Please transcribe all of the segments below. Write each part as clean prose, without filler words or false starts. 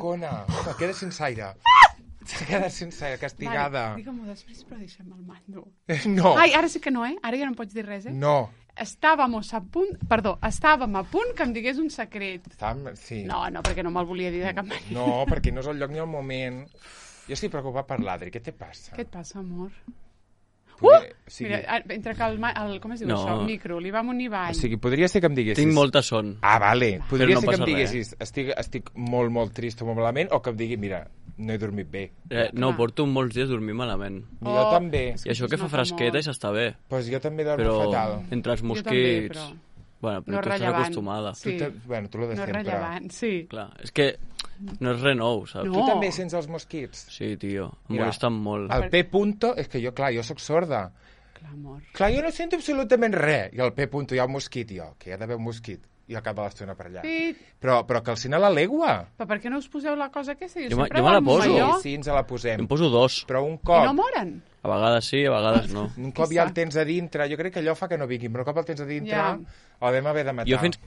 bocona. Home, queda sense aire. S'ha quedat sense aire, castigada. Vale, digue-m'ho després, però deixa'm el mando. No. Ai, ara sí que no, Ara ja no em pots dir res, No. Estàvem a punt que em digués un secret. Sí. No, perquè no me'l volia dir de cap manera. No, perquè no és el lloc ni el moment. Jo estic preocupat per l'Adri. Què te passa? Què et passa, amor? Sí. Mira, entre que com es diu això? El micro, li vam unir ball. O sigui, podria ser que em diguessis... Tinc molta son. Ah, vale. Podria no ser que em passa diguessis estic molt, molt trist o molt malament, o que em digui, mira, no he dormit bé. No, porto molts dies dormint malament. Jo també. I això que fa fresqueta i s'està bé. Pues jo també dormo fatal. Però entre els mosquits... Però... Bueno, però no tu estàs acostumada. Sí. Tu lo de no sempre. No és rellevant, sí. Clar, és que no és res nou, saps? No. Tu també sents els mosquits? Sí, tio, em molesten molt. El P punto, és que jo soc sorda. Clar, amor. Clar, jo no sento absolutament res. I al P punto hi ha un mosquit, que hi ha d'haver un mosquit. I al cap de l'estona per allà. Sí. Però que al cine la legua. Però per què no us poseu la cosa aquesta? Jo me la poso. Sí, ens la posem. Em poso 2. Però un cop... I no moren? A vegades sí, a vegades no. Un cop ja el tens a dintre, jo crec que allò fa que no vinguin, però un cop el tens a dintre, el vam haver de matar. Jo fins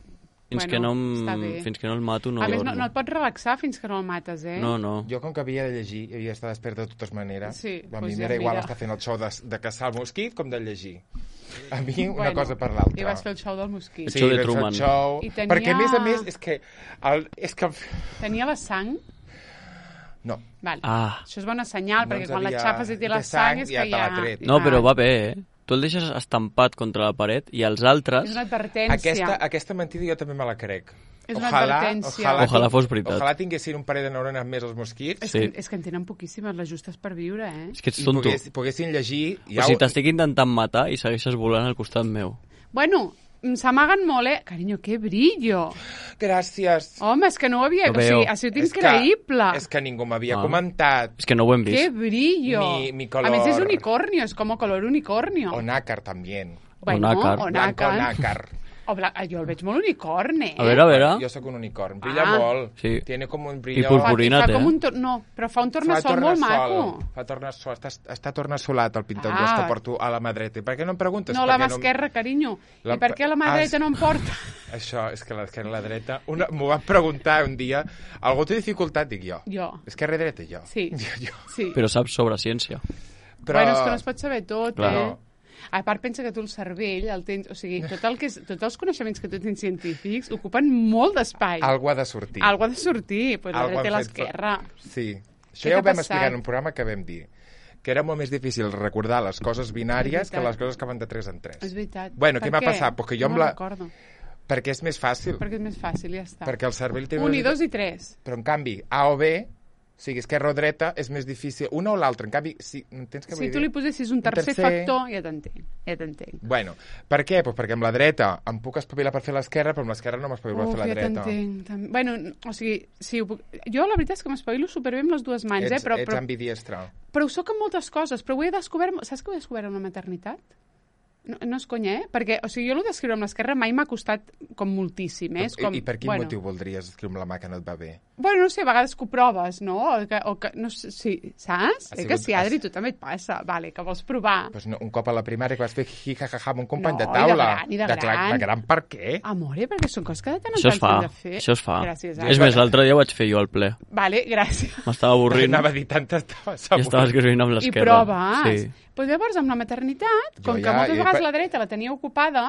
que no el mato no dormo. A més, dormo. no et pots relaxar fins que no el mates, No. Jo, com que havia de llegir, havia d'estar desperta de totes maneres, a mi m'era igual estar fent el show de caçar el mosquit com de llegir. A mi una cosa per l'altra. I vas fer el show del mosquit. El show de Truman. Perquè, a més, és que... Tenia la sang? No. Vale. Això és bona senyal, perquè quan la xapes i té la sang és que ja... No, però va bé, Tu el deixes estampat contra la paret i els altres... És una advertència. Aquesta mentida jo també me la crec. És una advertència. Ojalà fos veritat. Ojalà tinguessin un parell de neurones més els mosquits. És que en tenen poquíssimes, les justes per viure, És que ets tonto. I poguessin llegir... O sigui, t'estic intentant matar i segueixes volant al costat meu. Bueno, s'amaguen molt, Carinyo, que brillo. Gràcies. Home, és que no ho havia... O sigui, ha sigut increïble. És que ningú m'havia comentat. És que no ho hem vist. Que brillo. Mi color... A més, és unicornio, és com color unicornio. O nácar, també. Bueno, o Blanco nácar. Jo el veig molt unicorn, A veure. Jo sóc un unicorn. Brilla molt. Sí. Tiene com un brillo... I purpurina té. No, però fa un tornassol molt maco. Fa tornassol. Està tornassolat el pintaulles que porto a la mà dreta. Per què no em preguntes? No, la mà esquerra, carinyo. I per què la mà dreta no em porta? Això, és que l'esquerra i la dreta... M'ho van preguntar un dia. Algú té dificultat, dic jo. Jo. Esquerra i dreta, jo. Sí. Però saps sobre ciència. Bueno, és que no es pot saber tot, A part, pensa que tu el cervell el tens... O sigui, tots els coneixements que tu tens científics ocupen molt d'espai. Algú ha de sortir. Algú ha de sortir, pues la dreta i l'esquerra. Sí. Això ja ho vam explicar en un programa que vam dir que era molt més difícil recordar les coses binàries que les coses que van de 3 en 3. És veritat. Bueno, què m'ha passat? Pues que jo no recordo. Perquè és més fàcil. Perquè és més fàcil, ja està. Perquè el cervell té... 1 i 2 i 3. Però, en canvi, A o B... O sigui, esquerra o dreta és més difícil. Una o l'altra. En canvi, si tu li posessis un tercer factor, ja t'entenc. Bueno, per què? Pues perquè amb la dreta em puc espavilar per fer l'esquerra, però amb l'esquerra no m'espavilo per fer la dreta. Ja t'entenc. Bueno, o sigui, jo la veritat és que m'espavilo superbé amb les dues mans, però... Ets ambidiestra. Però ho soc en moltes coses, però ho he descobert... Saps que ho he descobert en la maternitat? No és conya, perquè, o sigui, jo d'escriure amb l'esquerra mai m'ha costat com moltíssim, I per quin motiu voldries escriure amb la mà que no et va bé? Bueno, no sé, a vegades que ho proves, no? O que no sé, sí, saps? Que sí, Adri, tu també et passa. Vale, que vols provar. Pues no, un cop a la primària que vas fer jijajaja amb un company de taula. I de gran. De gran per què? Amore, perquè són coses que de tant en tant s'han de fer. Això es fa. Gràcies, és més, l'altre dia ho vaig fer jo al ple. Vale, gràcies. M'estava avorrint. Anava a dir tant, estava segur. I estava escrivint amb l'esquerra. I proves. Sí. Pues llavors, amb la maternitat, com que moltes vegades la dreta la tenia ocupada,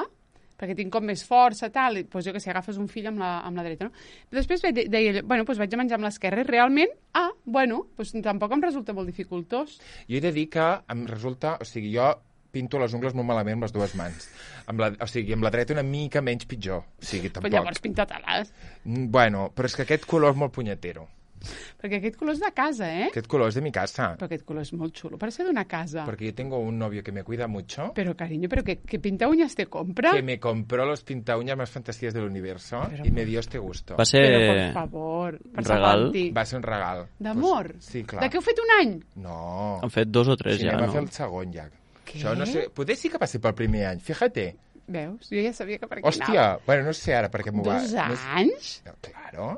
perquè tinc com més força, tal, doncs jo que sé, agafes un fill amb la dreta, no? Però després deia, bueno, doncs vaig a menjar amb l'esquerra i realment, doncs tampoc em resulta molt dificultós. Jo he de dir que em resulta, o sigui, jo pinto les ungles molt malament amb les dues mans. O sigui, amb la dreta una mica menys pitjor. O sigui, tampoc. Però llavors pinta-te-les. Bueno, però és que aquest color és molt punyetero. Perquè aquest color és de casa, Aquest color és de mi casa. Pero aquest color és molt xulo, parece de una casa. Porque yo tengo un novio que me cuida mucho. Pero, cariño, ¿qué pinta uñas te compra? Que me compró los pinta uñas más fantasías del universo y me dio este gusto. Va ser... Pero, por favor, un regal? Va ser un regal. D'amor? Pues, sí, clar. De què heu fet un any? No. Han fet 2 o 3 ja, no? no? Va fer el segon ja. Què? Això no sé... Potser sí que passi pel primer any, fíjate. Veus? Jo ja sabia que per aquí Hòstia, bueno, no sé ara perquè m'ho va... 2 anys? No, claro.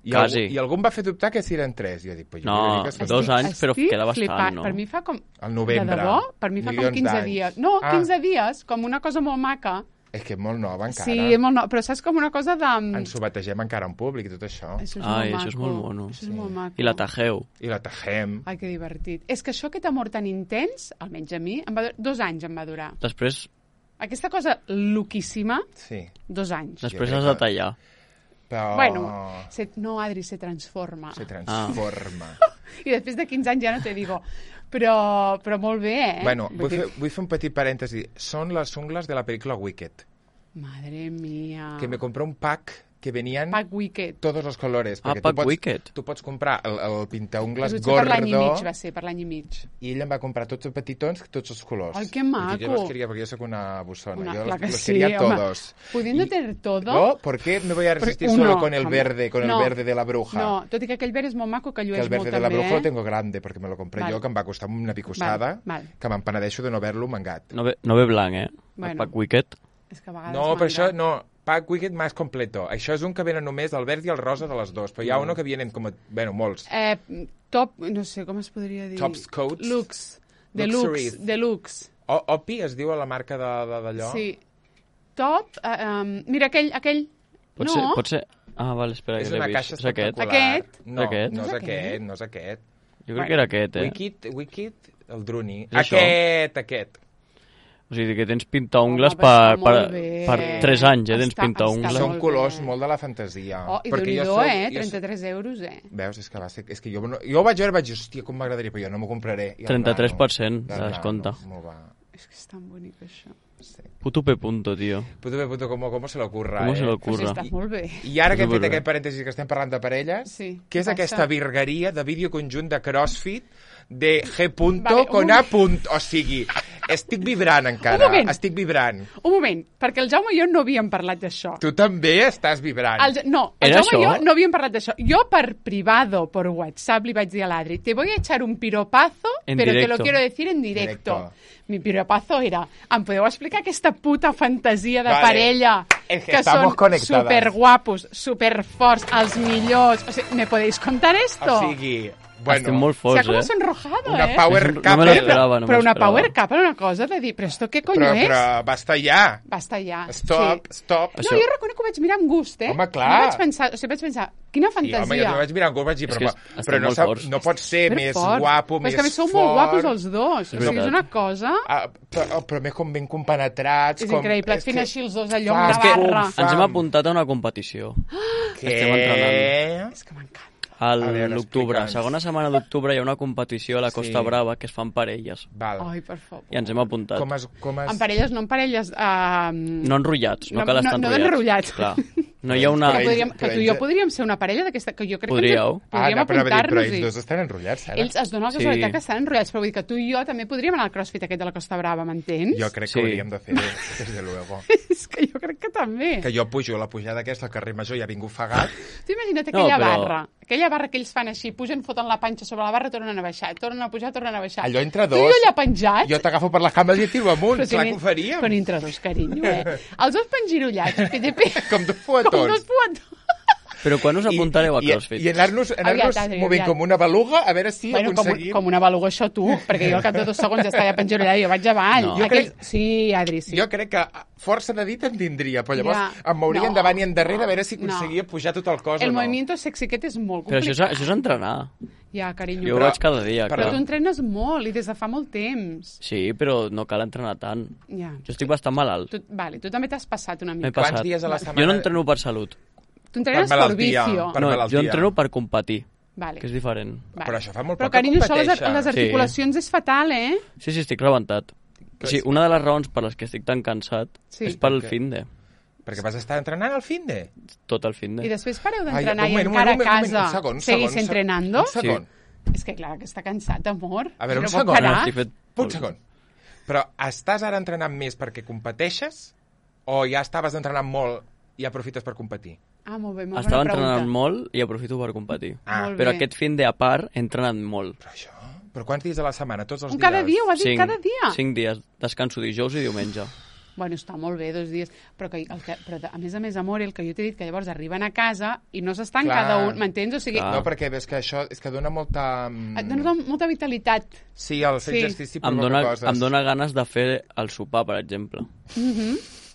Quasi. I algú em va fer dubtar que si eren 3. Jo dic, pues no, 2 anys, però queda bastant, no? Per mi fa com... Al novembre. De debò? Per mi fa com 15 dies. No, 15 dies, com una cosa molt maca. És que és molt nova encara. Sí, és molt nova, però saps com una cosa de... Ens ho bategem encara en públic i tot això. Això és molt maco. Això és molt mono. Això és molt maco. I la tajeu. I la tajem. Ai, que divertit. És que això, aquest amor tan intens, almenys a mi, 2 anys em va durar. Després... Aquesta cosa loquíssima, sí. 2 anys. Després has de tallar. Però... Bueno, no, Adri, se transforma. Se transforma. I després de 15 anys ja no te digo... Però molt bé, eh? Bueno, vull fer un petit parèntesi. Són les ungles de la pel·lícula Wicked. Madre mía. Que me compré un pack que venien Pack Wicked. Todos los colores. Pack Wicked. Tu pots comprar el pintaungles gordo. Per l'any i mig, va ser, per l'any i mig. I ell em va comprar tots els petitons, tots els colors. Ai, que maco. Jo los quería, porque yo soy una buzona. Yo los sí, quería todos. Pudiendo tener todo... No, ¿por qué me voy a resistir solo con el verde, el verde de la bruja? No, tot i que aquell verd és molt maco, que llueix molt també. Que el verde de la bruja lo tengo grande, porque me lo compré yo, que em va costar una picossada, que me'n penedeixo de no haver-lo mangat. No ve blanc, eh? El Pack Wicked. És que a vegades no, però això no... Pack Wicked más completo. Això és un que venen només el verd i el rosa de les dos, però hi ha uno que vienen com... Bueno, molts. Top, no sé, com es podria dir? Tops Coats. Lux. Deluxe. Opi es diu a la marca d'allò. Sí. Top, mira, aquell... Pot ser... Ah, vale, espera, que l'he vist. És una caixa espectacular. Aquest? No és aquest. Jo crec que era aquest, Wicked, el Druni. Aquest. O sigui, que tens pintaungles per 3 anys, tens pintaungles. Són colors molt de la fantasia. I Déu-n'hi-do, 33 euros, Veus, és que va ser... És que jo vaig veure i vaig dir, hòstia, com m'agradaria, però jo no m'ho compraré. 33% de descompte. És que és tan bonic, això. Sí. Puto P. tío. Puto P. ¿Cómo se le ocurra? ¿Cómo se le ocurra? Pues està molt bé. I ara que hem fet aquest parèntesi que estem parlant de parelles, què és aquesta virgueria de vídeo conjunt de CrossFit de G. con A. O sigui, estic vibrant encara. Estic vibrant. Un moment, perquè el Jaume i jo no havíem parlat d'això. Tu també estàs vibrant. No, el Jaume i jo no havíem parlat d'això. Jo per privado, por WhatsApp, li vaig dir a l'Adri, te voy a echar un piropazo, pero te lo quiero decir en directo. Mi piropazo era, em podeu explicar aquesta puta fantasia de parella que són superguapos, superforts, els millors? O sigui, ¿me podéis contar esto? O sigui... Bueno, estem molt forts, com sonrojado, una power couple. No me l'esperava, Però una power couple, una cosa de dir, però esto què coño és? Però basta ja. Basta ja. Stop. No, jo reconec que ho vaig mirar amb gust, Home, clar. Vaig pensar, quina fantasia. Sí, home, jo vaig mirar amb gust, vaig dir, però no pot ser més guapo, més fort. És que a més sou molt guapos els dos. O sigui, és una cosa... Però més com ben compenetrats. És increïble, et fent així els dos allò amb la barra. Ens hem apuntat a una competició. Què? És que m'encanta. A l'octubre, segona setmana d'octubre hi ha una competició a la Costa Brava que es fan parelles. Ai, per favor. I ens hem apuntat. En parelles, no en parelles... No enrotllats, no cal estar enrotllats. No enrotllats. Clar. No hi ha una... Que tu i jo podríem ser una parella d'aquesta... Que jo crec Podríeu. que podríem apuntar-nos-hi. Però ells dos estan enrotllats, ara. Ells es donen la casualitat que estan enrotllats, però vull dir que tu i jo també podríem anar al CrossFit aquest de la Costa Brava, m'entens? Jo crec que hauríem de fer, desde luego. És que jo crec que també. Que jo pujo la pujada aquesta al carrer Major i ja vinc ofegat. Tu imagina't aquella barra que ells fan així, pugen, foten la panxa sobre la barra, tornen a baixar, tornen a pujar, tornen a baixar. Allò entre dos. Tu i jo allà penjats. Jo t'agafo per les cames i et tiro amunt, clar que ho faríem. Però entre dos, carinyo, Els dos pengirollats. Com dos fuetons. Però quan us apuntareu a CrossFit? I anar-nos movent com una beluga, a veure si aconseguim... Com una beluga, això tu, perquè jo al cap de 2 segons ja estava pengirollada i jo vaig avall. Sí, Adri, sí. Jo crec que força de dit en tindria, però llavors em mouria endavant i endarrere a veure si aconseguia pujar tot el cos o no. El movimiento sexy aquest és molt complicat. Però això és entrenar. Ja, carinyo. Jo ho vaig cada dia. Però tu entrenes molt i des de fa molt temps. Sí, però no cal entrenar tant. Jo estic bastant malalt. Tu també t'has passat una mica. Quants dies a la setmana? Jo no entreno per salut. Tu entrenes per vicio. No, jo entreno per competir, que és diferent. Però això fa molt poc que competeixa. Però, carinyo, això les articulacions és fatal, eh? Sí, estic rebentat. Sí, una de les raons per les que estic tan cansat és pel finde. Perquè vas estar entrenant al finde? Tot el finde. I després pareu d'entrenar i encara a casa seguís entrenando? Un segon. És que clar, que està cansat, amor. A veure, un segon. Però estàs ara entrenant més perquè competeixes o ja estaves entrenant molt i aprofites per competir? Molt bé, molt bona pregunta. Estava entrenant molt i aprofito per competir. Però aquest finde a part he entrenat molt. Però quants dies a la setmana? Tots els dies? Cada dia, ho has dit, cada dia? 5 dies. Descanso dijous i diumenge. Bueno, està molt bé, 2 dies. Però a més, amor, el que jo t'he dit, que llavors arriben a casa i no s'estan cada un, m'entens? O sigui... No, perquè ves que això és que dona molta... Et dona molta vitalitat. Sí, el fer exercici provoca coses. Em dona ganes de fer el sopar, per exemple.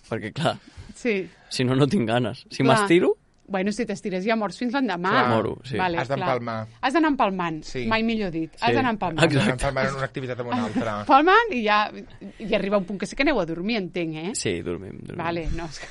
perquè clar, Sí. si no, no tinc ganes. Si m'estiro... Bueno, si t'estires ja morts fins l'endemà. Clar. Moro, sí. Vale, Has d'empalmar. Has d'anar empalmant, Sí. mai millor dit. Sí. Has d'anar empalmant. Has d'anar empalmant en una activitat amb una altra. Empalmant i ja i arriba un punt que sí que aneu a dormir, entenc, eh? Sí, dormim. Vale, no, és que...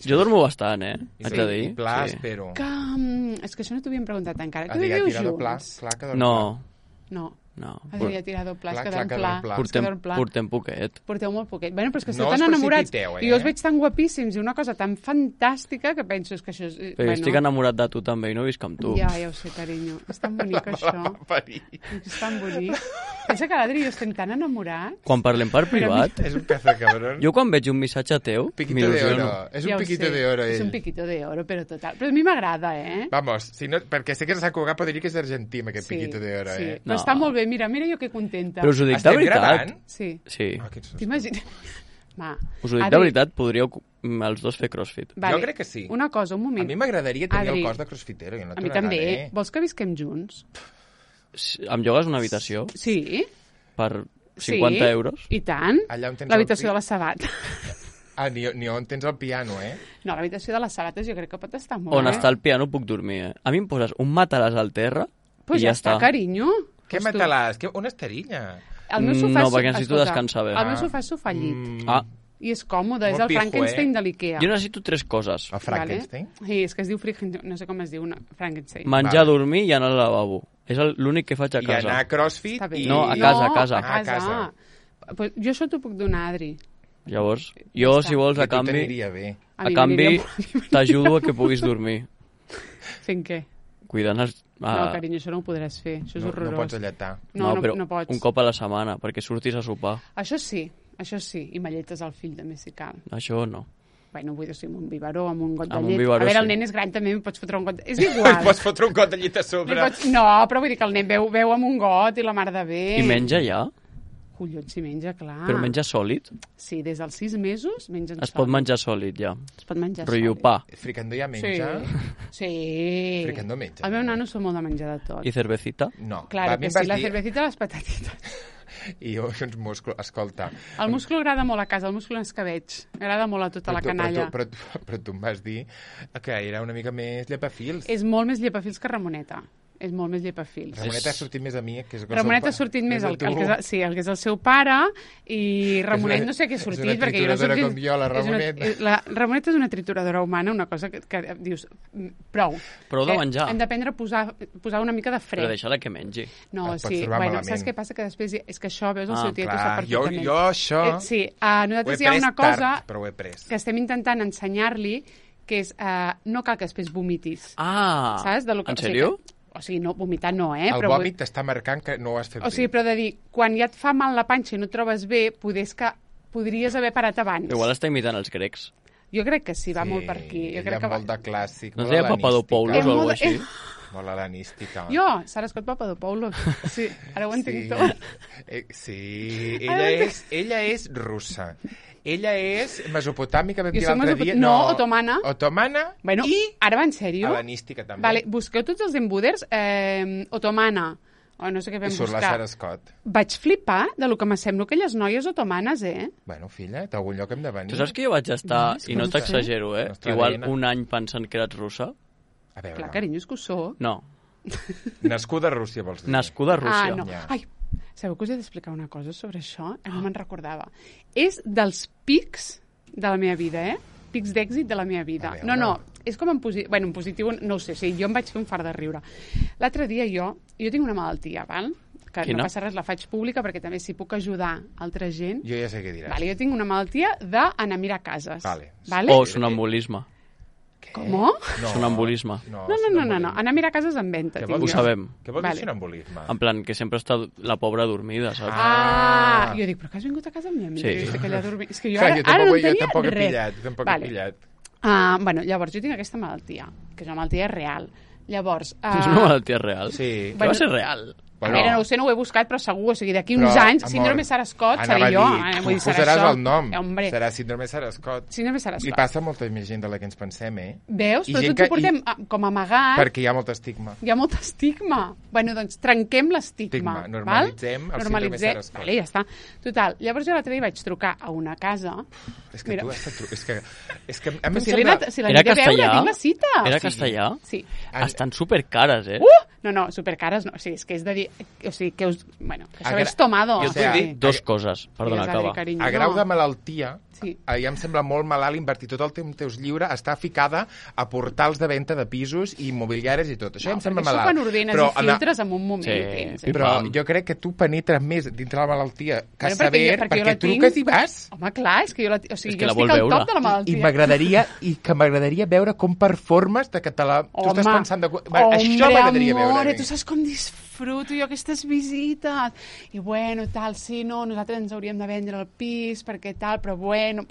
Jo dormo bastant, haig de dir. I pla, Sí. espero. És que això no t'ho havíem preguntat encara. Has Tu de viviu tirar de pla. junts? Clar que dorm No, No. no. Has de tirar de pla, es Clar, quedar en clar que pla. dorm pla. Es quedar en pla. Portem poquet. Porteu molt poquet. Bueno, però és que esteu No tan us enamorats. precipiteu, I jo us veig tan guapíssims i una cosa tan fantàstica que penso que això és... Però jo estic enamorat de tu també i no visc amb tu. Ja ho sé, carinyo. És tan bonic, això. És tan bonic. Pensa que l'Adri i jo estem tan enamorats. Quan parlem per privat, És un caza cabrón. jo quan veig un missatge teu, Piquito de m'il·lusiono. oro. És Ja un ho piquito sé. de oro, És un ell. piquito de oro, però total. Però a mi m'agrada, eh? Vamos, si no, perquè sé que s'ha cugat, però diria que és argentí, amb aquest piquito de oro, sí. eh? Però No. està molt bé. Mira jo que contenta. Però us ho dic de Estem veritat. gravant? Sí. Sí. Ah, quins T'imagines? Va. Us ho dic Adri, de veritat, podríeu els dos fer crossfit. Vale. Jo crec que sí. Una cosa, un A moment. mi m'agradaria tenir Adri, el cos de crossfitero. Jo no A t'ho mi també. negaré. Vols que visquem junts? Em llogues una habitació Sí. per 50 euros? I tant. Allà on tens L'habitació el- de les sabates. Ah, ni on tens el piano, eh? No, l'habitació de les sabates jo crec que pot estar molt On bé. està el piano puc dormir, eh? A mi em poses un matalàs al terra Pues i ja ja està. carinyo. Què Pues tu- matalàs? On estaria? El meu sofà No, és perquè necessito escolta, descansar bé. El meu sofà és sofà llit. Ah, I és còmode, és Molt el pijo, Frankenstein de l'Ikea. jo necessito 3 coses. El Frankenstein? Vale? Sí, és que es diu Frankenstein, no sé com es diu, Frankenstein. Menjar, Vale. dormir i anar al lavabo. És l'únic que faig a I casa. anar a CrossFit Està bé. i... No, a casa, a casa. A Ah, a casa. Pues jo això t'ho puc donar, Adri. Llavors, jo, està. si vols, Que a a tu canvi, t'aniria bé. a mi canvi m'aniria molt- t'ajudo a que puguis dormir. Fent què? Cuidant els... No, carinyo, això no ho podràs fer. Això és No, horrorós. no pots alletar. No, però no pots. un cop a la setmana, perquè surtis a sopar. Això sí. I m'alletes el fill també, si cal. Això no. Bueno, vull dir, sí, amb un biberó, amb un got de Amb un llet. biberó, A veure, el sí. nen és gran, també, pots fotre un got... És Li igual. pots fotre un got de llit a Li sobre. No, però vull dir que el nen veu amb un got i la mar de bé. I menja ja? Collons, si menja, clar. Però menja sòlid? Sí, des dels 6 mesos mengen Es pot menjar sòlid, ja. Es pot menjar Rotllo sòlid. pa. Fricandó ja menja? Sí. Fricandó menja. El meu nano són molt de menjar de tot. I cervecita? No. Claro a mi que em sí, vas la dir- cervecita i les patatites. I jo, uns músculs... Escolta... El múscul agrada molt a casa, el múscul en escabeig. Agrada molt a tota la canalla. Però tu em vas dir que era una mica més llepafils. És molt més llepafils que Ramoneta. És molt més llepafils. Ramoneta ha sortit més a mi, que és... Ramonet ha sortit més el que és el seu pare i Ramonet no sé què ha sortit. És una perquè jo no trituradora sé com jo, la Ramonet. La Ramonet és una trituradora humana, una cosa que dius, prou. Prou de menjar. Hem d'aprendre a posar una mica de fre. Però deixa-la que mengi. No, Et pots sí, trobar bueno, malament. saps què passa? Que després és que això, veus, el seu tiet ho clar, sap jo perfectament. això... Sí, Ho he nosaltres hi ha pres una cosa tard, però ho he pres. que estem intentant ensenyar-li, que és no cal que després vomitis. Ah, Saps? De lo que, en sèrio? O sigui, no, vomitar no, El però vòmit t'està marcant que no ho has fet o sigui, però de dir, quan ja et fa mal la panxa i no et trobes bé, podries haver parat abans. Igual està imitant els grecs. Jo crec que sí, va molt per aquí. Jo ella crec que molt de clàssic. No molt es deia hel·lenística. Papadopoulos o molt alguna de- així? Molt hel·lenística. Jo, Sara Scott Papadopoulos. Sí, ara ho entenc Sí. tot. Sí, Ara ella és russa. Ella és mesopotàmica, vam Jo dir soc l'altre dia. No, otomana. Otomana Bueno, i ara va en sèrio? hel·lenística també. Vale, busqueu tots els embuders, otomana, o no sé què I vam surt la buscar. Sara Scott. Vaig flipar de lo que m'assemblo aquelles noies otomanes, Bueno, filla, d'algun lloc hem de venir. Tu saps que jo vaig estar, No, i no no sé. t'exagero, Nostra igual ADN. un any pensant que eres russa? A veure, Clar, carinyo, és que ho sóc. No, nascuda a Rússia, vols dir? nascuda a Rússia. Ah, no. Ja. Ai, sabeu que us he d'explicar una cosa sobre això? No me'n recordava. És dels pics de la meva vida, pics d'èxit de la meva vida. A veure. No, és com en positiu... Bueno, en positiu, no ho sé, sí, jo em vaig fer un fart de riure. L'altre dia jo tinc una malaltia, val? Que Quina? no passa res, la faig pública perquè també si puc ajudar altra gent... Jo ja sé què diràs. Vale, jo tinc una malaltia d'anar a mirar cases. Vale. Vale? O sonambulisme. Com? Sonambulisme. No, anar a mirar cases en venda. Què tinc vol Ho dir? jo. sabem. Què vol dir Vale. sonambulisme? En plan, que sempre està la pobra dormida, saps? Ah, jo dic, però que has vingut a casa amb mi? Sí. És que allà dormir... És que jo Clar, ara no jo tenia tampoc he res. pillat, tampoc Vale. he pillat. Bueno, llavors, jo tinc aquesta malaltia, que és una malaltia real. Llavors... És una malaltia real? Sí. Que va ser real? A veure, no ho sé, no ho he buscat, però segur, o sigui, d'aquí uns Però, anys, amor, síndrome Sara Scott, anava seré a jo. dir, Vull dir, tu serà posaràs això. el nom. Hombre, Serà síndrome Sara Scott. síndrome Sara I Scott. passa molta més gent de la que ens pensem, Veus? I Però gent tots ho que- portem com amagat. Perquè hi ha molt estigma. Hi ha molt estigma. Bueno, doncs trenquem l'estigma. Normalitzem el síndrome Sarah Scott. Vale, ja està. Total, llavors jo l'altre dia vaig trucar a una casa... És que tu has de és que a mi si l'he de veure, tinc la cita. Era castellà? Sí. Estan supercares, No, supercares no. O sigui, és que és de dir... O sigui, que us... Bueno, que això és tomado. Jo t'he dit dos coses. Perdona, acaba. A grau de malaltia, ja em sembla molt malalt invertir tot el temps lliure, està ficada a portals de venda de pisos i immobiliaris i tot. Això em sembla malalt. Això quan ordenes i filtres en un moment. Però jo crec que tu penetres més dintre la malaltia que saber, perquè truques i vas. Home, clar, és que jo estic al top de la malaltia. I m'agradaria veure com performes de que tu estàs pensant... Això m'agradaria veure. Amore, tu saps com disfruto jo aquestes visites. I bueno, tal, sí, no, nosaltres ens hauríem de vendre el pis, perquè tal, però bueno.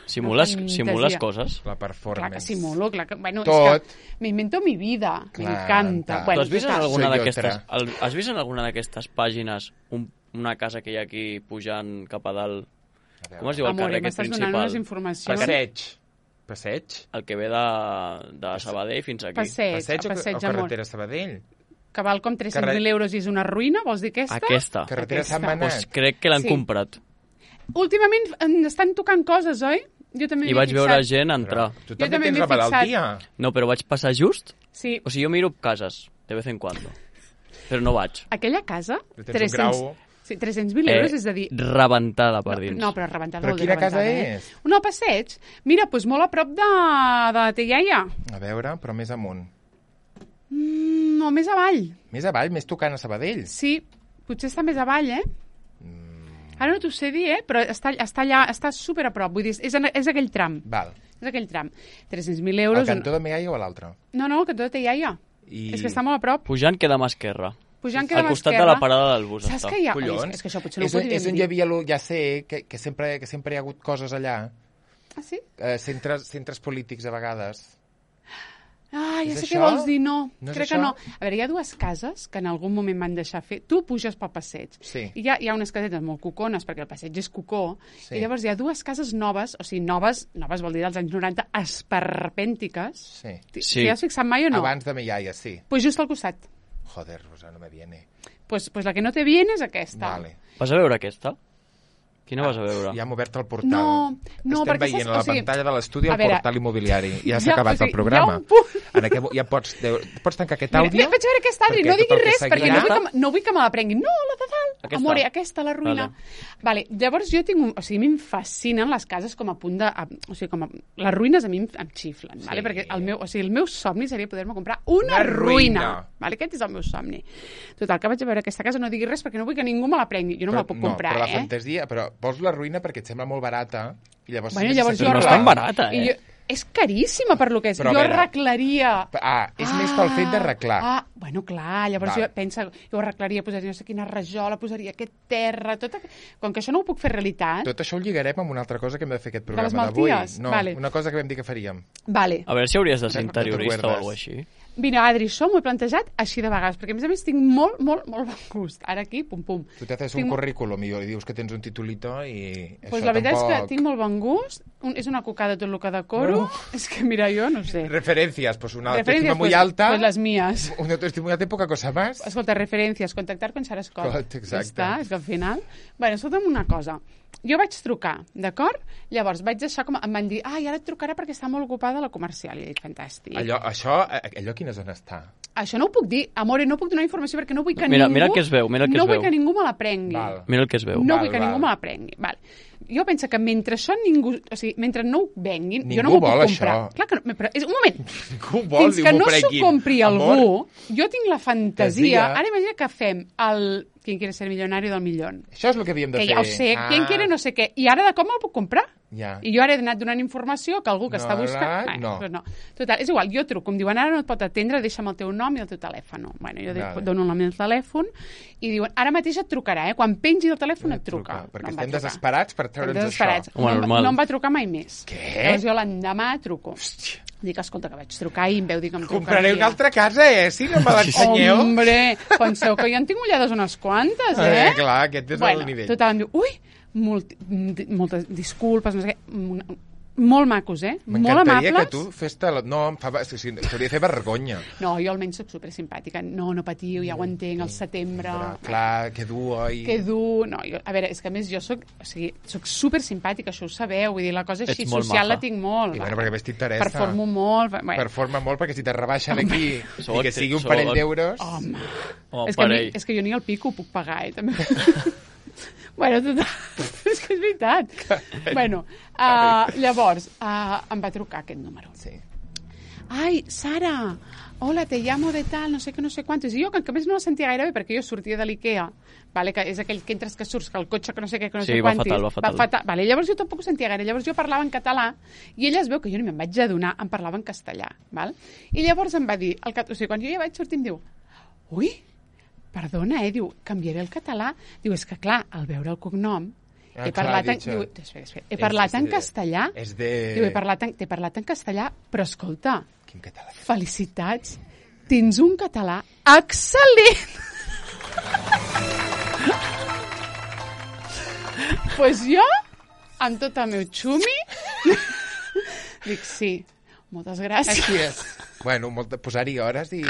Simules coses. La performance. Clar que simulo, clar que... Bueno, tot. És que m'invento mi vida, m'encanta. Tu has vist en alguna d'aquestes pàgines una casa que hi ha aquí pujant cap a dalt? Com es diu el carrer aquest principal? M'estàs donant unes informacions. Passeig? El que ve de Sabadell fins aquí. Passeig, o carretera Sabadell? Que val com 300.000 euros i és una ruïna, vols dir aquesta? Aquesta. Carretera Sant Manat. Pues crec que l'han comprat. Últimament estan tocant coses, oi? Jo també I vaig veure gent entrar. Tu també tens la malaltia. No, però vaig passar just. Sí. O sigui, jo miro cases, de vez en cuando. Però no vaig. Aquella casa, 300.000 euros, és a dir... Rebentada per dins. No, però rebentada. Però quina casa és? Una al passeig. Mira, doncs molt a prop de la Teiaia. A veure, però més amunt. No, més avall. Més avall, més tocant a Sabadell. Sí, potser està més avall, Ara no t'ho sé dir, però està allà, està super a prop. Vull dir, és aquell tram. Val. És aquell tram. 300.000 euros... Al cantó de Teiaia o a l'altre? No, al cantó de Teiaia. És que està molt a prop. Pujant queda mà esquerra. Al costat de la parada del bus. Saps que hi ha... Collons. És que això potser no ho podríem dir. És on hi havia, ja sé, que sempre hi ha hagut coses allà. Ah, sí? Centres polítics, a vegades. Ah, ja sé què vols dir, no. Crec que no. A veure, hi ha dues cases que en algun moment van deixar fer. Tu puges pel passeig. Sí. I hi ha unes casetes molt cucones, perquè el passeig és cucó. Sí. I llavors hi ha dues cases noves, o sigui, noves vol dir dels anys 90, esperpèntiques. Sí. T'hi has fixat mai o no? Abans de Miaia, sí. Pues just al costat. Joder, Rosa, no me viene. Pues la que no te viene és aquesta. Vale. Vas a veure aquesta? Quina vas a veure? Ja hem obert el portal. No, estem veient a la pantalla de l'estudi el portal immobiliari. Ja s'ha acabat el programa. Ja pots tancar aquest àudio. Mira, vaig veure aquest àudio, no diguis res, perquè no vull que me la prenguin. No, la de dalt. Amore, aquesta, la ruïna. Vale, llavors jo tinc... O sigui, a mi em fascinen les cases com a punt de... O sigui, com les ruïnes a mi em xiflen, vale? Perquè el meu somni seria poder-me comprar una ruïna. Vale? Aquest és el meu somni. Total, que vaig a veure aquesta casa, no diguis res, perquè no vull que ningú me la prengui. Jo no me la puc comprar, però la fantasia... Però vols la ruïna perquè et sembla molt barata i llavors... Però no és tan barata, És caríssima per lo que és. Jo arreglaria... és més pel fet d'arreglar. Bueno, clar, llavors jo arreglaria, posaria no sé quina rajola, posaria aquest terra, com que això no ho puc fer realitat... Tot això ho lligarem amb una altra cosa que hem de fer aquest programa d'avui. No, una cosa que vam dir que faríem. Vale. A veure si hauries de ser interiorista o alguna així. Mira, Adri, això m'ho he plantejat així de vegades, perquè a més tinc molt, molt, molt bon gust. Ara aquí, pum, pum. Tu t'haces un currículum i dius que tens un titulito i pues la veritat és que tinc molt bon gust, és una cocada tot el que decoro, és que mira, jo no sé. Referencias, pues una autoestima muy alta. Pues las mías. Una autoestima muy alta y poca cosa más. Escolta, referencias, contactar con Sarah Scott. Exacte. És que al final... Bueno, escolta'm una cosa. Jo vaig trucar, d'acord? Llavors vaig deixar com... Em van dir, ara et trucarà perquè està molt ocupada a la comercial. I he dit, fantàstic. Allò a quina zona està? Això no ho puc dir. Amore, no puc donar informació perquè no vull que ningú... Mira el que es veu, No vull que ningú me la prengui. Mira el que es veu. No vull que ningú me la prengui. Vale. Jo penso que mentre això ningú... O sigui, mentre no ho venguin, jo no m'ho puc comprar. Això. Clar que no, però un moment. Ningú vol, fins que no s'ho compri algú, jo tinc la fantasia... Ara imagina que fem el... ¿Quién quiere ser millonario del millón? Això és el que havíem de fer. Que ja ho sé, ¿quién quiere no sé què. I ara de com me'l puc comprar? Ja. I jo ara he anat donant informació que algú que està buscant... No. Pues no. Total, és igual, jo truco, em diuen ara no et pot atendre, deixa'm el teu nom i el teu telèfon. Bueno, jo dono el nom i el telèfon i diuen, ara mateix et trucarà, quan pengi el telèfon et truca. Perquè estem desesperats per treure'ns això. No em va trucar mai més. Què? Llavors jo l'endemà truco. Hòstia. Dic, escolta, que vaig trucar i em veu dir que em trucaria. Compraré una altra casa, si no me l'ensenyeu. Hombre, penseu que jo en tinc mullades unes quantes, Clar, aquest és el nivell. Total, em diu, ui, moltes disculpes, no sé què, molt macos, molt amables. M'encantaria que tu fes... No, t'hauria de fer vergonya. No, jo almenys soc supersimpàtica. No patiu, ja ho entenc, al setembre... Clar, que dur, oi? Que dur... No, a veure, és que a més jo soc supersimpàtica, això ho sabeu, vull dir, la cosa així social la tinc molt. I bueno, perquè ves t'interessa. Performo molt. Performa molt, perquè si te rebaixen aquí i que sigui un parell d'euros... Home, és que jo ni el pico ho puc pagar, també. Bueno, total, és que és veritat. Bueno, llavors, em va trucar aquest número. Sí. Ai, Sara, hola, te llamo de tal, no sé què, no sé quantos. I jo, que a més no la sentia gaire bé, perquè jo sortia de l'Ikea, vale, que és aquell que entres que surts, que el cotxe que no sé què, que no sé quantis. Sí, va fatal. Vale, llavors jo tampoc ho sentia gaire. Llavors jo parlava en català i ella es veu que jo ni me'n vaig adonar, em parlava en castellà, val? I llavors em va dir, o sigui, quan jo ja vaig sortir em diu, ui, perdona, diu, canviaré el català. Diu, és que clar, al veure el cognom, he parlat en castellà. Diu, he parlat en castellà, però escolta, quin català? Felicitats, tens un català excel·lent. Pues jo, amb tot el meu xumi, dic, sí, moltes gràcies. Així és. Bueno, posar-hi hores i...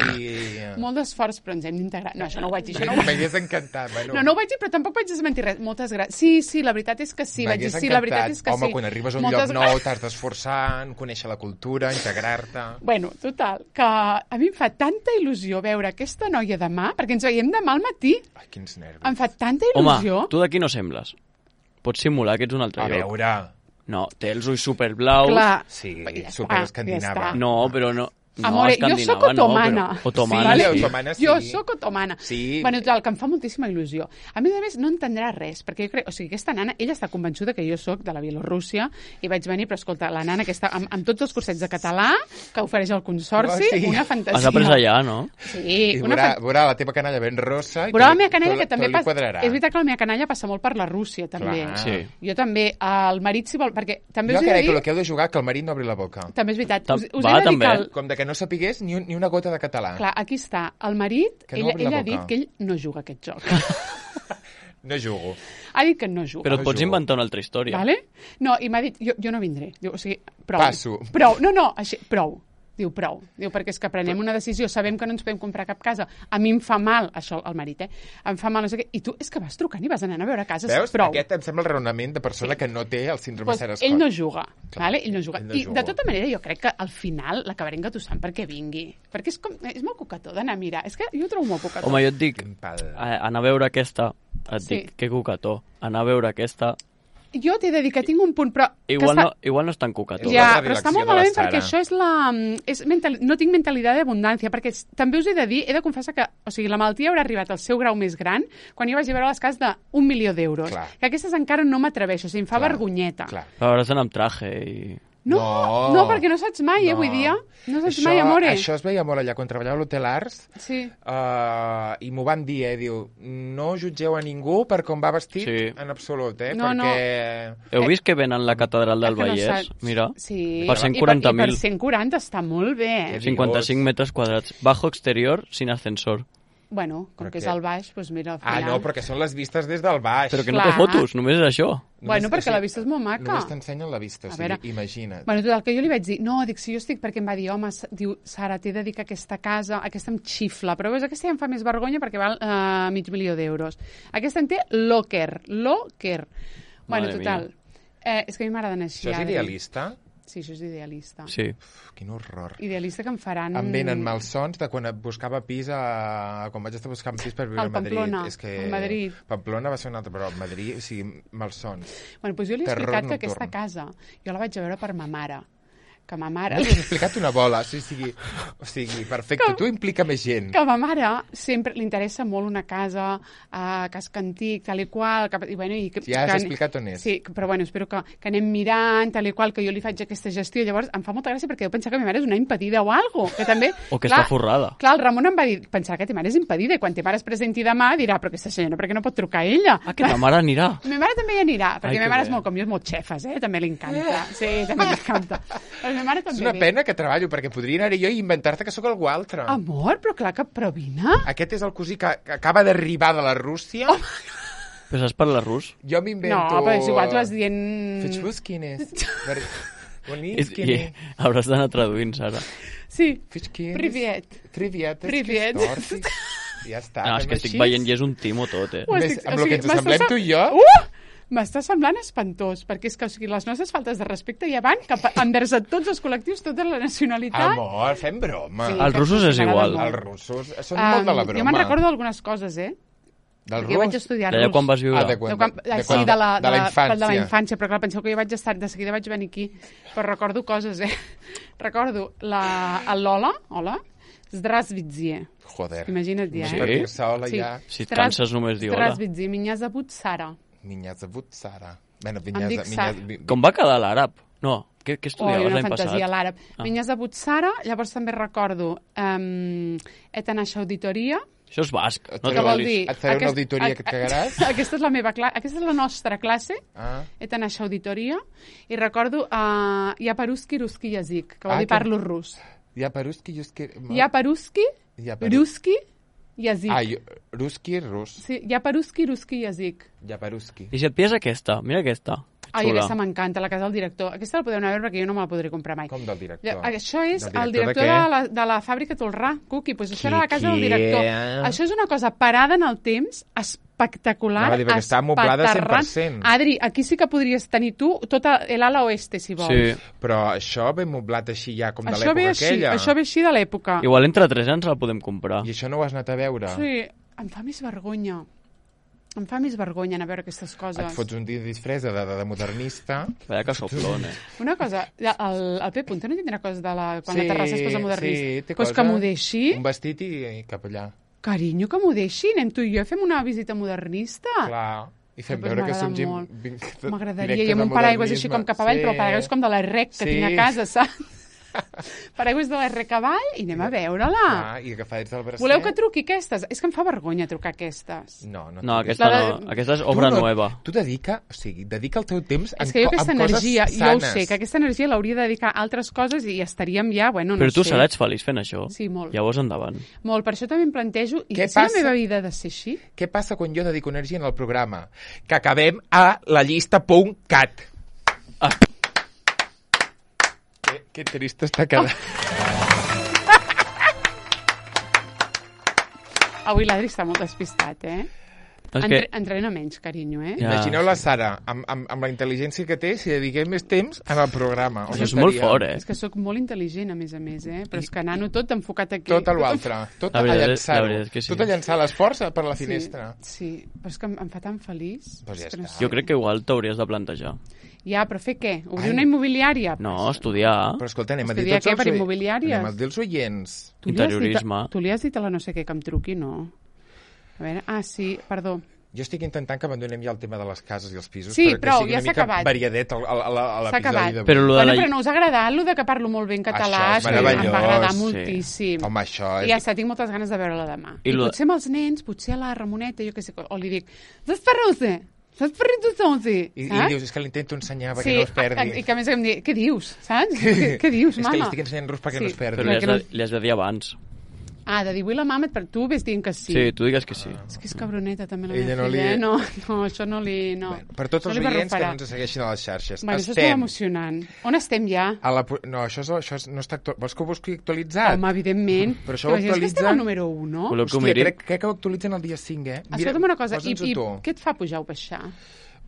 Molt d'esforç, però ens hem d'integrar. No, això no ho vaig dir. M'hagués encantat. Bueno. No ho vaig dir, però tampoc vaig desmentir res. Moltes gràcies. Sí, la veritat és que sí. Vaig dir, sí, la veritat és que sí. Home, quan arribes a un lloc nou, t'has d'esforçar, conèixer la cultura, integrar-te... Bueno, total, que a mi em fa tanta il·lusió veure aquesta noia demà, perquè ens veiem demà al matí. Ai, quins nervis. Em fa tanta il·lusió. Home, tu d'aquí no sembles. Pots simular que ets un altre lloc. A veure... No, té els ulls superblaus. Clar. Sí, superescandinava. No, però no... Amore, jo sóc otomana. Otomana, sí. Otomana, sí. Jo sóc otomana. Sí. Bueno, total, que em fa moltíssima il·lusió. A més, no entendrà res, perquè jo crec... O sigui, aquesta nana, ella està convençuda que jo sóc de la Bielorússia i vaig venir, però escolta, la nana que està amb tots els cursets de català que ofereix el Consorci, una fantasia. Has après allà, no? Sí. I veurà la teva canalla ben rossa i veurà la meva canalla que també passa... És veritat que la meva canalla passa molt per la Rússia, també. Sí. Jo també, el marit, si vol... Perquè també jo crec que el que heu de jugar que el marit no obri la boca. També és veritat. Us he de dir que... Com de que no sapigués ni una gota de català. Clar, aquí està. El marit, no ella ha dit que ell no juga aquest joc. No jugo. Ha dit que no juga. Però et pots inventar una altra història. Vale? No, i m'ha dit, jo no vindré. Diu, o sigui, prou. Passo. Prou. No, així, prou. Diu, prou. Diu, perquè és que prenem una decisió, sabem que no ens podem comprar cap casa. A mi em fa mal, això, el marit, Em fa mal, no sé què. I tu, és que vas trucant i vas anant a veure cases. Veus? Prou. Aquest em sembla el raonament de persona que no té el síndrome Sarah-Scott. Ell no juga, vale? Ell no juga. I de tota manera jo crec que al final l'acabaré engatussant perquè vingui. Perquè és molt cocató d'anar a mirar. És que jo ho trobo molt cocató. Home, jo et dic, anar a veure aquesta, dic, que cocató. Anar a veure aquesta... Jo t'he de dir que tinc un punt, però... Igual no és tan cocató. Ja, però està molt malament perquè això és no tinc mentalitat d'abundància, perquè també us he de dir, he de confessar que, o sigui, la malaltia haurà arribat al seu grau més gran quan jo vaig a veure les cases d'1 milió d'euros. Que aquestes encara no m'atreveixo, o sigui, em fa vergonyeta. Però hauràs d'anar amb traje i... No, perquè no saps mai, avui dia. No saps mai, amore. Això es veia molt allà, quan treballava a l'Hotel Ars, i m'ho van dir, diu, no jutgeu a ningú per com va vestit en absolut, perquè... Heu vist que venen la catedral del Vallès? Mira, per 140.000. I per 140 està molt bé. 55 metres quadrats. Bajo exterior, sin ascensor. Bueno, com que és al baix, doncs mira, al final... no, perquè són les vistes des del baix. Però que no té fotos, només és això. Bueno, perquè la vista és molt maca. Només t'ensenyen la vista, o sigui, imagina't. Bueno, tot el que jo li vaig dir, no, dic, si jo estic, perquè em va dir, home, diu, Sara, t'he de dir que aquesta casa, aquesta em xifla, però veus, aquesta ja em fa més vergonya perquè val $500.000 d'euros. Aquesta en té locker. Bueno, total, és que a mi m'agraden així. Això és idealista? Sí, això és idealista. Sí. Quin horror. Idealista que em faran... Em venen malsons de quan buscava pis quan vaig estar buscant pis per viure a Madrid. Pamplona, és que... Madrid. Pamplona va ser un altre, però Madrid, o sigui, malsons. Bueno, doncs jo li he explicat que aquesta casa jo la vaig a veure per ma mare. Que ma mare... M'has explicat una bola, o sigui, perfecte, tu implica més gent. Que ma mare sempre li interessa molt una casa, casc antic, tal i qual... Ja has explicat on és. Sí, però bueno, espero que anem mirant, tal i qual, que jo li faig aquesta gestió. Llavors em fa molta gràcia perquè jo pensava que ma mare és una impedida o alguna cosa, que també... O que està forrada. Clar, el Ramon em va dir, pensar que ta mare és impedida, i quan ta mare es presenti demà dirà, però aquesta senyora, per què no pot trucar a ella? Que ta mare anirà. Ma mare també hi anirà, perquè ma mare és molt com jo, és molt xefes, també li encanta. Sí, també m'encanta. És una pena que treballo, perquè podria anar jo i inventar-te que sóc algú altre. Amor, però clar que vine. Aquest és el cosí que acaba d'arribar de la Rússia. Però saps parlar rus? Jo m'invento... No, però és igual, tu vas dient... Fetxbus, quin és? I hauràs d'anar traduint, Sara. Sí, priviet. Priviet. Ja està. No, és que estic veient i és un timo tot, Amb el que ens semblem tu i jo... M'està semblant espantós, perquè és que les nostres faltes de respecte ja van envers a tots els col·lectius, tota la nacionalitat. Amor, fem broma. Sí, els russos és igual. Els russos són molt de la broma. Jo me'n recordo d'algunes coses, Del rus? Jo vaig estudiar rus. D'allà quan vas viure? Sí, de la infància, però clar, penseu que jo vaig estar, de seguida vaig venir aquí, però recordo coses, Recordo el Lola, hola, Zdravstvuyte. Joder. Imagina't ja, Sí. Si et canses només dir hola. Zdravstvuyte, Minya Zavut Sara. Minya Zavut Sara. Com va quedar l'àrab? No, què estudiaves l'any passat? Una fantasia, l'àrab. Minya Zavut Sara, llavors també recordo Etanaix Auditoria. Això és basc. Què vol dir? Et faré una auditoria que et cagaràs? Aquesta és la meva classe, aquesta és la nostra classe, Etanaix Auditoria, i recordo Yaparuski Ruski Yazik, que vol dir parlo rus. Yaparuski Ruski Yazik. Ruski, rus. Sí, Yaparuski Ruski Yazik. I si et pies aquesta? Mira aquesta. Ai, aquesta m'encanta, la casa del director. Aquesta la podeu anar a veure perquè jo no me la podré comprar mai. Com del director? Això és el director de la fàbrica Tolrà, Cuqui. Doncs això era la casa del director. Això és una cosa parada en el temps, espectacular, perquè està amoblada 100%. Adri, aquí sí que podries tenir tu tota l'ala oeste, si vols. Sí. Però això ve moblat així ja, com de l'època aquella. Això ve així de l'època. Igual entre 3 anys la podem comprar. I això no ho has anat a veure? Sí, em fa més vergonya. Em fa més vergonya anar a veure aquestes coses. Et fots un dia de disfressa de modernista. Vaya que soplon, Una cosa, el Pep Punta no tindrà coses de quan la terrassa es posa modernista? Sí, té coses. Pues que m'ho deixi. Un vestit i cap allà. Carinyo, que m'ho deixi. Anem tu i jo i fem una visita modernista. Clar. I fem veure que som gent... M'agradaria. I amb un paraigües així com cap avall, però el paraigües com de la REC que tinc a casa, saps? Paraigües de l'R Cavall i anem a veure-la. I agafar del bracet. Voleu que truqui aquestes? És que em fa vergonya trucar aquestes. No, aquesta no. Aquesta és obra nova. Tu dedica el teu temps en coses sanes. És que jo aquesta energia, jo ho sé, que aquesta energia l'hauria de dedicar a altres coses i estaríem ja, bueno, no sé. Però tu seràs feliç fent això. Sí, molt. Llavors endavant. Molt, per això també em plantejo, i si la meva vida ha de ser així? Què passa quan jo dedico energia en el programa? Que acabem a la llista.cat. Que trist està quedant. Avui l'Adri està molt despistat, Entrena menys, carinyo, Imagineu la Sara, amb la intel·ligència que té, si dediquem més temps en el programa. Això és molt fort, És que sóc molt intel·ligent, a més, Però és que nano tot enfocat aquí. Tot a l'altre. Tot a llançar-ho. Tot a llançar l'esforç per la finestra. Sí, però és que em fa tan feliç. Jo crec que igual t'hauries de plantejar. Ja, però fer què? Obrir una immobiliària? No, estudiar. Però escolta, anem a dir tots per immobiliàries? Anem a dir els oients. Interiorisme. Tu li has dit a la no sé què que em truqui, no? A veure, sí, perdó. Jo estic intentant que abandonem ja el tema de les cases i els pisos sí, perquè sigui una mica variadet a l'episodi d'avui. Però no us ha agradat el de que parlo molt bé en català? Això és meravellós. Em va agradar moltíssim. Home, això és... I ja està, tinc moltes ganes de veure-la demà. I potser amb els nens, potser a la Ramoneta, jo què sé, o li dic, desperreu-se! Saps per I dius, és que l'intento ensenyar perquè no es perdi. I que a més em diu, què dius, saps? Què dius, mama? És que li estic ensenyant rus perquè no es perdi. Però li has de dir abans. De dir, vull la mama, però tu ves dient que sí. Sí, tu digues que sí. És que és cabroneta, també la meva filla. No, això no li... Per tots els oients que no ens segueixin a les xarxes. Això és molt emocionant. On estem ja? No, això no està... Vols que ho busqui actualitzat? Home, evidentment. Però això ho actualitzen... És que estem al número 1. Hòstia, crec que ho actualitzen el dia 5, Escolta'm una cosa, i què et fa pujar o baixar?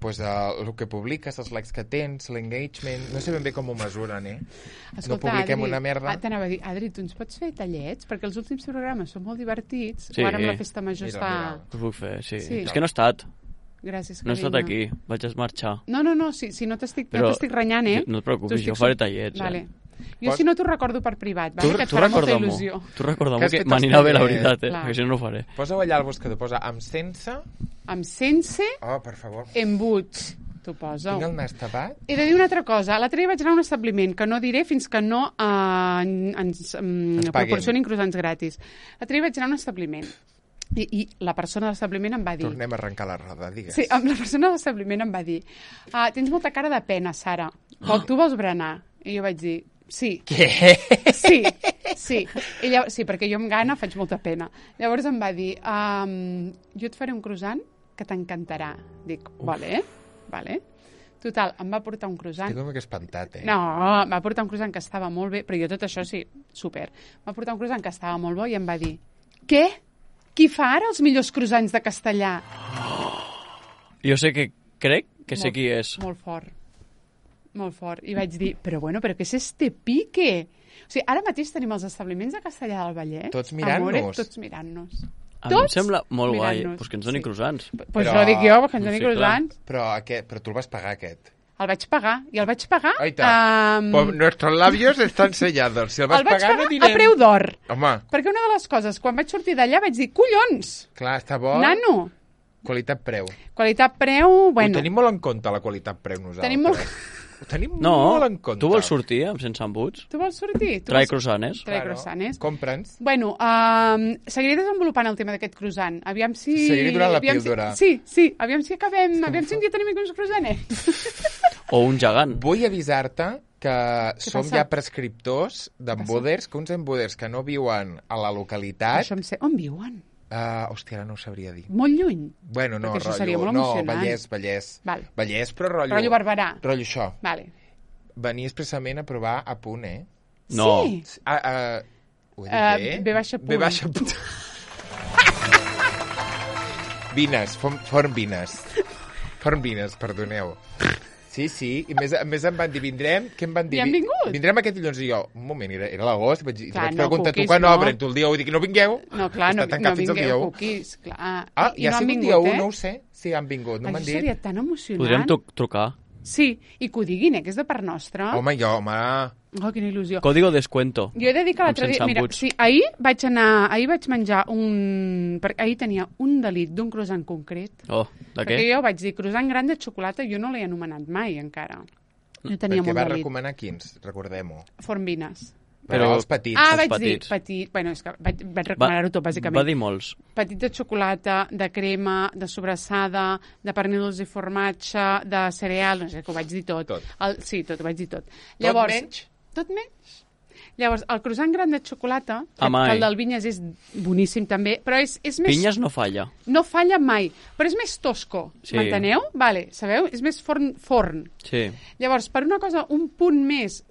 Pues el que publiques, els likes que tens, l'engagement... No sé ben bé com ho mesuren, Escolta, no publiquem Adri, una merda. T'anava a dir, Adri, tu ens pots fer tallets? Perquè els últims programes són molt divertits. O ara amb la festa major està... Ho puc fer, sí. És que no he estat. Gràcies, carinyo. No he estat aquí, vaig marxar. No, si no t'estic renyant, No et preocupis, jo faré tallets. Vale. Jo si no t'ho recordo per privat, que et farà molta il·lusió. Tu recorda'm que m'anirà bé la veritat, perquè si no ho faré. Posa-ho allà al buscador, posa amb sense... Amb sense... Oh, per favor. Embuts. T'ho poso. Tinc el nas tapat? He de dir una altra cosa. L'altre dia vaig anar a un establiment que no diré fins que no ens proporcionin croissants gratis. L'altre dia vaig anar a un establiment. I la persona de l'establiment em va dir... Tornem a arrencar la roda, digues. Sí, la persona de l'establiment em va dir tens molta cara de pena, Sara. Tu vols berenar? I jo vaig dir, sí. Què? Sí, perquè jo amb gana faig molta pena. Llavors em va dir, jo et faré un croissant que t'encantarà. Dic, vale. Total, em va portar un croissant. Estic com que espantat, No, em va portar un croissant que estava molt bé, però jo tot això sí, super. Em va portar un croissant que estava molt bo i em va dir, què? Qui fa ara els millors croissants de Castellà? Jo sé que crec que sé qui és. Molt fort. Molt fort. I vaig dir, però què és este pique? O sigui, ara mateix tenim els establiments de Castellà del Vallès. Tots mirant-nos. Tots mirant-nos. A mi em sembla molt guai, doncs que ens doni croissants. Pues això dic jo, que ens doni croissants. Però tu el vas pagar, aquest? El vaig pagar, i el vaig pagar... Pues nuestros labios están sellados. Si el vas pagar, no direm... a preu d'or. Home. Perquè una de les coses, quan vaig sortir d'allà, vaig dir, collons! Clar, està bo. Nano. Qualitat-preu. Qualitat-preu, bueno... Ho tenim molt en compte, la qualitat-preu, nosaltres. Ho tenim molt en compte. Tu vols sortir sense embuts? Tu vols sortir? Trai croissanes. Trai croissanes. Compra'ns. Bueno, seguiré desenvolupant el tema d'aquest croissant. Aviam si... Seguiré durant la píldora. Sí, aviam si acabem... Aviam si un dia tenim uns croissanets. O un gegant. Vull avisar-te que som ja prescriptors d'emboders, que uns emboders que no viuen a la localitat... Això em sé. On viuen? Hòstia, ara no ho sabria dir. Molt lluny? Bueno, no, perquè això seria molt emocionant. Vallès. Val. Vallès, però rotllo... Rotllo Barberà. Rotllo això. Vale. Venir expressament a provar a punt, eh? No. Sí. Ho he dit bé? B baixa punt. B baixa punt. Vines, forn vines. Forn vines, perdoneu. Sí, i més em van dir, vindrem... Què em van dir? I han vingut? Vindrem aquest dilluns i jo, un moment, era l'agost, i vaig preguntar, cookies, tu quan obren? Tu el dia 1 dic, no vingueu? No, clar, no vingueu, cookies, clar. I ha sigut dia 1, no ho sé, si han vingut, no m'han dit. Això seria tan emocionant. Podríem trucar. Sí, i que ho diguin, que és de part nostra. Home. Oh, quina il·lusió. Código descuento. Jo he de dir que l'altre dia... Mira, sí, ahir vaig menjar perquè ahir tenia un delit d'un croissant concret. Oh, de què? Perquè jo vaig dir, croissant gran de xocolata, jo no l'he anomenat mai, encara. Jo tenia molt delit. Perquè va recomanar quins, recordem-ho. Fornvines. Però els petits. Vaig dir petit. Bueno, és que vaig recomanar-ho tot, bàsicament. Va dir molts. Petit de xocolata, de crema, de de pernil dolç i formatge, de cereal, no sé, que ho vaig dir tot. Sí, tot, ho vaig dir tot. Llavors, tot menys? Tot menys. Llavors, el croissant gran de xocolata, que el del Vinyes és boníssim també, però és més... Vinyes no falla. No falla mai, però és més tosco, m'enteneu? Vale, sabeu? És més forn. Sí. Llavors, per una cosa un punt més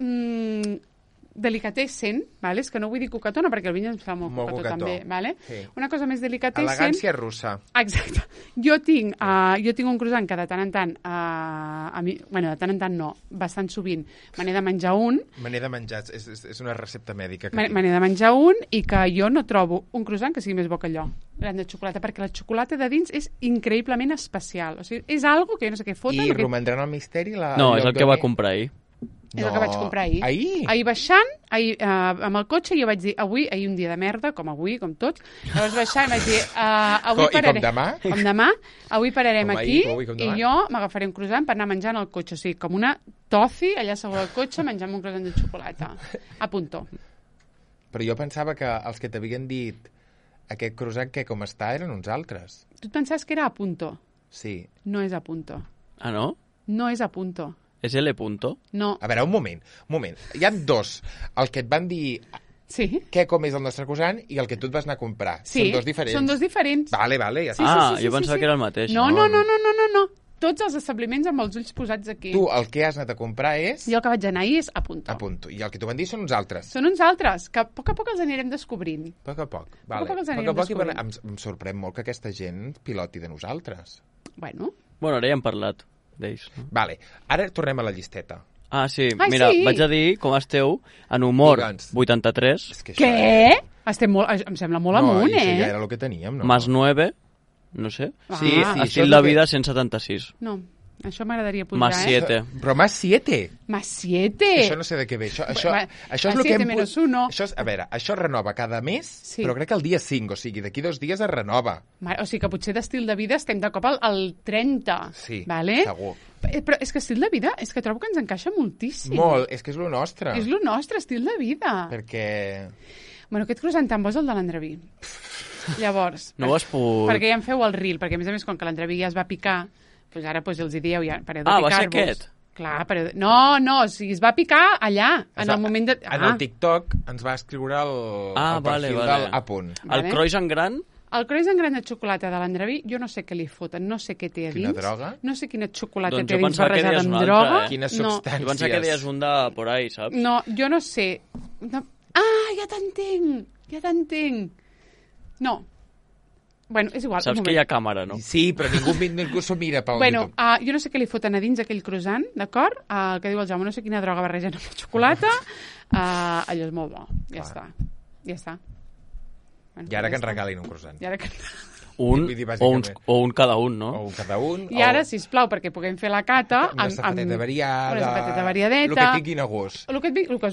delicatessen, vale? És que no vull dir cocatona perquè el Vinyes em fa molt cocató també, vale? Sí. Una cosa més delicatessen... Elegància russa. Exacte. Jo tinc un croissant que de tant en tant, de tant en tant no, bastant sovint, me n'he de menjar un. Me n'he de menjar, és una recepta mèdica. Me n'he de menjar un i que jo no trobo un croissant que sigui més bo que allò, gran de xocolata, perquè la xocolata de dins és increïblement especial. O sigui, és algo que jo no sé què foten. I romandran el misteri? No, és el que va comprar ahir. És el que vaig comprar ahir. Ahir baixant, amb el cotxe, jo vaig dir, ahir un dia de merda, com avui, com tots, llavors baixant vaig dir, avui pararem... I com demà? Com demà, avui pararem aquí i jo m'agafaré un croissant per anar menjant al cotxe. O sigui, com una tofi allà sobre el cotxe menjant un croissant de xocolata. A punto. Però jo pensava que els que t'havien dit aquest croissant que com està eren uns altres. Tu et pensaves que era a punto? Sí. No és a punto. Ah, no? No és a punto. És L punto? No. A veure, un moment. Hi ha dos. El que et van dir com és el nostre croissant i el que tu et vas anar a comprar. Sí, són dos diferents. Són dos diferents. Vale, ja sí. Jo pensava que era el mateix. No. Tots els establiments amb els ulls posats aquí. Tu el que has anat a comprar és... Jo el que vaig anar ahir és a punto. A punto. I el que t'ho van dir són uns altres. Són uns altres, que a poc els anirem descobrint. A poc. Vale. A poc em sorprèn molt que aquesta gent piloti de nosaltres. Bueno, ara ja hem parlat d'ells. No? Vale. Ara tornem a la llisteta. Ah, sí. Mira, vaig a dir com esteu en humor 83. Què? Estem molt... Em sembla molt amunt, No, ja era el que teníem, no? Más 9, no sé. Sí, estil de vida 176. No, això m'agradaria pujar, Más 7. Però más 7? Más 7? Això no sé de què ve. Això és el que hem... Menos 1. A veure, això es renova cada mes, però crec que el dia 5, o sigui, d'aquí 2 dies es renova. O sigui que potser d'estil de vida estem de cop al 30. Sí, vale? Segur. Però és que estil de vida, és que trobo que ens encaixa moltíssim. Molt, és que és lo nostre. És lo nostre, estil de vida. Perquè... Bueno, aquest croissant tan bo és el de l'Andreví. Llavors... No ho has pogut... Perquè ja em feu el reel, perquè a més com que l'Andreví ja es va picar, doncs ara els hi dieu, ja pareu de picar-vos. Va ser aquest? Clar, però... No, o sigui, es va picar allà, en el moment de... En el TikTok ens va escriure el perfil del A punt. El croissant gran El croissant gran de xocolata de l'Andreví, jo no sé què li foten, no sé què té a dins. Quina droga? No sé quina xocolata doncs té a dins barrejada amb droga. Quines substàncies. Jo pensava que deies un de por ahí, saps? No, jo no sé. Ah, ja t'entenc. No. Bueno, és igual. Saps que hi ha càmera, no? Sí, però ningú s'ho mira pel Bueno, jo no sé què li foten a dins aquell croissant, d'acord? El que diu el Jaume, no sé quina droga barregen amb la xocolata. Allò és molt bo. Ja està. Bueno, I ara que ens regalin un croissant. I ara que... Un cada un, no? O un cada un. I ara, sisplau, perquè puguem fer la cata... Una sabateta variada. Una sabateta variadeta. El que tinguin a gust.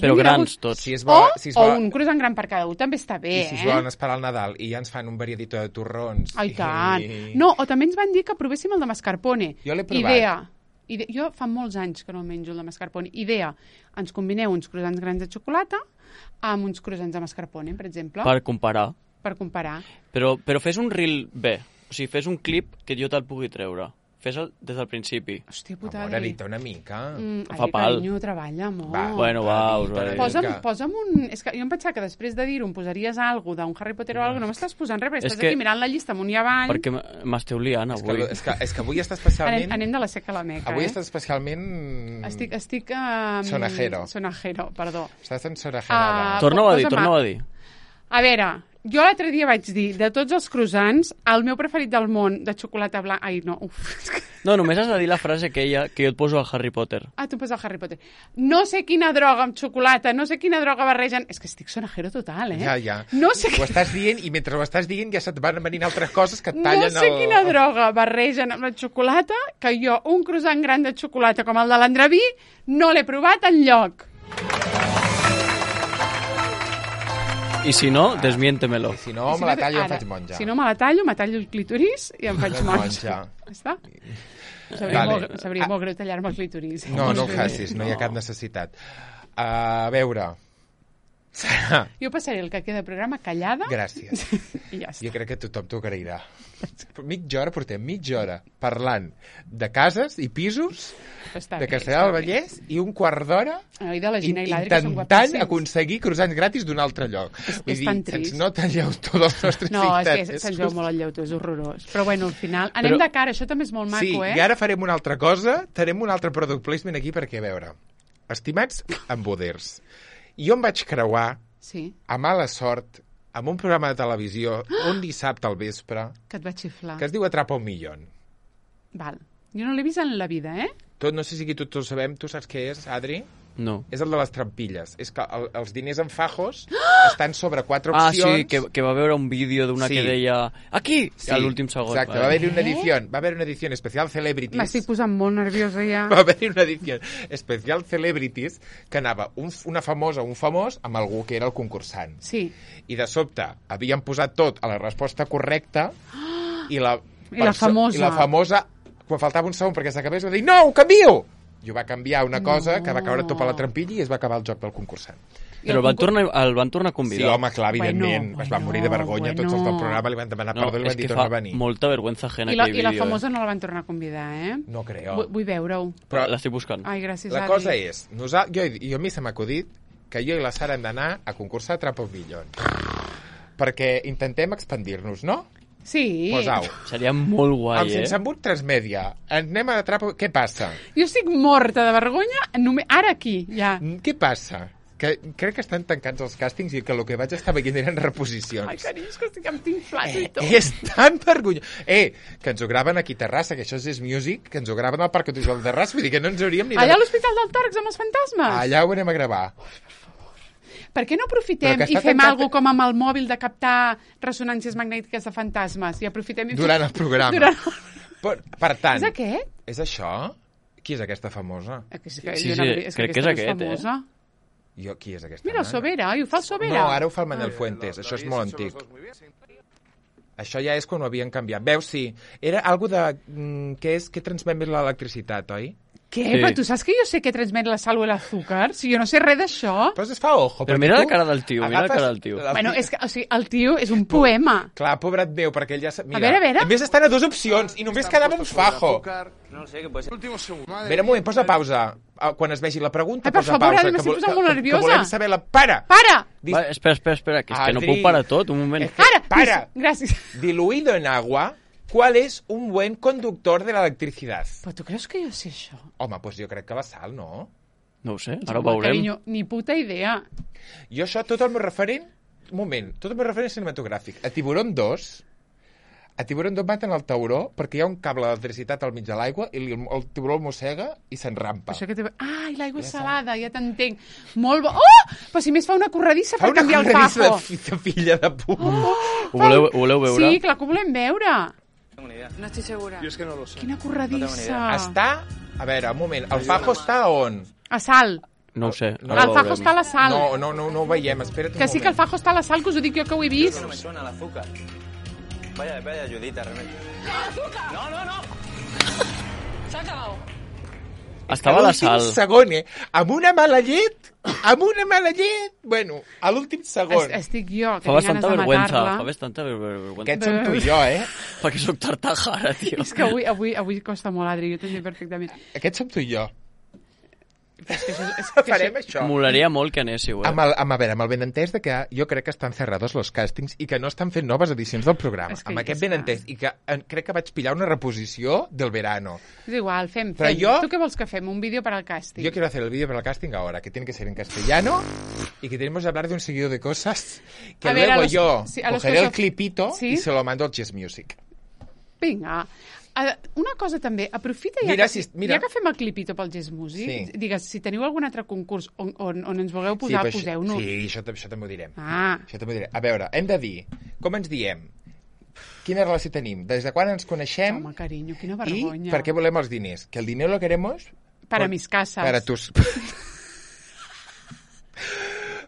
Però grans, tots. Si és bo, o un croissant gran per cada un, també està bé, I si es volen esperar al Nadal i ja ens fan un variadito de torrons. Ai, tant. No, o també ens van dir que provéssim el de mascarpone. Jo l'he provat. Jo fa molts anys que no menjo el de mascarpone. Idea, ens combineu uns croissants grans de xocolata amb uns croissants de mascarpone, per exemple. Per comparar. Però fes un reel bé. O sigui, fes un clip que jo te'l pugui treure. Fes-el des del principi. Hòstia putada. Amor, edita una mica. Fa pal. Carinyo, treballa, amor. Bueno, us ho dic. Posa'm un... És que jo em pensava que després de dir-ho em posaries alguna d'un Harry Potter o alguna. No m'estàs posant res, perquè estàs aquí mirant la llista amunt i avall. Perquè m'esteu liant avui. És que avui està especialment... Anem de la seca a la meca, Avui estàs especialment... Estic... Sonajero, perdó. Estàs en sonajero. Torna-ho a dir. A veure, jo l'altre dia vaig dir, de tots els croissants, el meu preferit del món, de xocolata blanca... Ai, no, No, només has de dir la frase que jo et poso al Harry Potter. Ah, tu poses al Harry Potter. No sé quina droga amb xocolata, no sé quina droga barregen... És que estic sonajero total, Ja. No sé ho estàs dient i mentre ho estàs dient ja se't van venint altres coses que et tallen No sé quina droga barregen amb la xocolata, que jo un croissant gran de xocolata com el de l'Andreví no l'he provat enlloc. I si no, desmiéntemelo. I si no, me la tallo i em faig monja. Si no, me tallo el clitoris i em faig monja. Està? Sabria molt greu tallar-me el clitoris. No ho facis, no hi ha cap necessitat. A veure... Sara. Jo passaré el que queda de programa callada. Gràcies. I ja està. Jo crec que tothom t'ho agrairà. Portem mitja hora parlant de cases i pisos de Castellar del Vallès i un quart d'hora intentant aconseguir croissants gratis d'un altre lloc. És tan trist. Se'ns nota el llautó dels nostres No, és que se'ns veu molt el llautó, és horrorós. Però bueno, al final anem de cara, això també és molt maco, Sí, i ara farem una altra cosa, farem un altre product placement aquí perquè, a veure, estimats emboders, jo em vaig creuar, a mala sort, amb un programa de televisió, un dissabte al vespre, que et va xiflar, que es diu Atrapa un milion. Val. Jo no l'he vist en la vida, No sé si aquí tots ho sabem. Tu saps què és, Adri? No. És el de les trampilles. És que els diners en fajos estan sobre 4 opcions. Ah, sí, que va veure un vídeo d'una que deia aquí, a l'últim segon. Exacte, va haver-hi una edició especial Celebrities. M'estic posant molt nerviosa ja. Va haver-hi una edició especial Celebrities que anava una famosa o un famós amb algú que era el concursant. Sí. I de sobte havien posat tot a la resposta correcta i la famosa, quan faltava un segon perquè s'acabés, va dir, no, ho canvio! I ho va canviar una cosa que va caure tot per la trampilla i es va acabar el joc del concursant. Però el van tornar a convidar. Sí, home, clar, evidentment. Es van morir de vergonya, tots els del programa li van demanar perdó i li van dir tornar a venir. Molta vergüenza ajena aquell vídeo. I la famosa no la van tornar a convidar, No creo. Vull veure-ho. Però l'estic buscant. Ai, gràcies, la cosa és, jo a mi se m'ha acudit que jo i la Sara hem d'anar a concursar a Atrapa un milion. Perquè intentem expandir-nos, no? Sí. Posau. Seria molt guai, Amb Sense Embut Transmèdia. Anem a Atrapa... Què passa? Jo estic morta de vergonya ara aquí, ja. Què passa? Que crec que estan tancats els càstings i que el que vaig estar veient eren reposicions. Ai, carinyo, és que em tinc flaç i tot. És tan vergonyós. Que ens ho graven aquí a Terrassa, que això és Music, que ens ho graven al Parc Audiovisual de Terrassa, vull dir que no ens hauríem ni... Allà a l'Hospital del Torx amb els fantasmes? Allà ho anem a gravar. Per què no aprofitem i fem alguna com amb el mòbil de captar ressonàncies magnètiques de fantasmes? I aprofitem i durant el programa. Per tant... És aquest? És això? Qui és aquesta famosa? Sí, crec que és aquest, Qui és aquesta? Mira, el Sobera, ho fa el Sobera. No, ara ho fa el Manel Fuentes, això és molt antic. Això ja és quan ho havien canviat. Veus, sí. Era algo de... Què transmet més l'electricitat, oi? Què? Sí. Però tu saps que jo sé que transmet la sal o l'azúcar? Si jo no sé res d'això. Però es fa ojo. Però mira la cara del tio, mira la cara del tio. Bueno, és que, o sigui, el tio és un poema. Clar, pobret meu, perquè ell ja... Mira, a veure. A més, estan a 2 opcions i només quedava un fajo. No sé, que puede ser. Último segundo. A veure, un moment, posa pausa. Quan es vegi la pregunta, per posa favor, pausa. ara m'estic posant molt nerviosa. Que volem saber la... Para! Va, espera, que és que no puc parar tot, un moment. Para! Gràcies. Diluido en agua, ¿cuál es un buen conductor de la electricidad? Però tu creus que jo sé això? Home, doncs jo crec que la sal, no? No ho sé, ara ho veurem. Carinyo, ni puta idea. Jo això, tot el meu referent... Un moment, tot el meu referent cinematogràfic. A Tiburón 2 maten el tauró perquè hi ha un cable d'electricitat al mig de l'aigua i el tiburó el mossega i s'enrampa. I l'aigua és salada, ja t'entenc. Molt bo. Oh! Però si més fa una corredissa per canviar el fajo. Fa una corredissa de filla de puta. Ho voleu veure? Sí, clar que ho volem veure. No estoy segura. Yo es que no lo sé. Quina corredissa. Està... A veure, un moment. El fajo està on? A sal. No ho sé. El fajo està a la sal. No ho veiem. Espera't un moment. Que sí que el fajo està a la sal, que us ho dic jo que ho he vist. No me suena el azúcar. Vaya ayudita, realmente. ¡Azúcar! No. Se ha acabado. Estava a la sal. A l'últim segon, Amb una mala llet. Bueno, a l'últim segon. Estic jo, que tinc ganes de matar-la. Fa bastanta vergüenza. Aquest som tu i jo, Perquè soc tartaja, ara, tio. És que avui costa molt, Adri, jo t'entenc perfectament. Aquest som tu i jo. Farem això. Molaria molt que anéssiu, Amb el benentès de que jo crec que estan cerrados los càstings i que no estan fent noves edicions del programa. Amb aquest benentès. I que crec que vaig pillar una reposició del verano. És igual, fem. Tu què vols que fem? Un vídeo per al càsting? Yo quiero hacer el vídeo para el casting ahora, que tiene que ser en castellano y que tenemos que hablar de un seguido de cosas que luego yo cogeré el clipito y se lo mando al Chess Music. Vinga. Una cosa també, aprofita ja que fem el clipito pel Chess Music, digues, si teniu algun altre concurs on ens vulgueu posar, poseu-nos. Sí, això també ho direm. Això també ho direm. A veure, hem de dir, com ens diem? Quina relació tenim? Des de quan ens coneixem? Home, carinyo, quina vergonya. I per què volem els diners? Que el diner lo queremos... Para mis casas. Para tus...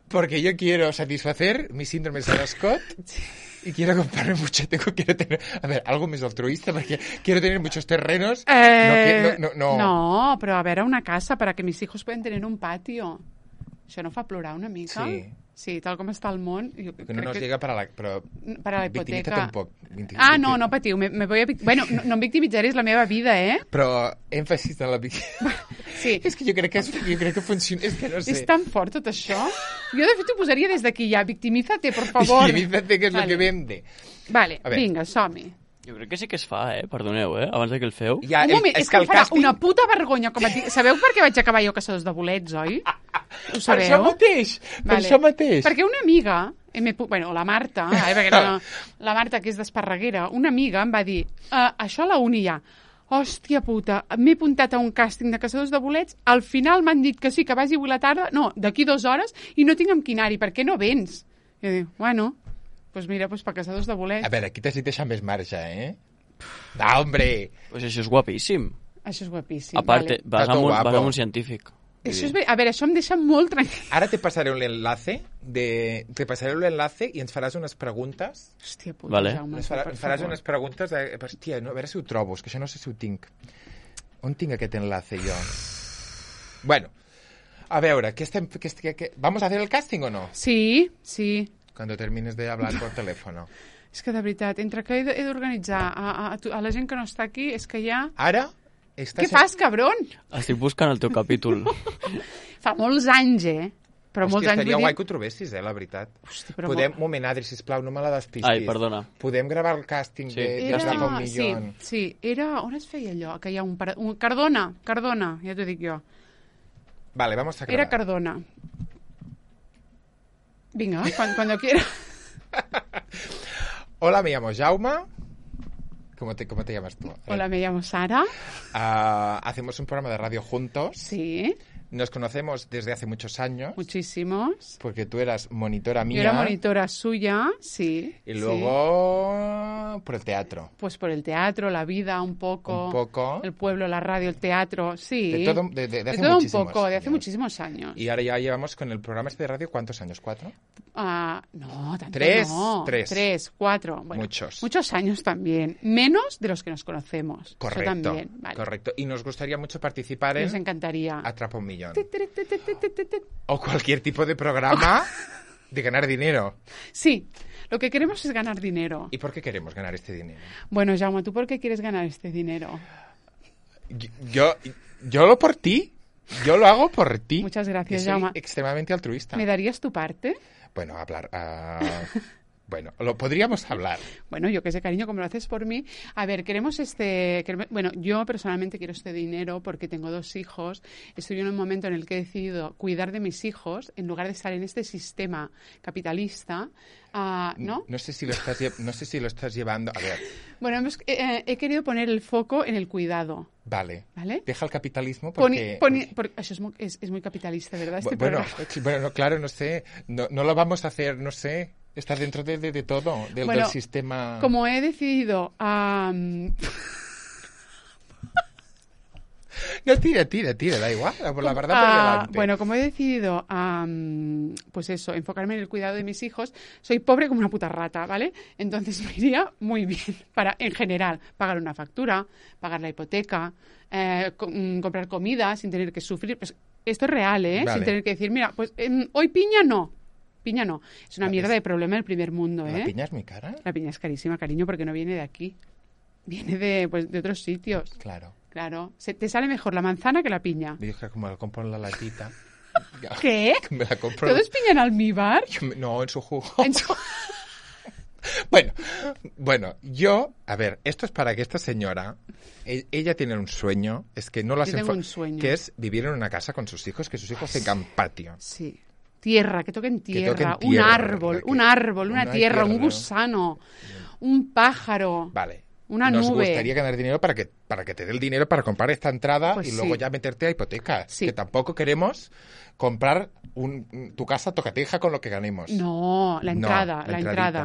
Porque yo quiero satisfacer mi síndrome de Sarah Scott... Y quiero comprarme mucho, quiero tener, a ver, algo más altruista, porque quiero tener muchos terrenos. No, pero a ver, una casa para que mis hijos puedan tener un patio. Això no fa plorar una mica? Sí, tal com està el món... Que no nos llega para la hipoteca. Un poc. No patiu. Bueno, no em victimitzaré, és la meva vida, Però èmfasis en la Sí. És que jo crec que funciona... És que no sé. És tan fort tot això. Jo, de fet, ho posaria des d'aquí ja. Victimízate, por favor. Victimízate, que és lo que vende. Vale, vinga, som-hi. Jo crec que sí que es fa, Perdoneu, abans que el feu. Un moment, és que em farà una puta vergonya. Sabeu per què vaig acabar jo Caçadors de bolets, oi? Ho sabeu? Per això mateix. Perquè una amiga, la Marta, la Marta, que és d'Esparreguera, una amiga em va dir, això a la uni ja, hòstia puta, m'he apuntat a un càsting de Caçadors de bolets, al final m'han dit que sí, que vagi avui la tarda, no, d'aquí 2 hores, i no tinc amb quin anar-hi, per què no vens? I jo dic, bueno... Pues mira, per Caçadors de bolets. A veure, aquí t'has dit deixar més marge, No, hombre! Pues això és guapíssim. Això és guapíssim, a part, vas amb un científic. A veure, això em deixa molt tranquil. Ara te passaré un enlace i ens faràs unes preguntes. Hòstia puta, vale. Jaume. Ens faràs unes preguntes hòstia, a veure si ho trobo, és que això no sé si ho tinc. On tinc aquest enlace jo? Bueno, a veure, ¿vamos a hacer el casting o no? Sí. Cuando termines de hablar por teléfono. És que de veritat, entre que he d'organitzar a la gent que no està aquí, és que ja... Ara? Què fas, cabron? Estic buscant el teu capítol. Fa molts anys, Però molts anys, estaria guai que ho trobessis, la veritat. Hosti, un moment, Adri, sisplau, no me la despistis. Ai, perdona. Podem gravar el càsting de Agafa un Millón. Sí, era... On es feia allò? Que hi ha un Cardona, ja t'ho dic jo. Vale, vamos a grabar. Era Cardona. Venga, cuando quiera. Hola, me llamo Jaume. ¿Cómo te llamas tú? Hola, me llamo Sara. Hacemos un programa de radio juntos. Sí. Nos conocemos desde hace muchos años. Muchísimos. Porque tú eras monitora mía. Yo era monitora suya, sí. Y luego por el teatro. Pues por el teatro, la vida, un poco. Un poco. El pueblo, la radio, el teatro, sí. De todo, de hace todo muchísimos un poco, de años. hace muchísimos años. Y ahora ya llevamos con el programa de radio, ¿cuántos años? ¿4? No, tanto ¿Tres? no. Tres. 3, 4. Bueno, muchos años también. Menos de los que nos conocemos. Correcto. Eso también. Vale. Correcto. Y nos gustaría mucho participar en... Nos encantaría. Atrapa un millón. O cualquier tipo de programa de ganar dinero. Sí. Lo que queremos es ganar dinero. ¿Y por qué queremos ganar este dinero? Bueno, Jaume, ¿tú por qué quieres ganar este dinero? Yo lo por ti. Yo lo hago por ti. Muchas gracias, soy Jaume. Extremadamente altruista. ¿Me darías tu parte? Bueno, hablar... Bueno, lo podríamos hablar. Bueno, yo qué sé, cariño, como lo haces por mí. A ver, queremos bueno, yo personalmente quiero este dinero porque tengo 2 hijos. Estoy en un momento en el que he decidido cuidar de mis hijos en lugar de estar en este sistema capitalista, ¿no? No sé si lo estás llevando... A ver... Bueno, he querido poner el foco en el cuidado. Vale. Deja el capitalismo porque eso es muy capitalista, ¿verdad? Bueno, claro, no sé. No lo vamos a hacer, no sé... Está dentro de todo, del sistema... Como he decidido... No, tira, da igual, la verdad por delante. Bueno, como he decidido, pues eso, enfocarme en el cuidado de mis hijos, soy pobre como una puta rata, ¿vale? Entonces me iría muy bien para, en general, pagar una factura, pagar la hipoteca, comprar comida sin tener que sufrir. Pues esto es real, ¿eh? Vale. Sin tener que decir, mira, pues hoy piña no. Piña no. Es una mierda de problema del primer mundo, ¿eh? ¿La piña es muy cara? La piña es carísima, cariño, porque no viene de aquí. Viene de otros sitios. Claro. Te sale mejor la manzana que la piña. Yo que como la compro en la latita. ¿Qué? Me la compro... ¿Todo es piña en almíbar? No, en su jugo. Bueno, a ver, esto es para que esta señora, ella tiene un sueño, es que no lo hace... un sueño. Que es vivir en una casa con sus hijos, que sus hijos tengan patio. Sí. Tierra, que toquen tierra, un árbol, una tierra, un gusano, un pájaro. Vale. Una nube. Nos gustaría ganar dinero para que te dé el dinero para comprar esta entrada y luego ya meterte a hipoteca. Sí. Que tampoco queremos comprar tu casa tocateja con lo que ganemos. No, la entrada.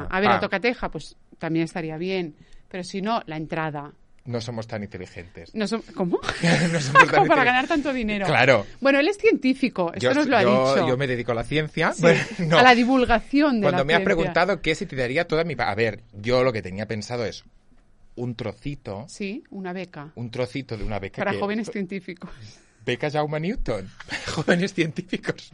A ver, la tocateja, pues también estaría bien. Pero si no, la entrada. No somos tan inteligentes. ¿Cómo? No somos tan para ganar tanto dinero. Claro. Bueno, él es científico, esto nos lo ha dicho. Yo me dedico a la ciencia. Sí, bueno, no. A la divulgación de Cuando la me has ciencia. preguntado qué si te daría toda mi... A ver, yo lo que tenía pensado es un trocito... Sí, una beca. Un trocito de una beca para jóvenes científicos. ¿Beca Jaume Newton? ¿Jóvenes científicos?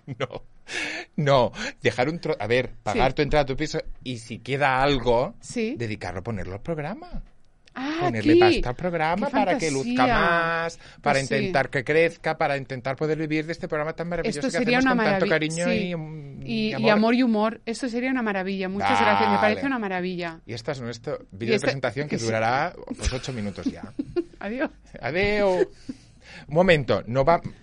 No. Dejar a ver, pagar tu entrada a tu piso y si queda algo, dedicarlo a ponerlo al programa. Ponerle pasta al programa para que luzca más, para intentar que crezca, para intentar poder vivir de este programa tan maravilloso que hacemos con tanto cariño y amor. Y amor y humor. Esto sería una maravilla. Muchas gracias. Me parece una maravilla. Y esta es nuestro vídeo de presentación que durará pues 8 minutos ya. Adiós. Un momento,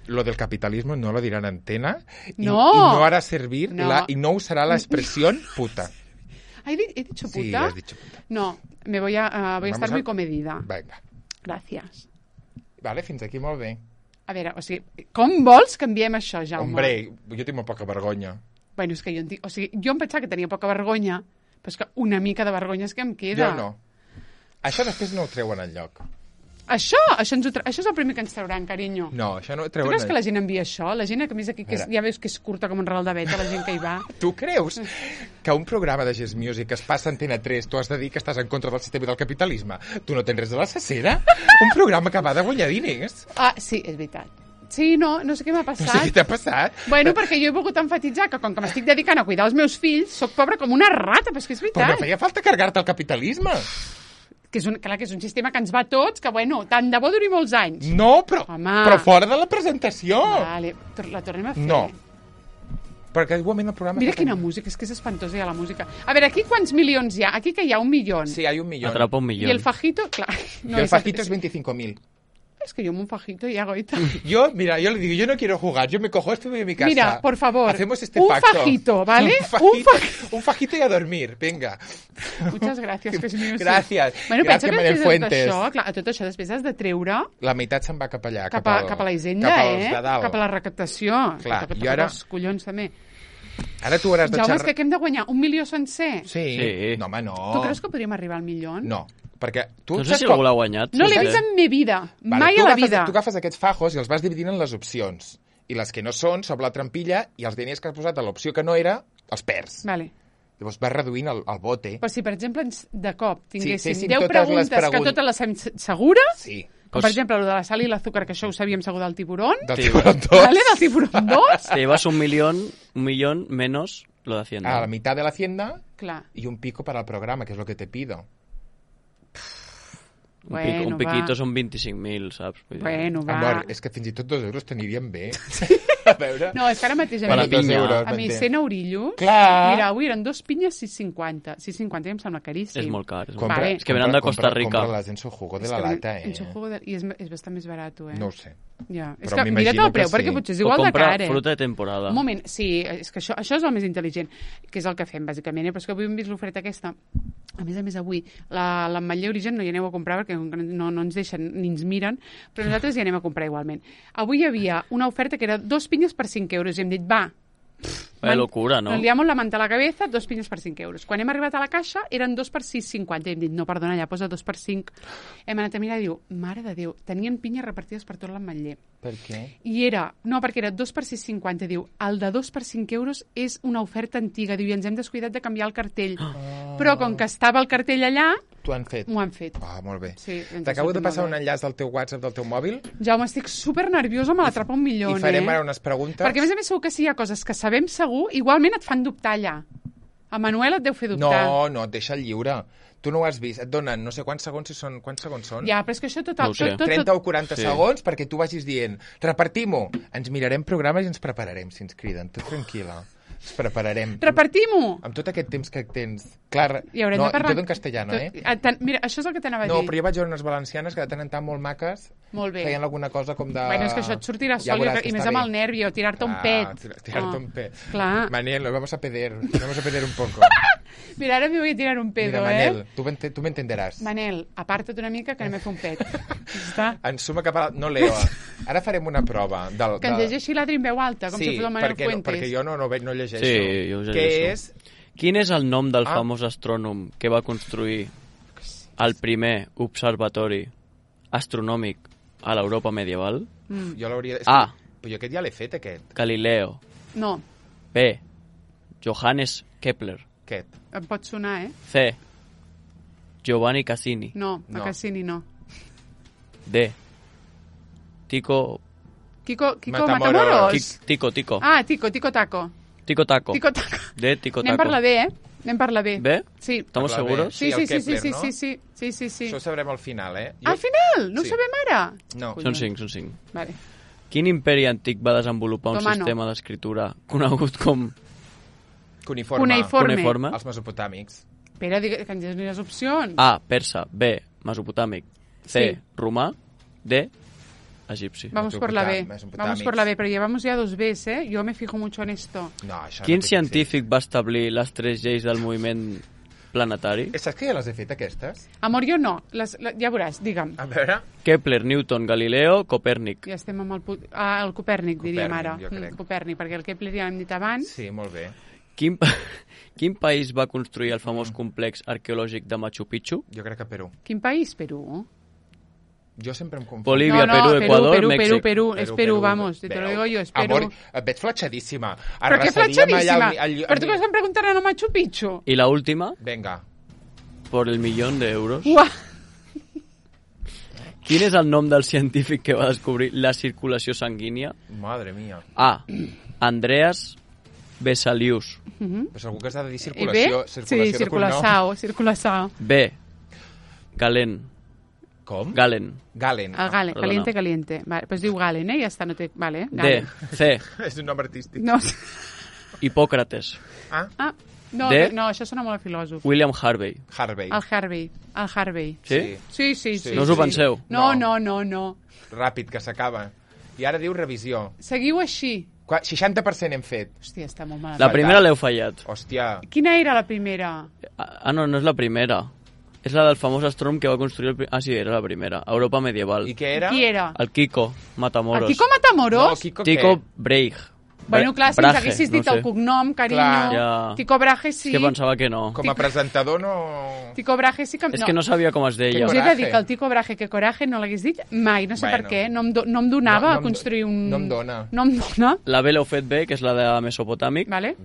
lo del capitalismo no lo dirá en antena y no hará servir y no usará la expresión puta. ¿He dicho puta? Sí, has dicho puta. No, voy a estar muy comedida. Vinga. Gràcies. Vale, fins aquí molt bé. A veure, o sigui, com vols que enviem això, Jaume? Hombre, jo tinc molt poca vergonya. Bueno, és que jo em pensava que tenia poca vergonya, però és que una mica de vergonya és que em queda. Jo no. Això després no ho treuen enlloc. Això és el primer que ens trauran, carinyo. No, això no ho Tu treuen creus que la gent envia això? La gent que més aquí, ja veus que és curta com un ral de veta, la gent que hi va. Tu creus que un programa de Gest Music es passa a Antena 3, tu has de dir que estàs en contra del sistema del capitalisme? Tu no tens res de la cacera? Un programa que va de guanyar diners? Sí, és veritat. Sí, no sé què m'ha passat. No sé què t'ha passat. Bueno, perquè jo he volgut enfatitzar que com que m'estic dedicant a cuidar els meus fills, sóc pobra com una rata, però és que és veritat. Però no feia falta carregar-te el capitalisme. Clar, que és un sistema que ens va a tots, que, bueno, tant de bo duri molts anys. No, però fora de la presentació. Vale, la tornem a fer. No. Perquè igualment el programa... Mira quina música, és que és espantosa ja la música. A veure, aquí quants milions hi ha? Aquí que hi ha 1 milió. Sí, hi ha 1 milió. Atrapa 1 milió. I el fajito, clar... No, el fajito és 25.000. Es que yo un fajito y hago y tal. Yo le digo, yo no quiero jugar, yo me cojo esto y voy a mi casa. Mira, por favor, hacemos este un pacto. Fajito, ¿vale? Un fajito y a dormir, venga. Muchas gràcies, que és meu. Gràcies. Bueno, Gràcies, Manel Fuentes. A tot això després has de treure... La meitat se'n va cap allà. Cap a la hisenda, cap a la recaptació. Clar, i ara... Els collons, també. Ara tu hauràs de Jaume, és que hem de guanyar 1 milió sencer? Sí. No, home, no. Tu creus que podríem arribar al milió? No. Perquè tu no sé si algú l'ha guanyat. No l'he vist en mi vida. Mai a la vida. Tu agafes aquests fajos i els vas dividint en les opcions. I les que no són, sobre la trampilla, i els diners que has posat a l'opció que no era, els perds. Vale. Llavors vas reduint el bote. Però si, per exemple, de cop tinguéssim 10 preguntes que totes les fem segures... Sí. Com, per exemple, el de la sal i l'azúcar, que això ho sabíem segur del tiburón. Del tiburón 2. ¿Vale? Del tiburón 2. Te llevas un millón menos lo de Hacienda. A la mitad de la Hacienda. Clar. Y un pico para el programa, que es lo que te pido. Un piquito són 25.000, saps? Bueno, va. Amor, és que fins i tot 2 euros t'anirien bé. A veure. No, és que ara mateix a mi 100 eurillos... Clar. Mira, avui eren 2 pinyes 6,50. 6,50 ja em sembla caríssim. És molt car. És que venen de Costa Rica. Compra-les en su jugo de la lata, En su jugo I és bastant més barat, No ho sé. Ja. És que mira't el preu, perquè potser és igual de car, fruta de temporada. Un moment, sí, és que això és el més intel·ligent, que és el que fem, bàsicament, però és que avui hem vist l'oferta aquesta. A més, avui, l'Ametller Origen no hi aneu a comprar perquè no ens deixen ni ens miren, però nosaltres hi anem a comprar igualment. Avui hi havia una oferta que era 2 pinyes per 5 euros i hem dit, va, Vaya locura, ¿no? Nos liamos la manta a la cabeza, 2 pinyes per 5 euros. Quan hem arribat a la caixa, eren 2 per 6,50. I hem dit, no, perdona, ja posa 2 per 5. Hem anat a mirar i diu, mare de Déu, tenien pinyes repartides per tot l'Ametller. Per què? I era, no, perquè era 2 per 6,50. Diu, el de 2 per 5 euros és una oferta antiga. Diu, i ens hem descuidat de canviar el cartell. Però com que estava el cartell allà, t'ho han fet. M'ho han fet. Ah, molt bé. Sí, t'acabo de passar un enllaç del teu WhatsApp, del teu mòbil. Jaume, estic super nerviosa, me l'atrapa un milió, I farem ara unes preguntes. Perquè, a més, segur que si hi ha coses que sabem segur, igualment et fan dubtar allà. A Manuel et deu fer dubtar. No, et deixa el lliure. Tu no ho has vist. Et donen no sé quants segons són. Ja, però és que això tot... No 30 o 40 segons perquè tu vagis dient repartim-ho. Ens mirarem programes i ens prepararem, si ens criden. Tu tranquil·la. Ens prepararem. Repartim-ho! Amb tot aquest temps que tens. Clar, I haurem de parlar... tot en castellano, Mira, això és el que t'anava a dir. No, però jo vaig veure unes valencianes que de tant en tant molt maques. Molt bé. Feien alguna cosa com de... Bueno, és que això et sortirà sol i més amb el nervi o tirar-te un pet. Tirar-te un pet. Clar. Manel, vamos a pedir un poco. Mira, ara me voy a tirar un pedo, Manel, tú me entenderás. Manel, aparta't una mica que anem a fer un pet. Està? Ensuma cap a... No leo. Ara farem una prova. Que ens llegeixi l'Adri en veu alta, com si fos el Manel Fuentes. Perquè jo no llegeixo. Sí, jo ho llegeixo. Què és? Quin és el nom del famós astrònom que va construir el primer observatori astronòmic a l'Europa medieval? Jo l'hauria... A. Però jo aquest ja l'he fet, aquest. Galileo. No. B. Johannes Kepler. Aquest. Em pot sonar, C. Giovanni Cassini. No, a Cassini no. D. Kiko Matamoros. Tico. Ah, Tico Taco. Tico Taco. D. Tico Taco. Anem per la B, Anem per la B. ¿B? Sí. ¿Estamos seguros? Sí. Això ho sabrem al final, Al final? No ho sabem ara? No. Són 5. Vale. Quin imperi antic va desenvolupar un sistema d'escriptura conegut com... Cuneïforme. Els mesopotàmics. Espera, que ens diguis les opcions. A. Persa. B. Mesopotàmic. C. Romà. D. Egipci. Vamos por la B, pero llevamos ya 2 Bs, ¿eh? Yo me fijo mucho en esto. Quin científic va establir les 3 lleis del moviment planetari? Saps que ja les he fet, aquestes? Amor, jo no. Ja veuràs, digue'm. A veure... Kepler, Newton, Galileo, Copèrnic. Ja estem amb el Copèrnic, diríem ara. Copèrnic, perquè el Kepler ja l'hem dit abans. Sí, molt bé. Quin país va construir el famós complex arqueològic de Machu Picchu? Jo crec que Perú. Quin país? Perú? Jo sempre em confono. Bolívia, Perú, Ecuador, Mèxic. Perú, és Perú, vamos, te lo digo yo, és Perú. Amor, et veig fletxadíssima. Però què fletxadíssima? Però tu que estan preguntant a Machu Picchu? I la última? Venga. Por el millón de euros. Uah. Quin és el nom del científic que va descobrir la circulació sanguínia? Madre mía. A. Andreas Vesalius. Però segur que has de dir circulació de cognom. Circulació. B. Galen. Com? Galen. Caliente. Vale, pues diu Galen, ja està, no té... Vale, Galen. D. C. És un nom artístic. No. Hipòcrates. Ah. No, això sona molt a filòsof. William Harvey. El Harvey. Sí? Sí. No us ho penseu? No. Ràpid, que s'acaba. I ara diu revisió. Seguiu així. 60% hem fet. Hòstia, està molt malament. La primera l'heu fallat. Hòstia. Quina era la primera? No és la primera. És la del famós astrònom que va construir sí, era la primera. Europa medieval. I què era? Qui era? El Kiko Matamoros. El Kiko Matamoros? No, Tycho Brahe. Bueno, clar, si ens haguessis dit el cognom, carinyo... Tycho Brahe sí. És que pensava que no. Com a presentador no... Tycho Brahe sí que... És que no sabia com es deia. Us he de dir que el Tycho Brahe, que coraje, no l'hagués dit mai, no sé per què. No em donava a construir un... No em dona. No em dona. La B l'heu fet bé, que és la de Mesopotàmic. Vale.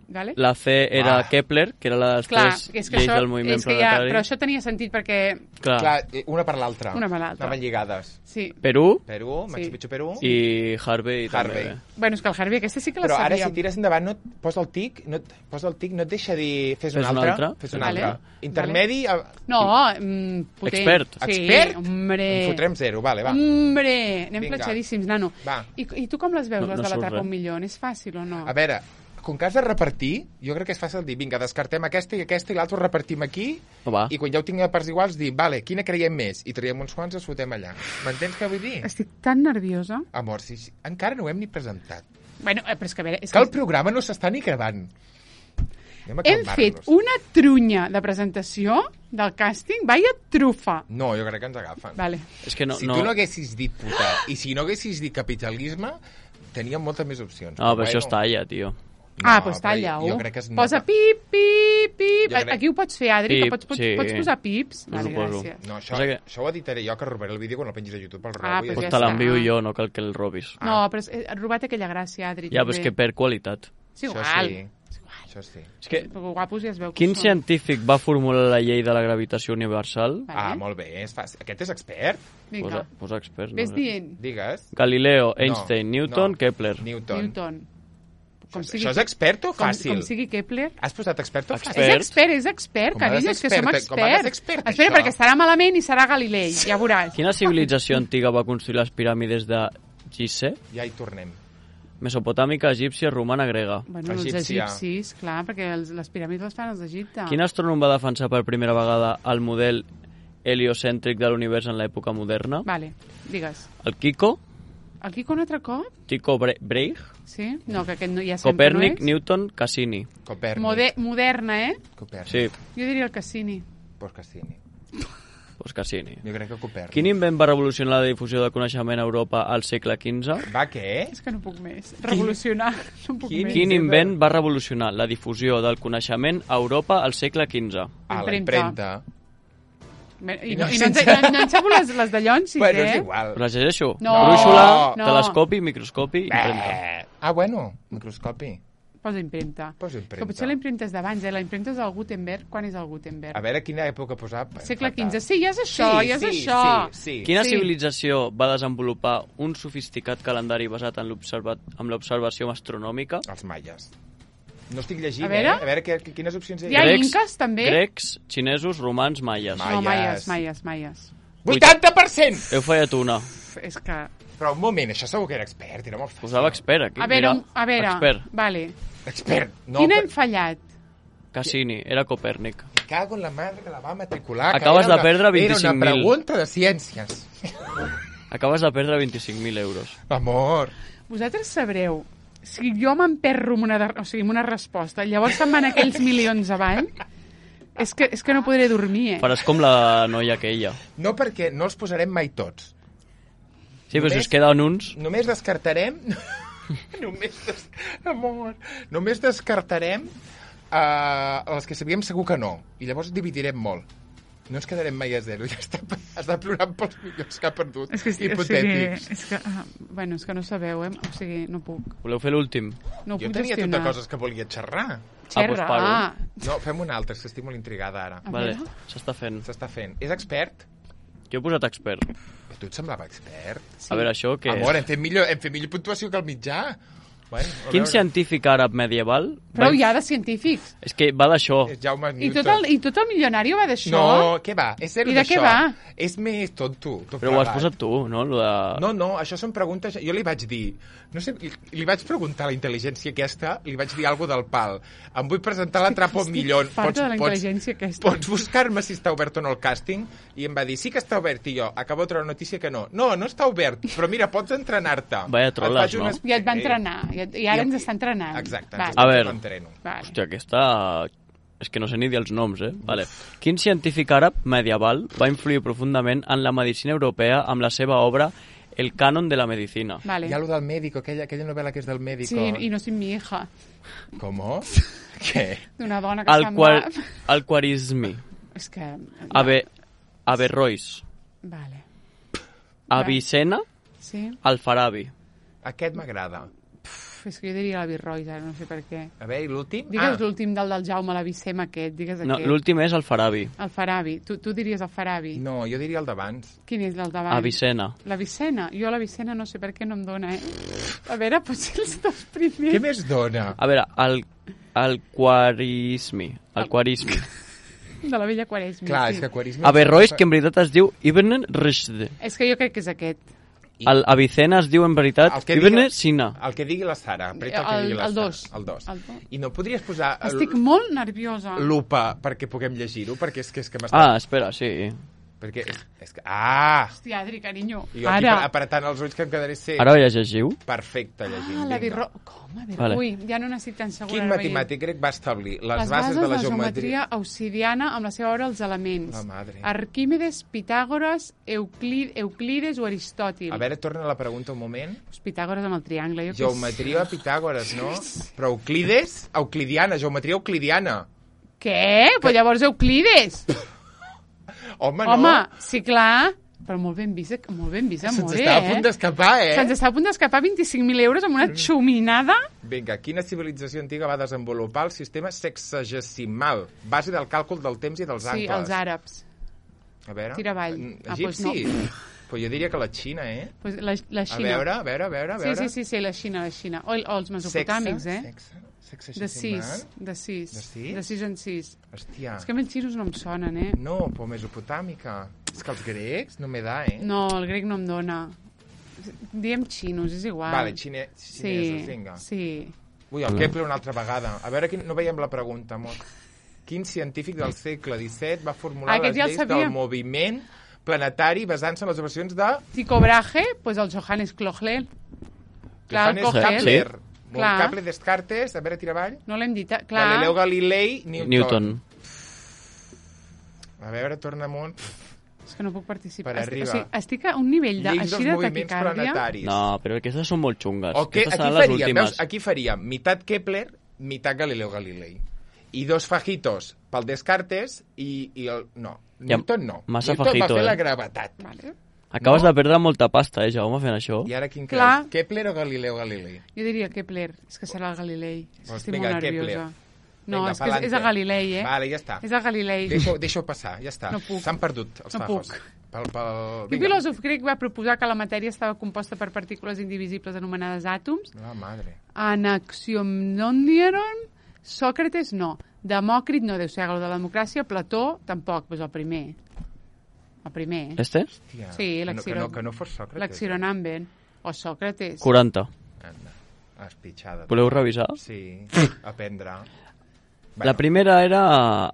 La C era Kepler, que era la de les tres lleis del moviment planetari. Però això tenia sentit perquè... Clar, una per l'altra. Anaven lligades. Sí. Perú, Machu Picchu, Perú. I Harvey. També. Bueno, és que el Harvey aquesta sí que la sabíem. Però ara si tires endavant, posa el tic, no et deixa dir fes una altra. Fes una altra. Intermedi... No, potent. Expert? Hombre. En fotrem 0, va. Hombre, anem platxadíssims, nano. Va. I tu com les veus, les de l'Atrapa un milió? És fàcil o no? A veure, com que has de repartir, jo crec que és fàcil dir, vinga, descartem aquesta i l'altra ho repartim aquí, i quan ja ho tinguem a parts iguals, dir, vale, quina creiem més? I traiem uns quants i els fotem allà. M'entens què vull dir? Estic tan nerviosa. Amor, encara no ho hem ni presentat. Bueno, però és que a veure... Que el programa no s'està ni gravant. Hem fet una trunya de presentació del càsting, vaya trufa. No, jo crec que ens agafen. Vale. És que si tu no haguessis dit puta i si no haguessis dit capitalisme, teníem moltes més opcions. No, però això està allà, tio. Doncs talla-ho. Posa pip, pip, pip. Aquí ho pots fer, Adri, que pots posar pips. Vale, gràcies. No, això ho editaré jo, que robaré el vídeo quan el pengis a YouTube. Pues te l'envio jo, no cal que el robis. No, però has robat aquella gràcia, Adri. Ja, però és que per qualitat. És igual. Això sí. És que, guapos ja es veu que quin científic va formular la llei de la gravitació universal? Molt bé, és fàcil. Aquest és expert? Vinga. Posa expert. Ves dient. Digues. Galileo, Einstein, Newton, Kepler. Newton. Això és expert o fàcil? Com sigui Kepler. Has posat expert o fàcil? És expert, carinyo, és que som experts. Espera, perquè estarà malament i serà Galilei, ja veuràs. Quina civilització antiga va construir les piràmides de Gizeh? Ja hi tornem. Mesopotàmica, egípcia, romana, grega. Bueno, els egipcis, clar, perquè les piràmides les fan els d'Egipte. Quin astrònom va defensar per primera vegada el model heliocèntric de l'univers en l'època moderna? Vale, digues. El Kiko? El Kiko un altre cop? Tycho Brahe? Sí? No, que aquest ja sempre Copèrnic, no és. Newton, Cassini. Moderna, Copèrnic. Sí. Jo diria el Cassini. Pues Cassini. Pues Cassini. Jo crec que Copèrnic. Quin invent va revolucionar la difusió del coneixement a Europa al segle XV? Va, què? És que no puc més. Revolucionar, no puc més. Quin invent va revolucionar la difusió del coneixement a Europa al segle XV? La impremta. I no enxapo les de llons, sí bueno, que... és igual. Les llegeixo. No. Brúixola, no. telescopi, microscopi, impremta. Bueno, microscopi. Posa impremta. Que potser la impremta és d'abans, La impremta és del Gutenberg. Quan és el Gutenberg? A veure, quina època posar? Segle XV. Sí, ja és això, Sí. Quina civilització va desenvolupar un sofisticat calendari basat en l'observació astronòmica? Els maies. No estic llegint, a veure? A veure quines opcions hi ha. Hi ha inques, també? Grecs, xinesos, romans, maies. No, maies. 80%! Heu fallat una. És que... Però un moment, això segur que era expert, era molt fàcil. Posava expert, aquí. A veure, expert. Vale. Expert. No, quin hem fallat? Cassini, era Copèrnic. Me cago en la madre que la va matricular. Acabes de perdre 25.000. Era una pregunta de ciències. Acabes de perdre 25.000 euros. Amor. Vosaltres sabreu, si jo m'emperro amb una resposta, llavors se'n van aquells milions avall, és que no podré dormir, Faràs com la noia aquella. No, perquè no els posarem mai tots. Sí, però si us queden uns... Només descartarem... Només descartarem els que sabíem segur que no. I llavors dividirem molt. No ens quedarem mai a zero. Ja està plorant pels milions que ha perdut. Hipotètics. És que no sabeu, O sigui, no puc. Voleu fer l'últim? No ho puc jo tenia gestionar. totes coses que volia xerrar. Doncs No, fem una altra, és que estic molt intrigada ara. Vale, s'està fent. És expert? Jo he posat expert. A tu et semblava expert? Sí. A veure, això què Amor, hem fet millor puntuació que el mitjà. Quin científic àrab medieval... Però hi ha de científics. És que va d'això. I tot el milionari va d'això? No, què va? És zero d'això. I de què va? És més tonto. Però ho has posat tu, no? No, això són preguntes... Jo li vaig dir... No sé, li vaig preguntar a la intel·ligència aquesta, li vaig dir alguna del pal. Em vull presentar a l'Atrapa un Millón. Farta de la intel·ligència aquesta. Pots buscar-me si està obert o no el càsting? I em va dir, sí que està obert. I jo, acabo de treure notícia que no. No està obert, però mira, pots entrenar-te. Vaya troles, no? Ja et va entrenar. I ara ens està entrenant. Exacte. A veure, hòstia, aquesta... És que no sé ni dir els noms, Vale. Quin científic àrab medieval va influir profundament en la medicina europea amb la seva obra El canon de la medicina? Vale. Hi ha lo del médico, aquella novel·la que és del médico. Sí, i no sin mi hija. ¿Cómo? Què? D'una dona que sembla... El Quarismi. És que... Averrois. Vale. Avicena. Sí. Alfarabi. Aquest m'agrada. És que jo diria l'Averrois, ara no sé per què. A veure, i l'últim? Digues l'últim del Jaume, l'Avicena aquest, digues aquest. No, l'últim és Alfarabi. Alfarabi. Tu diries Alfarabi. No, jo diria el d'abans. Quin és el d'abans? Avicena. L'Avicena? Jo l'Avicena no sé per què no em dona, A veure, potser els dos primers. Què més dona? A veure, el Quarismi. El Quarismi. De la vella Quaresmi. Clar, sí. és que Quarismi... Averrois, que en veritat es diu Ibn Rushd. És que jo crec que és aquest. El Avicena es diu en veritat Ibn Sina. El que digui la Sara. El 2. El 2. I no podries posar... Estic molt nerviosa. Lupa perquè puguem llegir-ho, perquè és que m'està... Espera, sí. Perquè és que... Hòstia, Adri, carinyo. Jo aquí apretant els ulls que em quedaré cec. Ara ho llegiu? Perfecte, llegint. Com? Vale. Ui, ja no n'estic tan segura. Quin matemàtic grec va establir les bases de la geometria obsidiana amb la seva obra Els elements? La madre. Arquímedes, Pitàgores, Euclides o Aristòtil? A veure, torna la pregunta un moment. Pitàgores amb el triangle. Geometria Pitàgores, no? Però Euclides? Geometria euclidiana. Què? Però llavors Euclides. Home, no. Home, sí, clar. Però molt ben vist, amor. Se'ns està a punt d'escapar, Se'ns està a punt d'escapar 25.000 euros amb una xuminada. Vinga, quina civilització antiga va desenvolupar el sistema sexagesimal, base del càlcul del temps i dels angles? Sí, els àrabs. A veure... Tira avall. Egipci? Pues no. Però jo diria que la Xina, Pues la Xina. A veure... Sí, la Xina. O els mesopotàmics, De 6 en 6. Hòstia. És que a mi els xinos no em sonen, No, però mesopotàmica. És que els grecs no me da, No, el grec no em dona. Diem xinos, és igual. Vale, xinesos, vinga. Sí. Ui, el Kepler una altra vegada. A veure, no veiem la pregunta, amor. Quin científic del segle XVII va formular les lleis del moviment planetari basant-se en les observacions de... Tycho Brahe, pues el Johannes Kepler. Johannes Kepler. Kepler, Descartes, a veure, tira avall. No l'hem dit, clar. Galileu Galilei, Newton. A veure, torna amunt. És que no puc participar. Per arriba. Estic a un nivell així de taquicàrdia. No, però aquestes són molt xungues. Aquestes seran les últimes. Aquí faríem meitat Kepler, meitat Galileu Galilei. I 2 fajitos pel Descartes i el... No, Newton no. Massa Newton fajito, va fer la gravetat. Vale. Acabes de perdre molta pasta, Jaume, fent això. I ara quin creus? Kepler o Galileu Galilei? Jo diria Kepler. És que serà el Galilei. Estic vinga, molt nerviosa. No, vinga, és que és a Galilei, Vale, ja està. És a Galilei. Deixa-ho passar, ja està. No puc. S'han perdut els fajos. No puc. Quin filòsof grec va proposar que la matèria estava composta per partícules indivisibles anomenades àtoms? La madre. Anaximandron, Sòcrates no. Demòcrit no deu ser algo de la democràcia. Plató tampoc, doncs el primer. El primer. Este? Hòstia. Sí, que no fos Sòcrates. L'Axironamben. O Sòcrates. 40. Anda, espitxada. Voleu revisar? Sí, aprendre. La primera era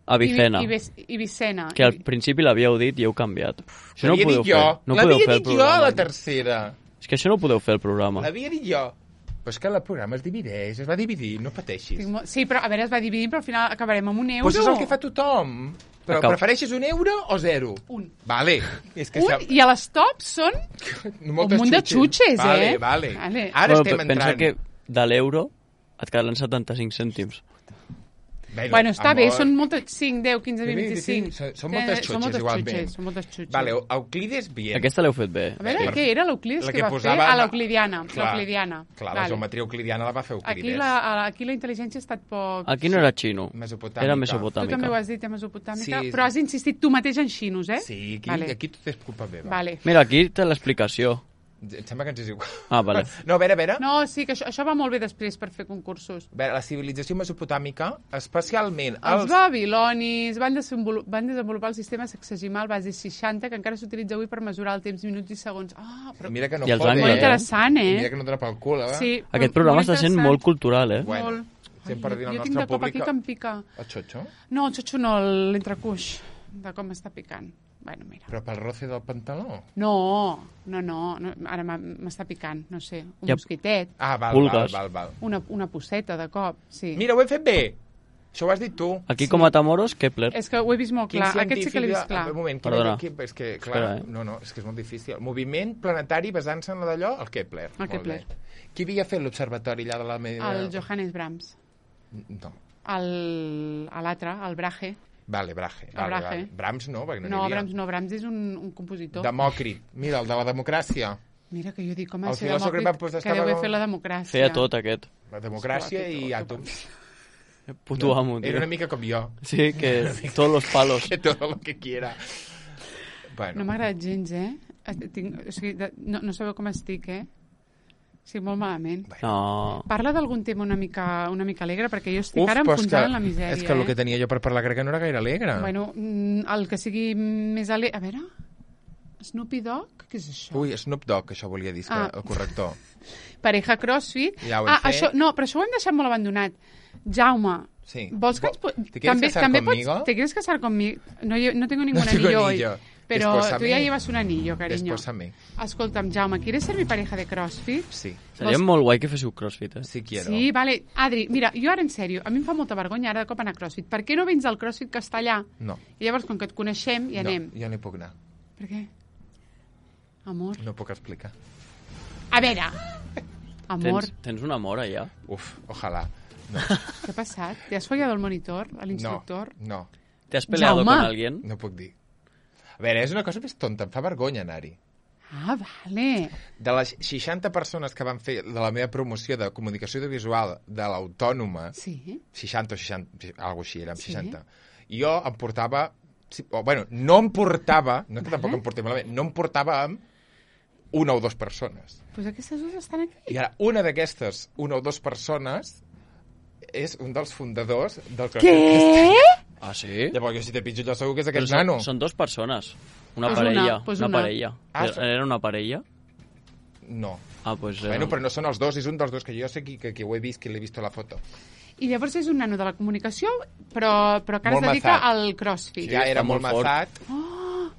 Avicena. Avicena. Que al principi l'havíeu dit i heu canviat. Això no ho podeu fer. No l'havia dit jo a la tercera. És que això no ho podeu fer, el programa. L'havia dit jo. Però és que el programa es divideix, es va dividir, no pateixis. Sí, però a veure, es va dividir, però al final acabarem amb €1. Pues és el que fa tothom. Però prefereixes €1 o 0? Un. Vale. És que I a les tops són un munt de xutxes, Vale. Ara estem entrant. Pensa que de l'euro et quedaran 75 cèntims. Bueno, està bé, són moltes... 5, 10, 15, 20, 25. Són moltes xutxes, igualment. Són moltes xutxes. Vale, Euclides, bien. Aquesta l'heu fet bé. A veure, què era l'Euclides que va fer? L'Euclidiana. Clar, la geometria euclidiana la va fer Euclides. Aquí la intel·ligència ha estat poc... Aquí no era xino, era mesopotàmica. Tu també ho has dit, mesopotàmica, però has insistit tu mateix en xinos, Sí, aquí tot és culpa meva. Vale. Mira, aquí té l'explicació. Em sembla que ens és igual. Vale. No, a veure. No, sí, que això va molt bé després per fer concursos. A veure, la civilització mesopotàmica, especialment els babilonis van desenvolupar el sistema sexagimal base 60, que encara s'utilitza avui per mesurar el temps, minuts i segons. Però... Mira que no fot, molt interessant, Mira que no dona pel cul, Sí, aquest programa està sent molt cultural, Bueno, sempre dient al nostre públic... Jo tinc de cop aquí que em pica. El xotxo? No, el xotxo no, l'entrecuix, de com està picant. Bueno, mira. Però pel roce del pantaló? No, ara m'està picant, no sé, mosquitet. Val. Una posseta, de cop, sí. Mira, ho hem fet bé. Això ho has dit tu. Aquí, com a Tamoros, Kepler. És que ho he vist molt clar. Aquest sí que l'he vist clar. Un moment, perdona. És que, clar, és que és molt difícil. Moviment planetari basant-se en la d'allò, el Kepler. El Kepler. Qui havia fet l'observatori allà de la... El Johannes Brahms. No. L'altre, el Brahe. Vale. Brahms no, perquè no Brahms no, Brahms és un compositor. Demòcrit, mira, el de la democràcia. Mira, que jo dic, com ha de ser Demòcrit, que deu haver fet la democràcia. Feia tot, aquest. La democràcia i àtoms. Puto amo, tio. Era una mica com jo. Sí, que todos los palos. Que todo lo que quiera. Bueno. No m'ha agradat gens, no sabeu com estic, Sí, molt malament. No. Parla d'algun tema una mica alegre, perquè jo estic ara enfonsada en la misèria. És que el que tenia jo per parlar crec que no era gaire alegre. Bueno, el que sigui més alegre... A veure... Snoopy Dogg? Què és això? Ui, Snoop Dogg, això volia dir, el corrector. Pareja CrossFit. Ja ho hem fet. Això, no, però això ho hem deixat molt abandonat. Jaume, sí. Vols que ¿Te quieres casar conmigo? ¿Te quieres casar conmigo? No tengo ningún anillo hoy. Pero tú ya llevas un anillo, cariño. Despósame. Escolta'm, Jaume, ¿quieres ser mi pareja de CrossFit? Sí. Seria molt guai que féssiu CrossFit, Sí, quiero. Sí, vale. Adri, mira, jo ara en sèrio, a mi em fa molta vergonya ara de cop anar a CrossFit. Per què no vens al CrossFit castellà? No. I llavors, com que et coneixem, hi anem. No, jo no hi puc anar. Per què? Amor. No puc explicar. A veure, amor. Tens un amor allà? Uf, ojalà. No. Què ha passat? ¿Te has follado el monitor, l'instructor? No. ¿Te has peleado con alguien? No puc dir. A veure, és una cosa més tonta, em fa vergonya anar-hi. Ah, vale. De les 60 persones que van fer de la meva promoció de comunicació audiovisual de l'Autònoma, 60 o 60, alguna així, érem 60, jo em portava... Bueno, no em portava, no és que tampoc em portés malament, no em portava amb una o dues persones. Doncs aquestes dues estan aquí. I ara, una d'aquestes, una o dues persones, és un dels fundadors del CrossFit. Què? Ah, sí? Llavors, jo si te pitjo, jo segur que és aquest nano. Són dues persones. Una parella. Una parella. Era una parella? No. Ah, pues... Bueno, però no són els dos, és un dels dos, que jo sé que ho he vist, que l'he vist a la foto. I llavors és un nano de la comunicació, però que ara es dedica al CrossFit. Ja era molt mazat. Oh,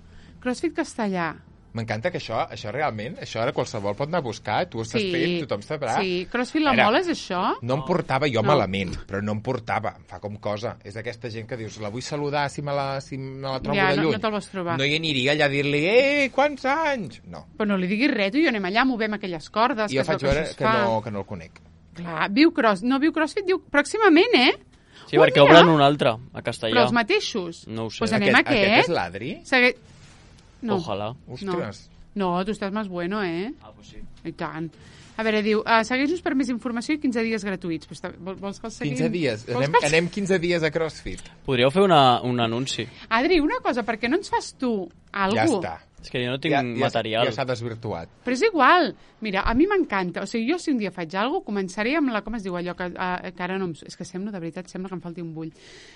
CrossFit castellà. M'encanta que això realment, això ara qualsevol pot anar a buscar, tu estàs fet, tothom sabrà. Sí, CrossFit la mola és això? No em portava jo malament, però no em portava, em fa com cosa. És d'aquesta gent que dius, la vull saludar si me la trobo de lluny. No te'l vas trobar. No hi aniria allà a dir-li, quants anys? No. Però no li diguis res, tu i jo anem allà, movem aquelles cordes. I jo faig veure que no el conec. Clar, no viu CrossFit, diu pròximament, Sí, perquè obren un altre, a Castellà. Però els mateixos? No ho sé. Pues anem a aquest. Aquest és l'Adri? No. Ojalà. Ostres. No, tu estàs més bueno, Ah, pues sí. I tant. A veure, diu, segueix-nos per més informació i 15 dies gratuïts. Vols que els seguim? 15 dies. Anem 15 dies a CrossFit. Podríeu fer un anunci. Adri, una cosa, per què no ens fas tu alguna Ja està. És que jo no tinc material. Ja s'ha desvirtuat. Però és igual. Mira, a mi m'encanta. O sigui, jo si un dia faig alguna cosa, començaré amb com es diu allò, que ara no... És que de veritat, sembla que em falti un bull.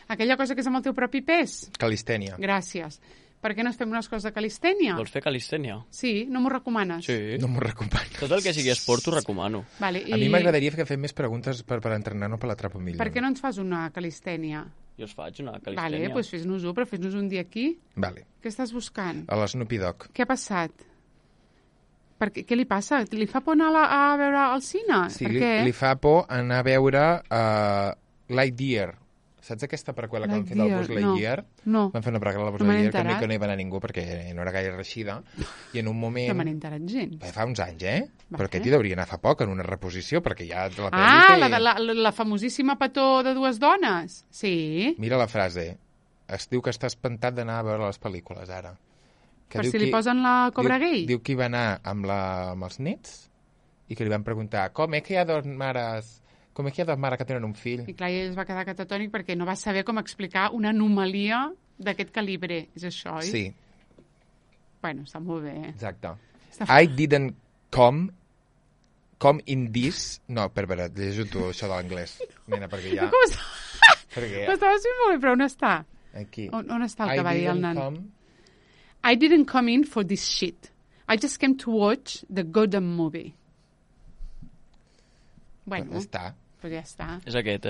Aquella cosa que és amb el teu propi pes. Calistènia. Gràcies. Per què no es fem unes coses de calistènia? Vols fer calistènia? Sí, no m'ho recomanes? Sí. No m'ho recomanes. Tot el que sigui esport t'ho recomano. Vale, A mi m'agradaria que fem més preguntes per entrenar-nos per l'atrapa millor. Per què no ens fas una calistènia? Jo us faig una calistènia. Vale, doncs fes-nos-ho, però fes-nos un dia aquí. Vale. Què estàs buscant? A l'Snoopy Dogg. Què ha passat? Què li passa? Li fa por anar a veure al cine? Sí, li fa por anar a veure Lightyear. Saps aquesta preqüela que van fer del Buzz Lightyear? No. Van fer una preqüela del Buzz Lightyear que no hi va anar ningú perquè no era gaire reixida. I en un moment... No me n'he enterat gens. Fa uns anys, Va, però aquest hi hauria anar fa poc, en una reposició, perquè ja la pel·li té... la famosíssima petó de dues dones? Sí. Mira la frase. Es diu que està espantat d'anar a veure les pel·lícules, ara. Per si li posen la Cobra Gay? Diu que hi va anar amb els nets i que li van preguntar com és que hi ha dos mares que tenen un fill? I clar, ell es va quedar catatònic perquè no va saber com explicar una anomalia d'aquest calibre. És això, oi? Sí. Bueno, està molt bé. Exacte. I didn't com in this... No, per veure, llegeixo tu això de l'anglès. Nena, perquè ja... Com està? L'estaves fent molt bé, però on està? Aquí. On està el que va dir el nan? I didn't come in for this shit. I just came to watch the Gotham movie. Bueno, ja està. Pues ja està. És aquest,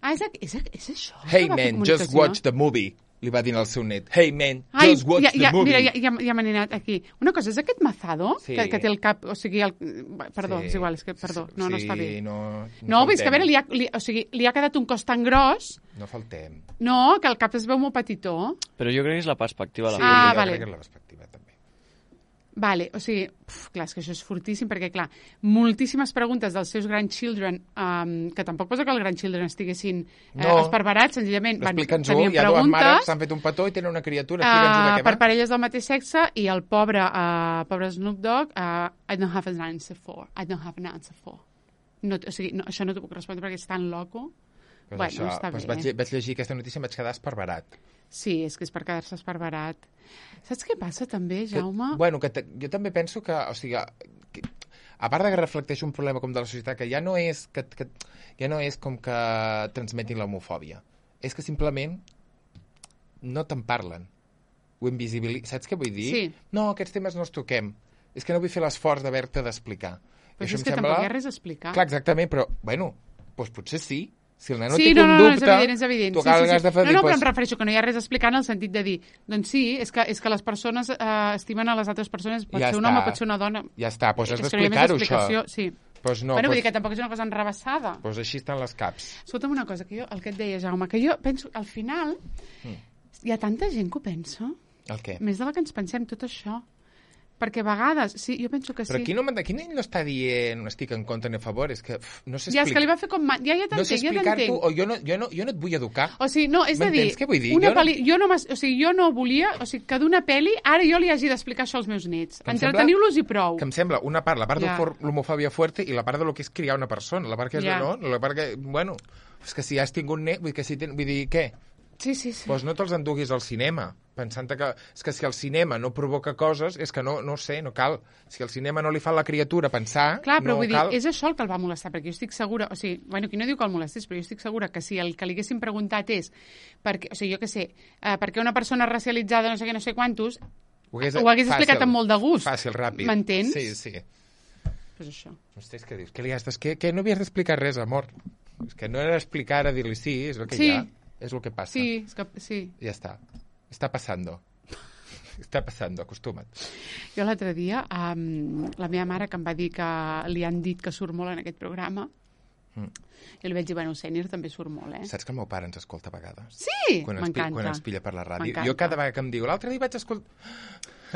Ah, és això? Hey, man, just watch the movie. Li va dir al seu net. Hey, man, just watch the movie. Mira, ja m'he anat aquí. Una cosa, és aquest mazado que té el cap... O sigui, perdó, és igual, és que, perdó, no està bé. No, és que a veure, li ha quedat un cos tan gros... No faltem. No, que el cap es veu molt petitó. Però jo crec que és la perspectiva. Sí, jo crec que és la perspectiva, també. Vale, o sigui, clar, és que això és fortíssim, perquè, clar, moltíssimes preguntes dels seus grandchildren, que tampoc posa que els grandchildren estiguessin esparverats, senzillament. Explica'ns-ho, hi ha dues mares, s'han fet un petó i tenen una criatura. Explica'ns-ho de què va. Per parelles del mateix sexe, i el pobre Snoop Dogg, I don't have an answer for. No, o sigui, això no t'ho puc respondre perquè és tan loco. Bueno, està bé. Vaig llegir aquesta notícia i em vaig quedar esparverat. Sí, és que és per quedar-se esparverat. Saps què passa també, Jaume? Jo també penso que, o sigui, a part de que reflecteix un problema com de la societat, que ja no és com que transmetin l'homofòbia, és que simplement no te'n parlen. Ho invisibilitzen. Saps què vull dir? Sí. No, aquests temes no els toquem. És que no vull fer l'esforç d'haver-te d'explicar. Però és que tampoc hi ha res a explicar. Clar, exactament, però, bueno, doncs potser sí. Si el nen no té un dubte, és evident. Tu has de fer... No, però em refereixo que no hi ha res a explicar en el sentit de dir, doncs sí, és que les persones estimen a les altres persones, pot ser un home, pot ser una dona. Ja està, doncs has d'explicar-ho, això. Sí. Pues no, bueno, vull dir que tampoc és una cosa enrabassada. Doncs així estan les caps. Escolta'm una cosa, que jo, el que et deia, Jaume, que jo penso, al final, hi ha tanta gent que ho pensa. El què? Més de la que ens pensem, tot això. Perquè a vegades, sí, jo penso que sí. Però aquí no està dient estic en contra ni a favor, és que no sé explicar. Ja, és que li va fer com... Ja t'entenc, no sé explicar-t'ho, o jo no et vull educar. O sigui, no, és a dir... M'entens què vull dir? Jo no volia... O sigui, que d'una pel·li, ara jo li hagi d'explicar això als meus nets. Entreteniu-los i prou. Que em sembla una part, la part de l'homofòbia fuerte i la part de lo que és criar una persona. La part que és la part que... Bueno, és que si has tingut net, vull dir, què? Sí. Doncs no te'ls enduguis al cinema, pensant que... És que si el cinema no provoca coses, és que no sé, no cal. Si el cinema no li fa a la criatura pensar, clar, però no vull cal... dir, és això el que el va molestar, perquè jo estic segura... O sigui, bueno, qui no diu que el molestés, però jo estic segura que si el que li haguessin preguntat és... Perquè, o sigui, jo què sé, perquè una persona racialitzada no sé què, no sé quantos, ho hagués explicat amb molt de gust. Fàcil, ràpid. M'entens? Sí. Pues això. Ostres, què dius? Què li has que no havies d'explicar res, amor. És que no era explicar, a dir-li sí, és el que hi ha. És el que passa. Sí, és que sí. Ja està. Està passando. Acostuma't. Jo l'altre dia, la meva mare, que em va dir que li han dit que surt molt en aquest programa, jo li vaig dir, bueno, sènior també surt molt, Saps que el meu pare ens escolta a vegades? Sí, m'encanta. Quan ens pilla per la ràdio. Jo cada vegada que em diu, l'altre dia vaig escoltar...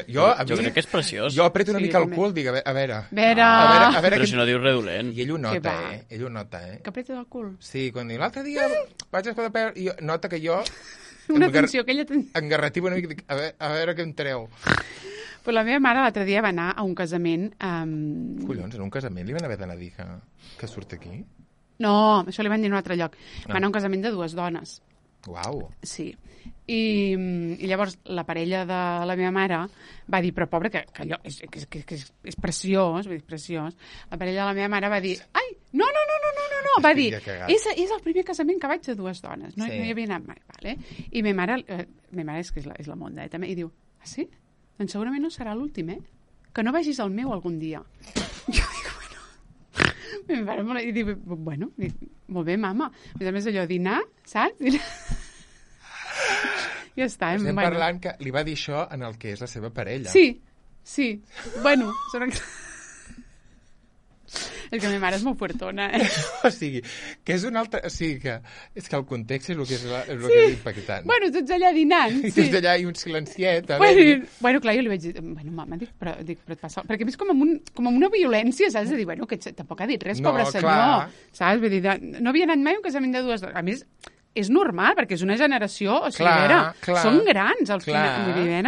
Jo crec que és preciós. Jo apreto una mica el cul, dic, a veure... Però si no dius res dolent. I ell ho nota, Ell ho nota, Que apretes el cul? Sí, quan diu, l'altre dia vaig escoltar... Nota que jo... Una atenció que ella... Engarrativa una mica, dic, a veure què em treu. Però la meva mare l'altre dia va anar a un casament... Collons, en un casament li van haver d'anar a dir que surt aquí? No, això li van dir en un altre lloc. Va anar a un casament de 2 dones. Uau. Sí. I llavors la parella de la meva mare va dir, però pobre, que allò és preciós, vull dir, preciós. La parella de la meva mare va dir, ai, no, va dir, és el primer casament que vaig de 2 dones, no hi havia anat mai, vale? I ma mare és que és la monda, també, i diu, ah, sí? Doncs segurament no serà l'últim, que no vegis el meu algun dia. Jo dic, bueno, i diu, bueno, molt bé, mama. A més allò, dinar, saps? Ja està. Estem parlant que li va dir això en el que és la seva parella. Sí. Bueno, és que la meva mare és molt fuertona, O sigui, que és un altre... O sigui, que és que el context és el que és impactant. Bueno, tots allà dinant. I tots allà i un silenciet. Bueno, clar, jo li vaig dir, bueno, mama, però et passa... Perquè a més com amb una violència, saps? De dir, bueno, que tampoc ha dit res, pobre senyor. Saps? Vull dir, no havia anat mai a un casament de 2 dones. A més, és normal, perquè és una generació, o sigui, són grans, al final. Vull dir,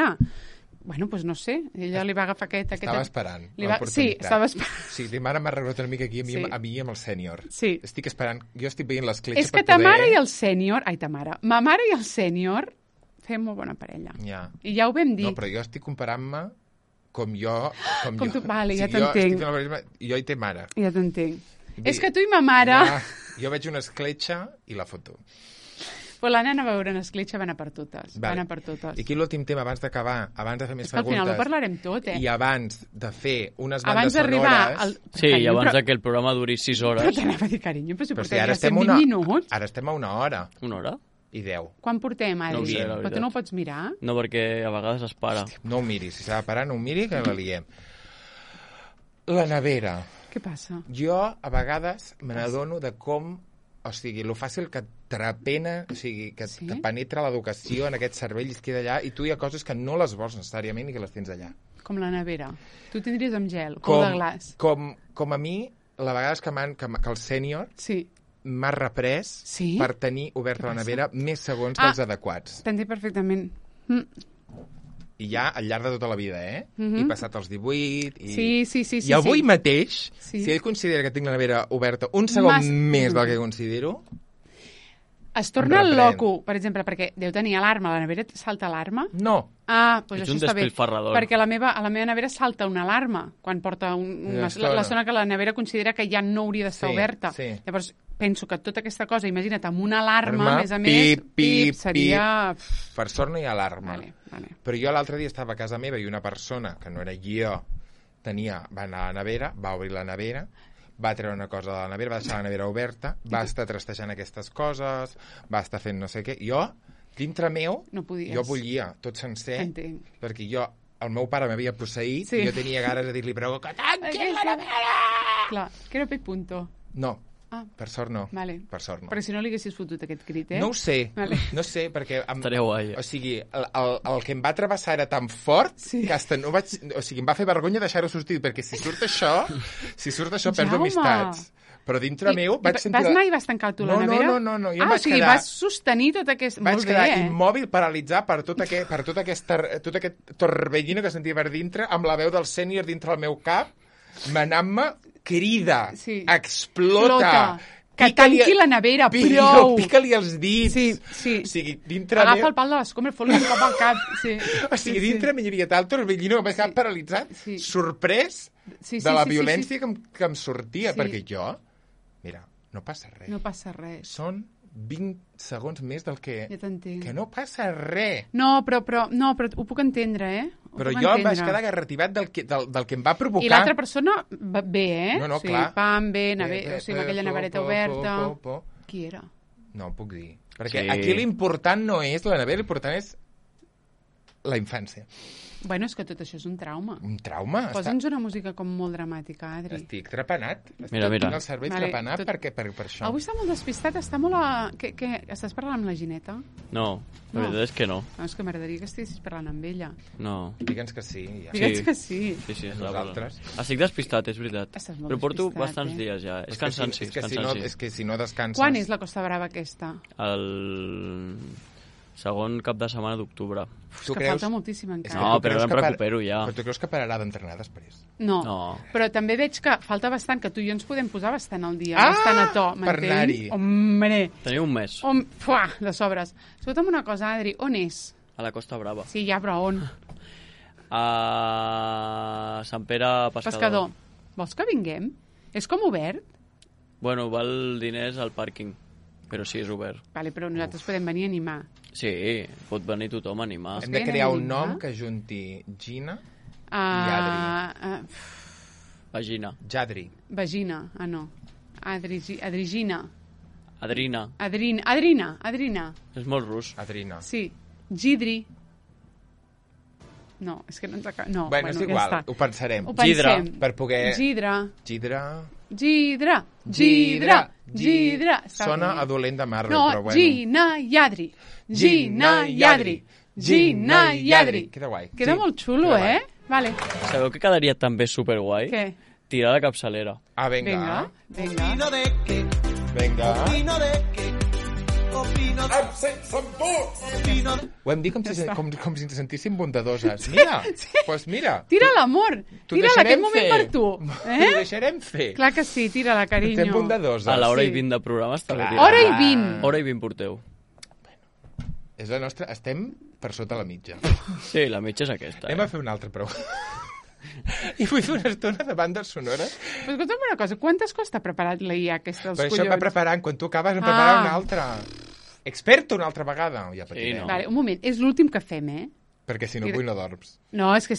bueno, doncs no sé, ella li va agafar aquest... Estava esperant l'oportunitat. Sí, estava esperant. Sí, ara m'ha arreglat una mica aquí a mi i amb el sènior. Sí. Estic esperant, jo estic veient l'escletxa és que ta mare i el sènior... Ai, ta mare. Ma mare i el sènior feien molt bona parella. Ja. I ja ho vam dir. No, però jo estic comparant-me com jo... Com tu, vale, ja t'entenc. Jo hi té mare. Ja t'entenc. És que tu i ma mare... Jo veig una escletxa i la foto. Però la nena va veure una escletxa, va anar per totes. Va anar per totes. I aquí l'últim tema, abans d'acabar, abans de fer més preguntes... És que al final ho parlarem tot, I abans de fer unes bandes sonores... Sí, i abans que el programa duri 6 hores... Però t'anava a dir, carinyo, però si portem ara 120 minuts... Ara estem a una hora. Una hora? I 10. Quan portem, Adri? No ho sé, la veritat. Però tu no ho pots mirar? No, perquè a vegades es para. Hòstia, no ho miris. Si s'ha de parar, no ho miri, que la liem. La nevera. Què passa? Jo, a vegades, me n'adono de com... O sigui, lo fàcil que trapena, o sigui, que te penetra l'educació en aquest cervell i es queda allà, i tu hi ha coses que no les vols necessàriament i que les tens allà. Com la nevera. Tu tindries amb gel, com de glaç. Com a mi, la vegades que el sènior m'ha reprès per tenir oberta la nevera més segons dels adequats. T'entenc perfectament. I ja al llarg de tota la vida, He passat els 18... Sí. I avui mateix, si ell considera que tinc la nevera oberta un segon més del que considero... Es torna loco, per exemple, perquè deu tenir alarma. La nevera salta alarma? No. Doncs això està bé. Perquè a la meva nevera salta una alarma quan porta la zona que la nevera considera que ja no hauria d'estar oberta. Llavors, penso que tota aquesta cosa, imagina't, amb una alarma, a més a més, seria... Per sort no hi ha alarma. Vale. Però jo l'altre dia estava a casa meva i una persona, que no era jo, va anar a la nevera, va obrir la nevera, va treure una cosa de la nevera, va deixar la nevera oberta, va estar trastejant aquestes coses, va estar fent no sé què. Jo, dintre meu, jo bullia tot sencer, perquè el meu pare m'havia posseït i jo tenia ganes de dir-li, però que tanqui la nevera! Clar, que era punto. No. Per sort no. Per sort no. Perquè si no li haguessis fotut aquest crit, No ho sé. No sé, perquè... Estaria guai. O sigui, el que em va travessar era tan fort que hasta no vaig... O sigui, em va fer vergonya deixar-ho sortir, perquè si surt això perdo amistats. Però dintre meu vaig sentir... Vas anar i vas tancar tu la nevera? No. Jo o sigui, vas sostenir tot aquest... Vaig quedar immòbil, paralitzat per tot aquest torbellino que sentia per dintre, amb la veu del sènior dintre el meu cap, manant-me crida, explota, que tanqui la nevera, prou. Pica-li els dits. Sí. O sigui, dintre agafa el pal de l'escombra i fot-li un cop al cap. O sigui, dintre m'hi havia tal torbellino que m'he quedat paralitzat, sorprès de la violència que em sortia, perquè jo, mira, no passa res. No passa res. Són 20 segons més del que... Ja t'entenc. Que no passa res. No, però ho puc entendre, Però jo em vaig quedar garrativat del que em va provocar... I l'altra persona bé, No, clar. Pam, bé, amb aquella nevereta oberta... Qui era? No, puc dir. Perquè aquí l'important no és la nevera, l'important és la infància. Bueno, és que tot això és un trauma. Un trauma? Posa'ns una música com molt dramàtica, Adri. Estic trepanat. Mira. Tinc el cervell trepanat per això. Avui està molt despistat, està molt a... Què? Estàs parlant amb la Gineta? No, la veritat és que no. És que m'agradaria que estiguessis parlant amb ella. No. Digue'ns que sí. Ja. Digue'ns que sí. Sí, nosaltres. Estic despistat, és veritat. Estàs molt però porto despistat, bastants dies ja. És cansanci. És que si no descanses... Quan és la Costa Brava aquesta? El segon cap de setmana d'octubre. És que falta moltíssim encara. No, però em recupero ja. Però tu creus que pararà d'entrenar després? No, però també veig que falta bastant, que tu i jo ens podem posar bastant al dia, bastant a to, per anar-hi. Hombre! Teniu un mes. De sobres. Escolta'm una cosa, Adri, on és? A la Costa Brava. Sí, ja, però on? A Sant Pere Pescador. Vols que vinguem? És com obert? Bueno, val diners al pàrquing, però sí, és obert. Vale, però nosaltres podem venir a animar. Sí, pot venir tothom a animar. Hem de crear un nom que junti Gina i Adri. Vagina. Jadri. Vagina, no. Adrigina. Adrina. Adrina. És molt rus. Adrina. Sí. Gidri. No, és que no ens acaba... No, bueno, és igual, ho pensarem. Gidra. Per poder... Gidra. Sona a dolent de Marvel, no, però bueno. Gina i Adri. Queda guai. Queda molt xulo, Vale. Sabeu que quedaria també superguai? Què? Tirar la capçalera. Vinga. Ho hem dit com si ens sentíssim bondadoses. Mira, doncs mira. Tira l'amor. Tira-la, aquest moment per tu. T'ho deixarem fer. Clar que sí, tira-la, carinyo. Estem bondadoses. A l'hora i 20 de programa està bé. Hora i 20. Hora i 20 porteu. És la nostra... Estem per sota la mitja. Sí, la mitja és aquesta. Anem a fer una altra pregunta. I vull fer una estona de bandes sonores. Però escolta'm una cosa, quantes costa preparar la IA aquesta, els collons? collons? Això va preparant, quan tu acabes, em prepara una altra. Experta una altra vegada. Ja no. Vale, un moment, és l'últim que fem, Perquè si no avui no dorms. No, és que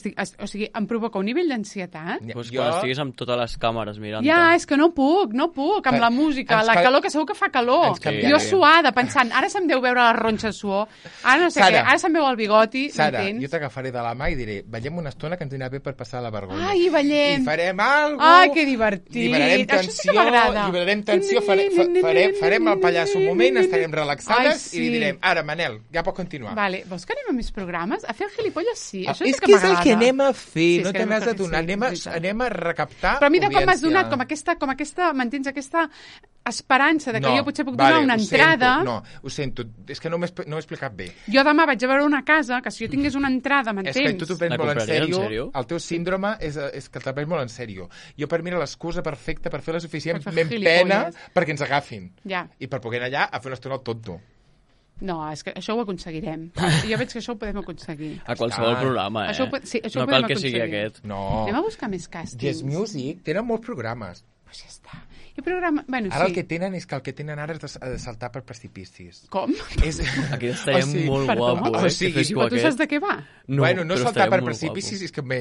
em provoca un nivell d'ansietat. Pues quan estiguis amb totes les càmeres mirant. Ja, és que no puc, amb la música, la calor, que segur que fa calor. Jo suada, pensant, ara se'm deu veure la ronxa de suor, ara no sé què, ara se'm veu el bigoti, Sara, jo t'agafaré de la mà i diré, ballem una estona que ens anirà bé per passar la vergonya. Ai, ballem. I farem alguna cosa. Ai, que divertit. Això sí que m'agrada. Lliberarem tensió, farem el pallasso un moment, estarem relaxades i direm, ara, Manel, ja pot continuar. Vale, vols que anem a més programes? A fer el gilipolles, sí. Això és que és el que anem a fer, no te n'has de donar, anem a recaptar audiència. Però mira com m'has donat, com aquesta, m'entens, aquesta esperança de que jo potser puc donar una entrada. No, ho sento, és que no m'he explicat bé. Jo demà vaig a veure una casa, que si jo tingués una entrada, m'entens? És que tu t'ho prens molt en sèrio, el teu síndrome és que te'l prens molt en sèrio. Jo per mi era l'excusa perfecta per fer la suficientment pena perquè ens agafin. I per poder anar allà a fer una estona al tonto. No, és que això ho aconseguirem. Jo veig que això ho podem aconseguir. A qualsevol programa, això no cal que sigui aquest. No. Anem a buscar més càstings. Yes Music, tenen molts programes. Pues ja està. I programa... Bueno, ara el que tenen és que el que tenen ara és de saltar per precipicis. Com? Aquí estaria molt guapo, o sigui, però tu saps de què va? Bueno, no saltar per precipicis, és que m'he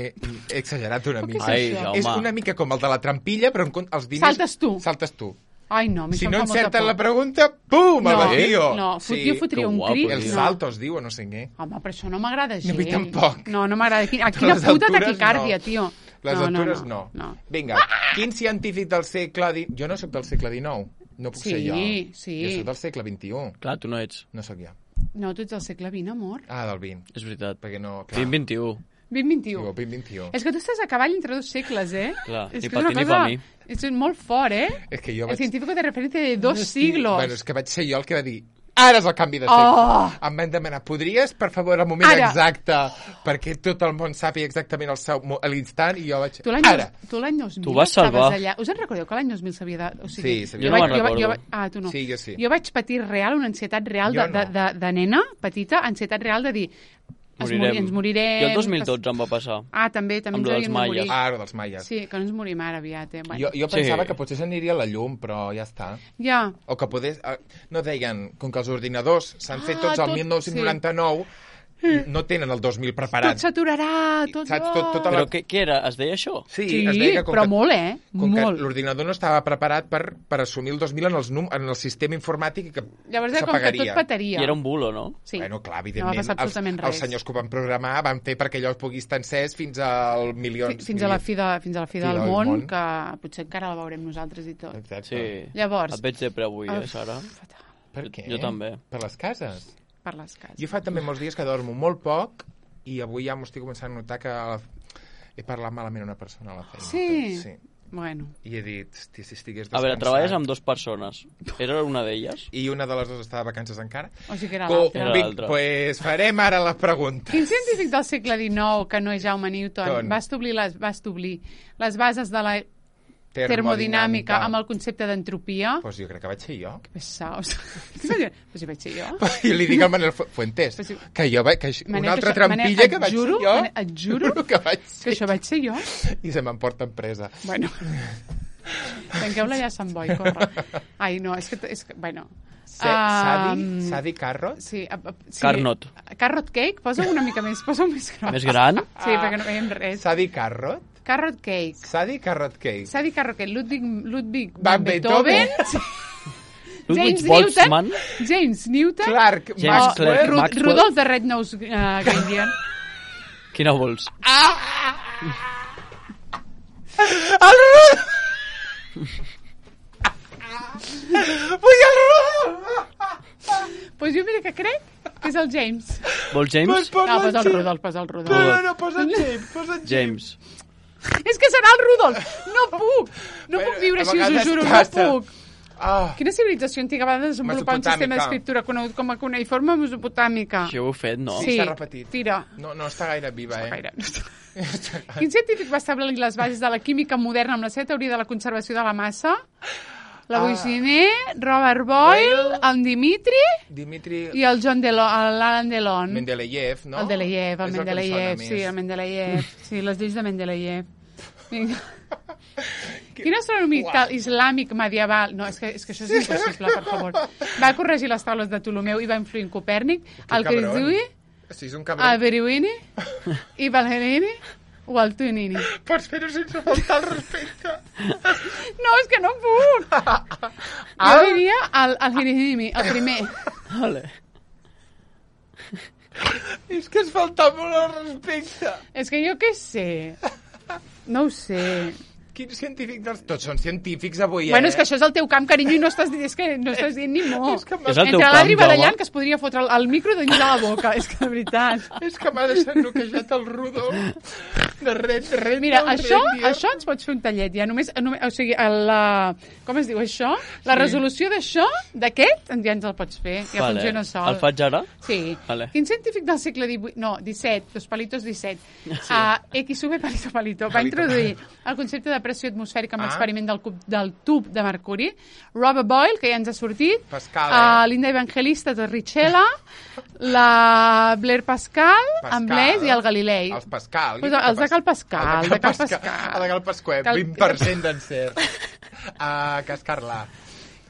exagerat una mica. És una mica com el de la trampilla, però els diners... Saltes tu. Ai, no, si no encerten la pregunta, pum, al vacío. No, jo fotria un crit. El salto es diu, o no sé què. Home, però això no m'agrada gens. A mi tampoc. No m'agrada. Quina puta taquicàrdia, tio. Les altures no. Vinga, quin científic del segle... Jo no soc del segle XIX. No puc ser jo. Sí. Jo soc del segle XXI. Clar, tu no ets. No soc jo. No, tu ets del segle XX, amor. Ah, del XX. És veritat. Perquè no... 20-21. 20-21. És que tu estàs a cavall entre dos segles, Clar, ni per ti ni per mi. És molt fort, És que jo el científico de referència de 2 siglos. Bueno, és que vaig ser jo el que va dir ara és el canvi de segle. Em van demanar, podries, per favor, el moment exacte, perquè tot el món sàpiga exactament a l'instant, i jo vaig... Tu l'any 2000 tu vas salvar. Allà. Us en recordeu que l'any 2000 s'havia de... O sigui, sí, jo no me'n recordo. Tu no. Sí, jo sí. Jo vaig patir una ansietat real de nena petita, ansietat real de dir... Ens morirem... Jo el 2012 em va passar. També ens havíem de morir. Dels maies. Sí, que no ens morim ara aviat. Bueno. Jo pensava que potser s'aniria a la llum, però ja està. Ja. O que no deien, com que els ordinadors s'han fet tots el 1999... No tenen el 2000 preparat. Tot s'aturarà, Però què era? Es deia això? Sí, es deia però molt, com que l'ordinador no estava preparat per assumir el 2000 en el sistema informàtic i que s'apagaria. Llavors com que tot petaria. I era un bulo, no? Sí. Bueno, clar, evidentment, els senyors que ho van programar van fer perquè allò pugui estar encès fins al milió... Fins a la fi del món, que potser encara la veurem nosaltres i tot. Exacte. Sí. Llavors... Et veig depre avui, Sara? Fatal. Per què? Jo també. Per les cases? Per les cases. Jo fa també molts dies que dormo molt poc i avui ja m'ho estic començant a notar que he parlat malament a una persona a la feina. Sí. Bueno. I he dit, hosti, si estigués descansat... A veure, treballes amb 2 persones. Era una d'elles? I una de les 2 estava de vacances encara. O sigui que era l'altra. Pues farem ara la pregunta. Quin científic del segle XIX, que no és Jaume Newton, va establir les bases de la termodinàmica amb el concepte d'entropia? Pues jo crec que vaig ser jo. Que pesaos. Pues si vaig ser jo. I li dic al Manel Fuentes que jo vaig... Una altra trampilla que vaig ser jo. Et juro que això vaig ser jo. I se m'emporta empresa. Bueno. Tanqueu-la ja a Sant Boi, corre. Ai, no, és que bueno... Sadi Carrot? Sí. Carnot. Carrot cake? Posa-ho una mica més, posa-ho més gran. Més gran? Sí, perquè no veiem res. Sadi Carrot? Carrot cake. Sadi Carrot cake. Sadi Carrot cake. Ludwig van Beethoven. James Newton. James Newton. Clark Maxwell. Rudolf de Red-Nose Grenadier. Quina vols? El Rudolf! Vull el Rudolf! Pues jo mira que crec que és el James. Vols James? No, posa el Rudolf. No, posa el James. És que serà el Rudolf. No puc viure així, us ho juro, no puc. Quina civilització antiga va desenvolupar un sistema d'escriptura conegut com a cuneïforme mesopotàmica? Això ho heu fet, no? Sí, s'ha repetit. Tira. No està gaire viva, Quin científic va establir les bases de la química moderna amb la seva teoria de la conservació de la massa? la Boixiner, Robert Boyle, el Dimitri i el l'Alan Delon. Mendeleev, no? El Mendeleev, sí, les lleis de Mendeleev. Vinga. Quin astrònomic islàmic medieval... No, és que això és impossible, per favor. Va corregir les taules de Ptolomeu i va influir en Copèrnic, el Cristiui, el Berewini i Balherini o el Tuinini. Pots fer-ho sense faltar el respecte. No, és que no puc. Jo diria el Hirinimi, el primer. Vale. És que es falta molt el respecte. És que jo què sé. No ho sé. Quins científics dels... Tots són científics avui, Bueno, és que això és el teu camp, carinyo, i no estàs dient ni mo. És el teu Entre l'Adri camp, Badallant, que es podria fotre el micro dins de la boca. És que, de veritat. És que m'ha deixat noquejat el Rodolf. De res. Mira, això ens pots fer un tallet, ja. Només, o sigui, com es diu això? La resolució d'això, d'aquest, ja ens el pots fer. Ja funciona sol. El faig ara? Sí. Vale. Quin científic del segle XVIII... No, XVII, Dos Palitos 17. Sí. XV Palito Palito. Va introduir el concepte de pressió atmosfèrica amb l'experiment del tub de mercuri. Robert Boyle, que ja ens ha sortit. Pascal, l'Inda Evangelista Torricelli. La Blair Pascal, amb Blaise i el Galilei. Els Pascal. Els de Cal Pascal. El de Cal Pasquet, 20% d'encert. Cascar-la.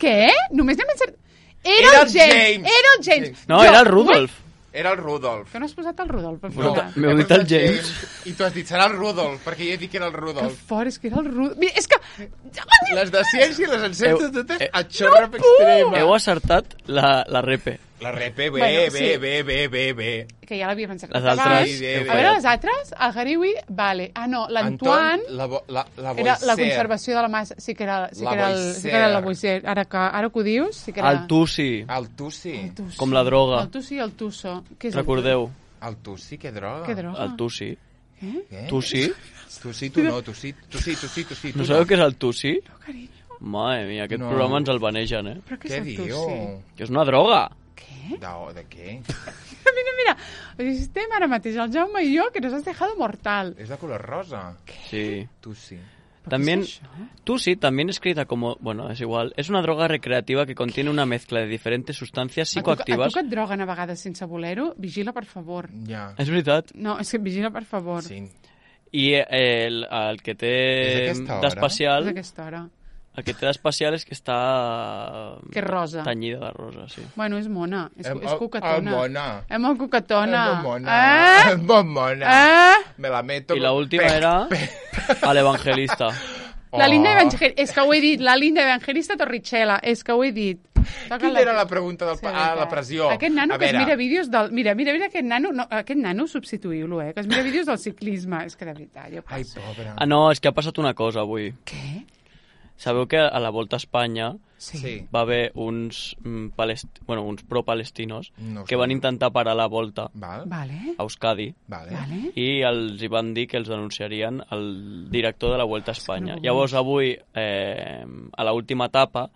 Què? Només n'hem encert... Era el James. No, era el Rudolf. Era el Rudolf. Que no has posat el Rudolf? M'heu dit el James. I tu has dit, serà el Rudolf, perquè jo he dit que era el Rudolf. Que fort, és que era el Rudolf. Mira, és que... Les de ciència les encerto totes a xorra extrema. Heu acertat la repe. La repe, bé. Que ja l'havia pensat. Les altres... A veure, les altres, el Hariwi, vale. No, l'Antoine era la conservació de la massa. Sí que era la Boisser. Ara que ho dius, sí que era... El Tussi. El Tussi. Com la droga. El Tussi i el Tusso. Recordeu. El Tussi, què droga? El Tussi. Què? Tussi? Tussi, tu no, Tussi. No sabeu què és el Tussi? No, carinyo. Madre mia, aquest programa ens el banegen, Però què és el Tussi? Que és una droga. Què? De què? Mira. Estem ara mateix, el Jaume i jo, que nos has dejado mortal. És de color rosa. Sí. Tussi. También, Tussi, también escrita como... Bueno, es igual. Es una droga recreativa que contiene una mezcla de diferentes sustancias psicoactivas... A tu que et droguen a vegades sense voler-ho, vigila, per favor. Ja. És veritat. No, és que vigila, per favor. Sí. I el que té d'especial... És aquesta hora. El que té d'especial és que està... Que és rosa. Tenyida de rosa, sí. Bueno, és mona. És coquetona. Mona. És molt coquetona. És molt mona. Me la meto... I l'última era a l'Evangelista. La Linda Evangelista. És que ho he dit. La Linda Evangelista Torricelli. És que ho he dit. Quina era la pregunta de la pressió? Aquest nano que es mira vídeos del... Mira aquest nano... No, aquest nano substituïu-lo, que es mira vídeos del ciclisme. És que de veritat, jo passo. Ai, pobre. No, és que ha passat una cosa avui. Què? Sabeu que a la Volta a Espanya sí. va haver uns pro-palestinos que van intentar parar la Volta a Euskadi i els hi van dir que els denunciarien al director de la Volta a Espanya. Llavors avui, a l'última etapa,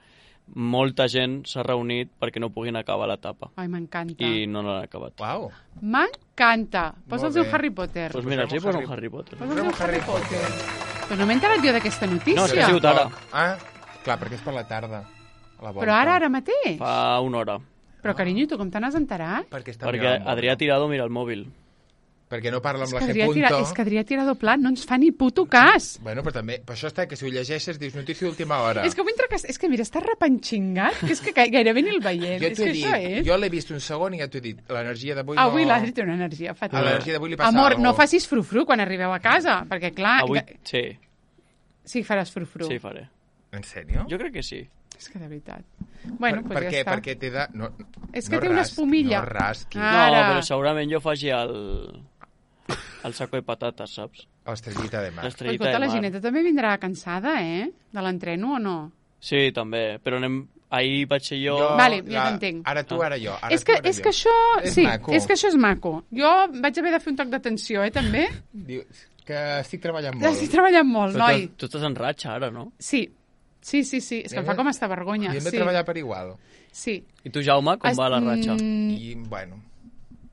molta gent s'ha reunit perquè no puguin acabar l'etapa. Ai, m'encanta. I no l'han acabat. Uau. M'encanta. Posa'ls un Harry Potter. Doncs mira, sí, posa un Harry Potter. Posa'ls un Harry Potter. Però no m'he enterat jo d'aquesta notícia. No, és que ha sigut ara. Clar, perquè és per la tarda. Però ara mateix? Fa una hora. Però, carinyo, tu com te n'has enterat? Perquè Adrià Tirado mira el mòbil. Perquè no parla amb la G. És que Adrià Tirado Pla no ens fa ni puto cas. Bueno, però també, per això està que si ho llegeixes dius notícia d'última hora. És que és que mira, està repanxingat, que és que gairebé ni el veiem. Jo l'he vist un segon i ja t'ho he dit, l'energia d'avui no... Avui l'Adri té una energia fatal. A l'energia d'avui li passa Amor, no facis frufru quan arribeu a casa, perquè clar... Avui, sí. Sí, faràs frufru. Sí, faré. En sèrio? Jo crec que sí. És que de veritat. Bueno, doncs ja està. Perquè té de... És que té una espumilla. No rasqui. No, però segurament jo faci el saco de patates, saps? L'estrellita de mar. Escolta, la Gineta també vindrà cansada, de l'entreno o no? Sí, també, però ahir vaig ser jo... Vale, ja t'entenc. Ara tu, ara jo. És que això... Sí, és que això és maco. Jo vaig haver de fer un toc d'atenció, també. Que estic treballant molt. Estic treballant molt, noi. Tu estàs en ratxa ara, no? Sí. Sí. És que em fa com esta vergonya. I hem de treballar per igual. Sí. I tu, Jaume, com va la ratxa? I, bueno...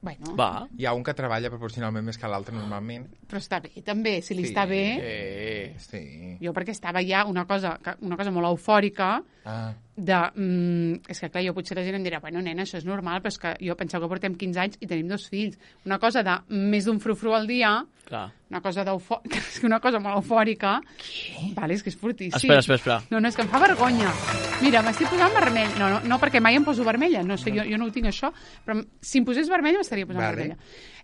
Bueno. Va. Hi ha un que treballa proporcionalment més que l'altre normalment. Però està bé, també. Si li està bé... Sí. Jo perquè estava ja una cosa molt eufòrica és que, clar, jo potser la gent em dirà bueno, nena, això és normal, però és que jo penseu que portem 15 anys i tenim 2 fills. Una cosa de més d'un frufru al dia, una cosa és que una cosa molt eufòrica... Vale, és que és fortíssim. Espera. No, és que em fa vergonya. Mira, m'estic posant vermell. No, perquè mai em poso vermella. No sé, jo no ho tinc això, però si em posés vermella m'estaria posant vermella.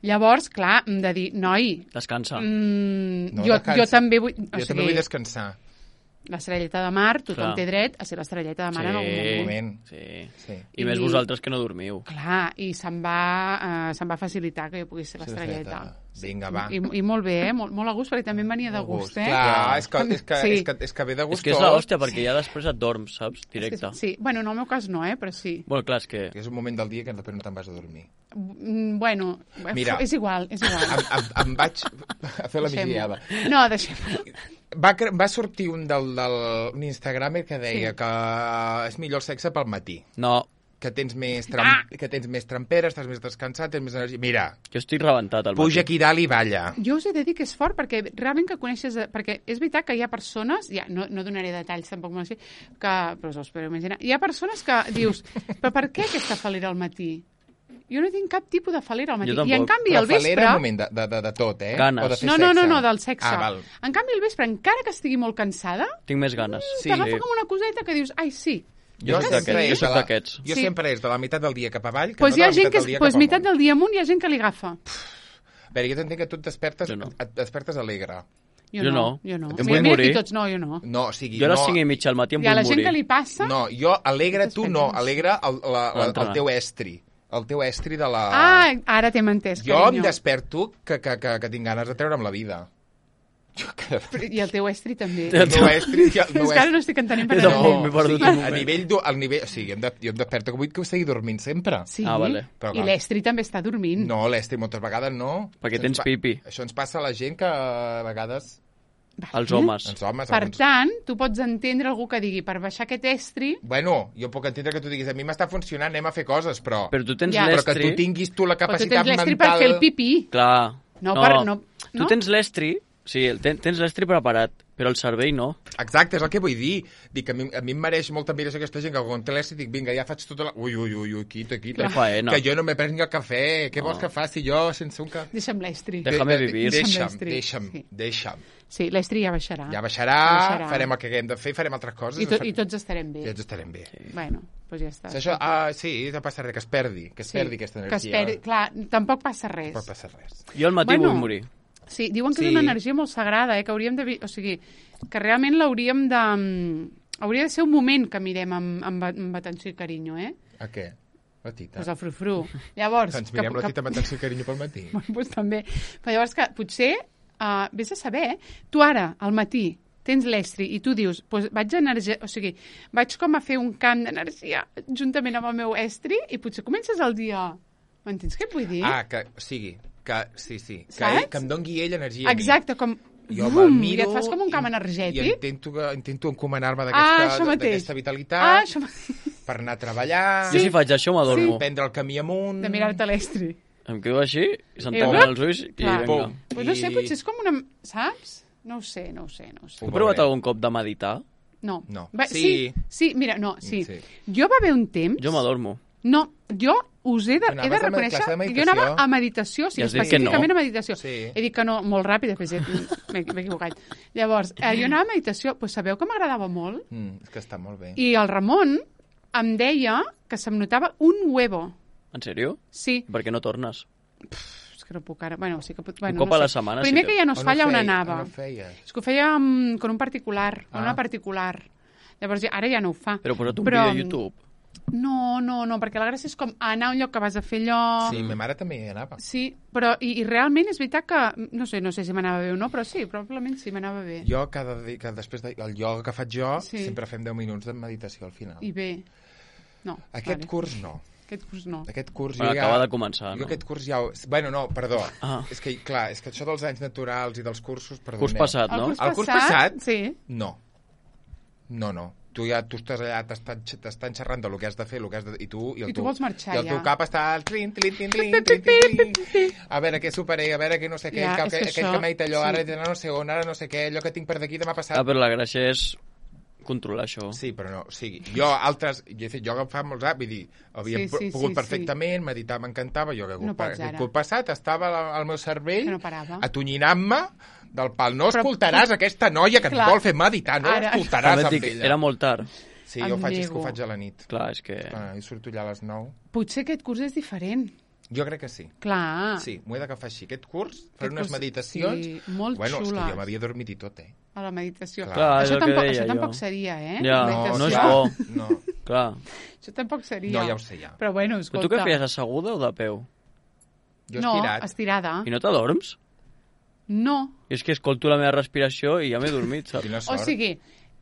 Llavors, clar, hem de dir, noi... Descansa. Jo també vull... Jo també vull descansar. L'estrelleta de mar, tothom té dret a ser l'estrelleta de mar en algun moment. Sí. I més vosaltres que no dormiu. Clar, i se'm va facilitar que jo pogués ser l'estrelleta. Vinga, va. I molt bé, molt a gust, perquè també em venia de gust, Clar, és que ve de gust. És que és l'hòstia, perquè ja després et dorms, saps? Directe. Sí, bueno, en el meu cas no, però sí. Bueno, clar, és que... És un moment del dia que després no te'n vas a dormir. Bueno, mira, és igual. Em vaig a fer la migdiada. No, deixem-ho. Va sortir un Instagramer que deia que és millor el sexe pel matí. No. Que tens més tramperes, estàs més descansat, tens més energia. Mira. Jo estic rebentat al matí. Puja aquí dalt i balla. Jo us he de dir que és fort, perquè realment que coneixes... Perquè és veritat que hi ha persones... No donaré detalls, tampoc m'ho sé, però us ho espero imaginar. Hi ha persones que dius, però per què aquesta falera al matí? Jo no tinc cap tipus de falera al matí. I en canvi al vespre... Falera en moment de tot, eh? Ganes. No, del sexe. En canvi al vespre, encara que estigui molt cansada... Tinc més ganes. T'agafa com una coseta que dius, ai, sí. Jo soc d'aquests. Jo sempre és de la meitat del dia cap avall, que no de la meitat del dia cap amunt. Meitat del dia amunt hi ha gent que li agafa. A veure, jo t'entenc que tu et despertes alegre. Jo no. Em vull morir. Tots no, jo no. No, o sigui, jo a les 5:30 al matí em vull morir. I a la gent que li passa... No, jo alegre tu no, alegre el teu estri. El teu estri de la... Ah, ara t'hem entès, carinyo. Jo em desperto que tinc ganes de treure'm la vida. I el teu estri també. El meu estri... És que ara no estic entenent per a nivell... O sigui, jo em desperto que vull que seguir dormint sempre. Sí, i l'estri també està dormint. No, l'estri moltes vegades no. Perquè tens pipi. Això ens passa a la gent que a vegades... Els homes. Per tant, tu pots entendre algú que digui per baixar aquest estri... Bueno, jo puc entendre que tu diguis a mi m'està funcionant, anem a fer coses, però... Però tu tens l'estri... Però que tu tinguis tu la capacitat mental... Però tu tens l'estri per fer el pipí. Clar. No. Tu tens l'estri... Sí, tens l'estri preparat, però el cervell no. Exacte, és el que vull dir. Dic que a mi em mereix molta admiració aquesta gent que quan té l'estri dic, vinga, ja faig tota la... Ui, quita. Que jo no me prengui el cafè. Què vols que faci jo sense un cafè? Deixa'm l'estri. Déjame vivir. Deixa'm. Sí, l'estri ja baixarà. Ja baixarà, farem el que haguem de fer, farem altres coses. I tots estarem bé. I tots estarem bé. Bueno, doncs ja està. Això, sí, no passa res, que es perdi aquesta energia. Que es perdi, clar, tampoc passa res. Tampoc passa res. Jo al matí vull morir. Sí, diuen que és una energia molt sagrada, que hauríem de... O sigui, que realment l'hauríem de... Hauria de ser un moment que mirem amb atenció i carinyo, A què? La tita? Pues el frufru. Llavors... Ens mirem la tita amb atenció i carinyo pel matí. Pues també. Però llavors que potser, vés a saber, tu ara, al matí, tens l'estri i tu dius, pues vaig com a fer un camp d'energia juntament amb el meu estri i potser comences el dia... M'entens què et vull dir? Que sigui... Sí. Que em doni ell energia. Exacte, com... Jo me'l miro... I et fas com un camp energètic. I intento encomanar-me d'aquesta vitalitat per anar a treballar... Jo si faig això m'adormo. Prendre el camí amunt... De mirar-te l'estri. Em quedo així, i s'entanyen els ulls i vinga. Pues no sé, potser és com una... Saps? No ho sé. Heu provat algun cop de meditar? No. Sí, mira, no, sí. Jo va haver un temps... Jo m'adormo. No, jo us he de reconèixer que jo anava a meditació, específicament a meditació. He dit que no, molt ràpid, després m'he equivocat. Llavors, jo anava a meditació, doncs sabeu que m'agradava molt? És que està molt bé. I el Ramon em deia que se'm notava un huevo. En sèrio? Sí. Per què no tornes? És que no puc ara... Bueno, sí que puc... Un cop a la setmana. Primer que ja no es fa allà on anava. On ho feies? És que ho feia con un particular, una particular. Llavors, ara ja no ho fa. Però posa't un vídeo a YouTube. No, perquè la gràcia és com anar a un lloc que vas a fer allò... Sí, ma mare també hi anava. Sí, però i realment és veritat que... No sé si m'anava bé o no, però sí, probablement sí, m'anava bé. Jo, que després del ioga que faig jo, sempre fem 10 minuts de meditació al final. I bé. No. Aquest curs no. Aquest curs jo acaba de començar, no? Jo aquest curs ja... Bueno, no, perdó. És que, clar, és que això dels anys naturals i dels cursos... Curs passat, no? El curs passat? Sí. No. No. Tu estàs allà, t'estan xerrant del que has de fer, i tu vols marxar, ja. I el teu cap està al trin. A veure què superé, a veure què no sé què, aquell que m'ha dit allò, ara no sé on, ara no sé què, allò que tinc per d'aquí demà passat. Però la gràcia és controlar això. Sí, però no, o sigui, jo fa molts anys, vull dir, havia pogut perfectament, meditar m'encantava, jo que cop passat estava al meu cervell atonyinant-me del pal. No escoltaràs aquesta noia que et vol fer meditar, no escoltaràs amb ella. Era molt tard. Sí, jo ho faig a la nit. Clar, és que... Jo surto allà a les 9. Potser aquest curs és diferent. Jo crec que sí. Clar. Sí, m'ho he d'agafar així. Aquest curs, fer unes meditacions... Sí, molt xules. És que jo m'havia dormit i tot, A la meditació. Clar, això tampoc seria, Ja, no és bo. No. Clar. Això tampoc seria. No, ja ho sé, ja. Però bueno, escolta... Però tu què feies, asseguda o de peu? Jo estirat. No, estirada. I no t'adorms? No. És que escolto la meva respiració i ja m'he dormit, saps? O sigui,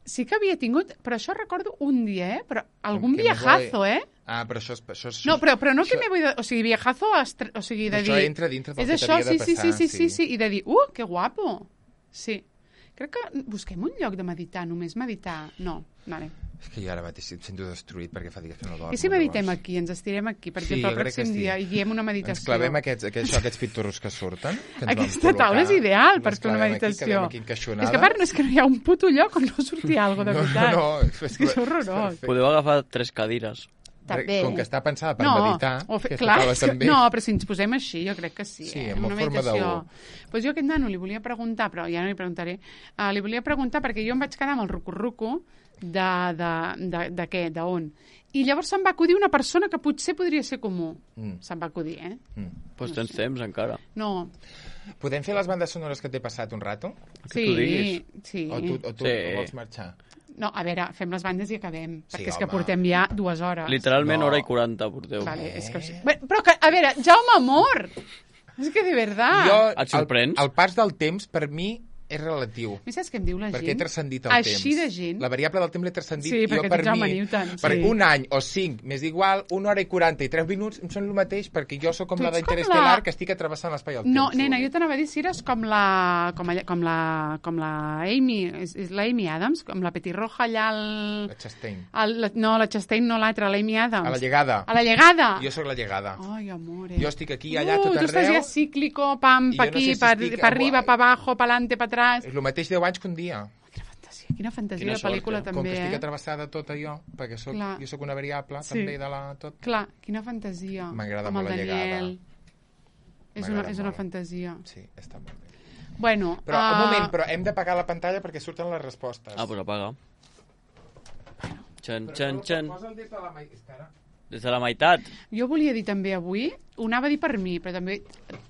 sí que havia tingut... Però això recordo un dia, Però algun viajazo, però això és... No, però no que me voy... O sigui, viajazo... O sigui, de dir... Això entra dintre del que t'havia de passar. Sí. I de dir, que guapo. Sí. Crec que busquem un lloc de meditar, només meditar. No, vale. És que jo ara mateix em sento destruït perquè fa dies que no dormo. I si meditem aquí, ens estirem aquí, per exemple, el pròxim dia i guiem una meditació. Ens clavem aquests pitorros que surten. Aquesta taula és ideal per fer una meditació. És que a part és que no hi ha un puto lloc on no surti alguna cosa, de veritat. No, és horrorós. Podeu agafar 3 cadires. També. Com que està pensada per meditar, també... No, però si ens posem així, jo crec que sí. Sí, amb una forma de... Pues jo aquest nano li volia preguntar, però ja no li preguntaré, li volia preguntar perquè jo em vaig quedar amb el rucu-rucu de què, d'on. I llavors se'm va acudir una persona que potser podria ser comú. Se'm va acudir, Doncs tens temps encara. No. Podem fer les bandes sonores que t'he passat un rato? Sí. O tu vols marxar? No, a veure, fem les bandes i acabem, perquè és que portem ja 2 hores. Literalment hora i 40 porteu. Vale, és que... Però, a veure, Jaume Amor! És que de veritat... Et sorprens? El pas del temps, per mi, és relatiu. I saps què em diu la gent? Perquè he transcendit el temps. Així de gent. La variable del temps l'he transcendit. Sí, perquè per Jaume mi, Newton. Per un any o 5 m'és igual, 1 hora i 40 i 3 minuts em són el mateix, perquè jo sóc com la d'Interestel·lar, que estic atrevessant l'espai al temps. No, nena, jo t'anava a dir si eres com la Amy, és la Amy Adams, com la petirroja allà al... La Chastain. No, la Chastain no l'altra, la Amy Adams. A la llegada. A la llegada. Jo sóc la llegada. Ai, amore. Jo estic aquí, allà, tot arreu. Tu estàs ja cíclico, pam, pa aquí, pa arriba, pa abajo, pa alante, pa atrás. És el mateix 10 anys que un dia. Quina fantasia de pel·lícula, també, Com que estic atrevessada tot allò, perquè jo soc una variable, també, de la tot. Clar, quina fantasia. M'agrada molt la llegada. És una fantasia. Sí, està molt bé. Bueno, però, un moment, però hem d'apagar la pantalla perquè surten les respostes. Doncs apaga. Posa'l des de la meitat. Jo volia dir també avui, ho anava a dir per mi, però també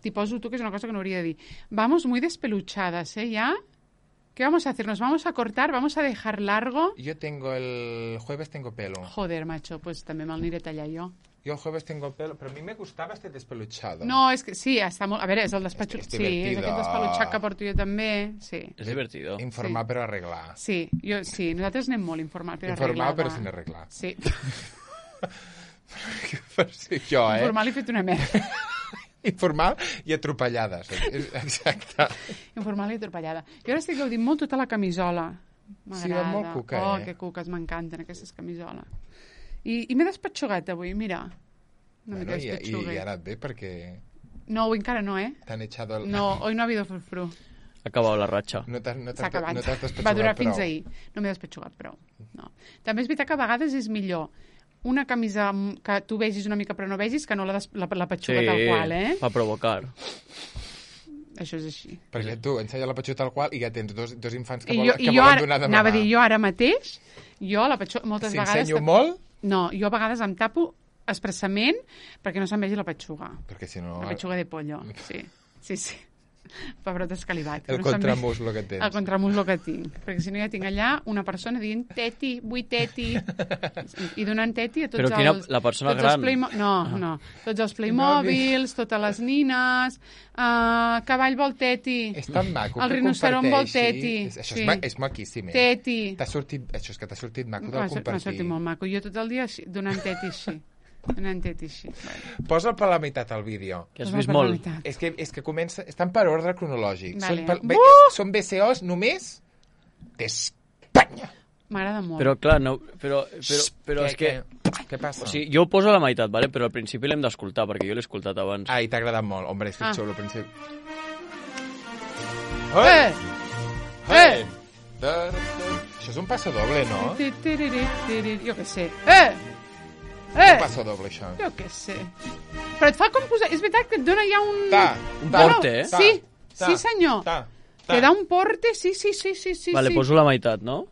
t'hi poso tu, que és una cosa que no hauria de dir. Vamos muy despeluchadas, ya. ¿Qué vamos a hacer? ¿Nos vamos a cortar? ¿Vamos a dejar largo? Yo el jueves tengo pelo. Joder, macho, pues també me'l aniré a tallar jo. Yo el jueves tengo pelo, pero a mí me gustaba este despeluchado. No, és que sí, està molt... A veure, és el despatxut. Sí, és aquest despelutxat que porto jo també. Sí. És divertido. Informar per arreglar. Sí, nosaltres anem molt informar per arreglar. Informar però sin arreglar. Sí. Per ser jo, Informal i fet una merda. Informal i atropellades. Exacte. Informal i atropellada. Jo ara estic gaudint molt tota la camisola. M'agrada. Sí, va molt cuca, que cuques, m'encanten aquestes camisoles. I m'he despatxugat avui, mira. Bueno, i ara et ve perquè... No, avui encara no, T'han echado el... No, hoy no ha habido frufru. Ha acabat la ratxa. S'ha acabat. Va durar fins ahir. No m'he despatxugat prou. No. També és veritat que a vegades és millor una camisa que tu vegis una mica però no vegis que no la petxuga tal qual, fa provocar. Això és així. Perquè tu ensenya la petxuga tal qual i ja tens dos infants que volen donar de mamà. Anava a dir, jo ara mateix, la petxuga moltes vegades... Si ensenyo molt... No, jo a vegades em tapo expressament perquè no se'm vegi la petxuga. Perquè si no... La petxuga de pollo, sí. Pebrot escalivat. El contramuslo que tens. El contramuslo que tinc. Perquè si no ja tinc allà una persona dient teti, vull teti. I donant teti a tots els... Però la persona gran? No. Tots els Playmobils, totes les nines, cavall vol teti. És tan maco el rinoceron vol teti. Això és maquíssim. Teti. Això és que t'ha sortit maco del compartir. M'ha sortit molt maco. Jo tot el dia donant teti així. Posa'l per la meitat al vídeo. Que has vist molt. És que comença... Estan per ordre cronològic. Vale. Són BCOs només d'Espanya. M'agrada molt. Però, clar, no... Però és que... Què passa? O sigui, jo ho poso a la meitat, vale? Però al principi l'hem d'escoltar, perquè jo l'he escoltat abans. Ai, t'ha agradat molt. Hombre, és que xulo al principi. Això és un passo doble, no? Jo què sé. Un passo doble, això. Jo què sé. Però et fa com posar... És veritat que et dona ja un... Un porte, eh? Sí, senyor. Te da un porte, sí. Vale, poso la meitat, no?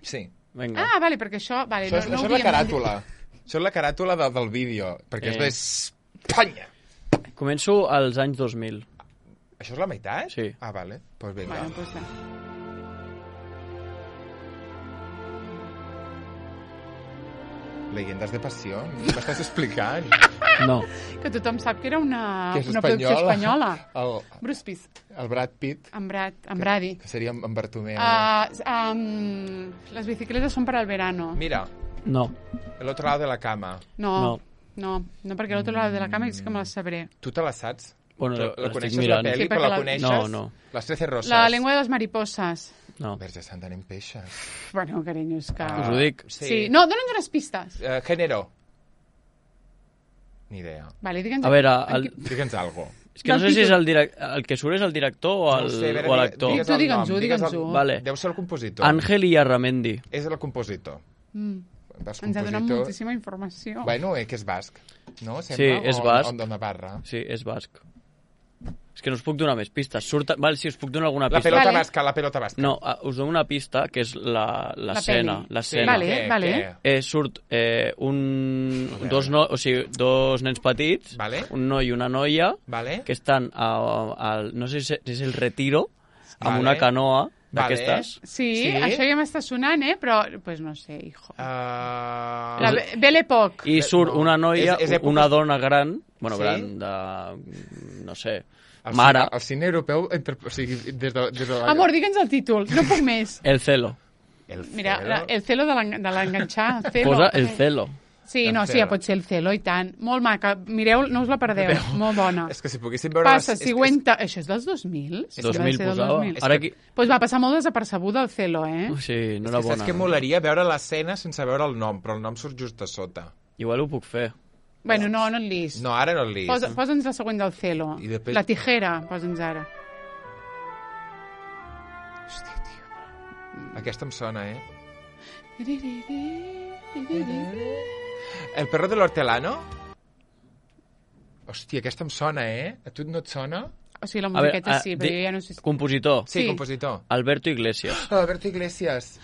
Sí. Vinga. Ah, vale, perquè això... Vale, això és la caràtula. Això és la caràtula del vídeo, perquè és d'Espanya. Començo als anys 2000. Això és la meitat? Sí. Ah, vale. Pues vinga. Bueno, pues va. Leyendas de passió? M'estàs explicant? No. Que tothom sap que era una Que és producció espanyola. Bruce Pitt. El Brad Pitt. En Brady. Que seria en Bartomeu. Las bicicletas son para el verano. Mira. No. El otro lado de la cama. No, perquè el otro lado de la cama és que me la sabré. Tu te la saps? Bueno, la coneixes la pel·li, però la coneixes? No. Les 13 rosas. La lengua de les mariposas. No. Verge santa, anem peixes. Bueno, carinyo, és que... Us ho dic. Sí. No, dona'ns unes pistes. Género. Ni idea. Vale, digue'ns... A veure... Digue'ns algo. És que no sé si és el que surt és el director o l'actor. Digue'ns-ho. Vale. Deu ser el compositor. Àngel Iarramendi. És el compositor. Ens ha donat moltíssima informació. Bueno, que és basc, no? Sembla, sí, és basc. O de Navarra. Sí, és basc. És que no us puc donar més pistes. Vale, sí, us puc donar alguna pista. La pelota basca. No, us dono una pista, que és l'escena. L'escena. Vale. Surt dos nens petits, un noi i una noia, que estan no sé si és el Retiro, amb una canoa d'aquestes. Sí, això ja m'està sonant, però pues no sé, hijo. Belle Époque. I surt una noia, una dona gran, gran de... no sé... Mare. El cine europeu, o sigui, des de... Amor, digue'ns el títol, no puc més. El celo. Mira, el celo de l'enganxar. Posa el celo. Sí, no, sí, ja pot ser el celo, i tant. Molt maca. Mireu, no us la perdeu. Molt bona. És que si poguéssim veure... Passa, següenta... Això és dels 2000? 2000 posava. Ara aquí... Pues va passar molt desapercebuda el celo, Sí, no era bona. Saps que molaria veure l'escena sense veure el nom, però el nom surt just a sota. Igual ho puc fer. Bueno, no el llis. No, ara no el llis. Posa'ns la següent del celo. La tijera, posa'ns ara. Hòstia, tio. Aquesta em sona, El perro de l'hortelano? Hòstia, aquesta em sona, A tu no et sona? O sigui, la musiqueta sí, però jo ja no sé... Compositor. Sí, compositor. Alberto Iglesias. Alberto Iglesias.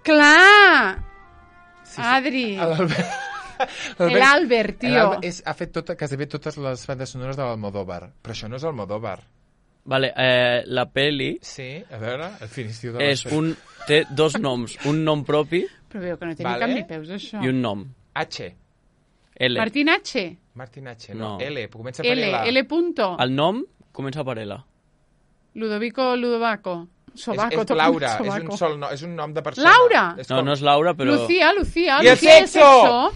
Clar! Adri. L'Albert, tio. Ha fet quasi totes les bandes sonores de l'Almodóvar, però això no és Almodóvar. Vale, la peli... Sí, a veure, el finistiu de té dos noms, un nom propi... Però veu que no té ni cap ni peus, això. I un nom. H. L. Martín H. Martín H, no. L, comença per L. L punto. El nom comença per L. Ludovaco. Sobaco, és Laura, és un nom de persona. Laura! No és Laura, però... Lucía. I el sexo!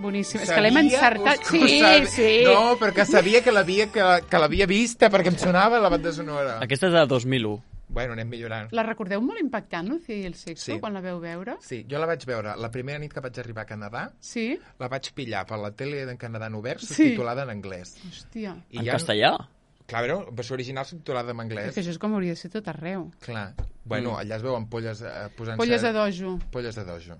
Boníssim, és que l'hem encertat. Sí. No, perquè sabia que l'havia vista, perquè em sonava la banda sonora. Aquesta és de 2001. Bueno, anem millorant. La recordeu molt impactant, Lucía i el sexo, quan la veu veure? Sí, jo la vaig veure la primera nit que vaig arribar a Canadà. Sí? La vaig pillar per la tele d'en Canadà en obert, subtitulada en anglès. Hòstia. En castellà? Clar, però versió original subtitulada en anglès. És que això és com hauria de ser tot arreu. Clar. Bueno, allà es veuen polles posant-se... Polles de dojo. Polles de dojo.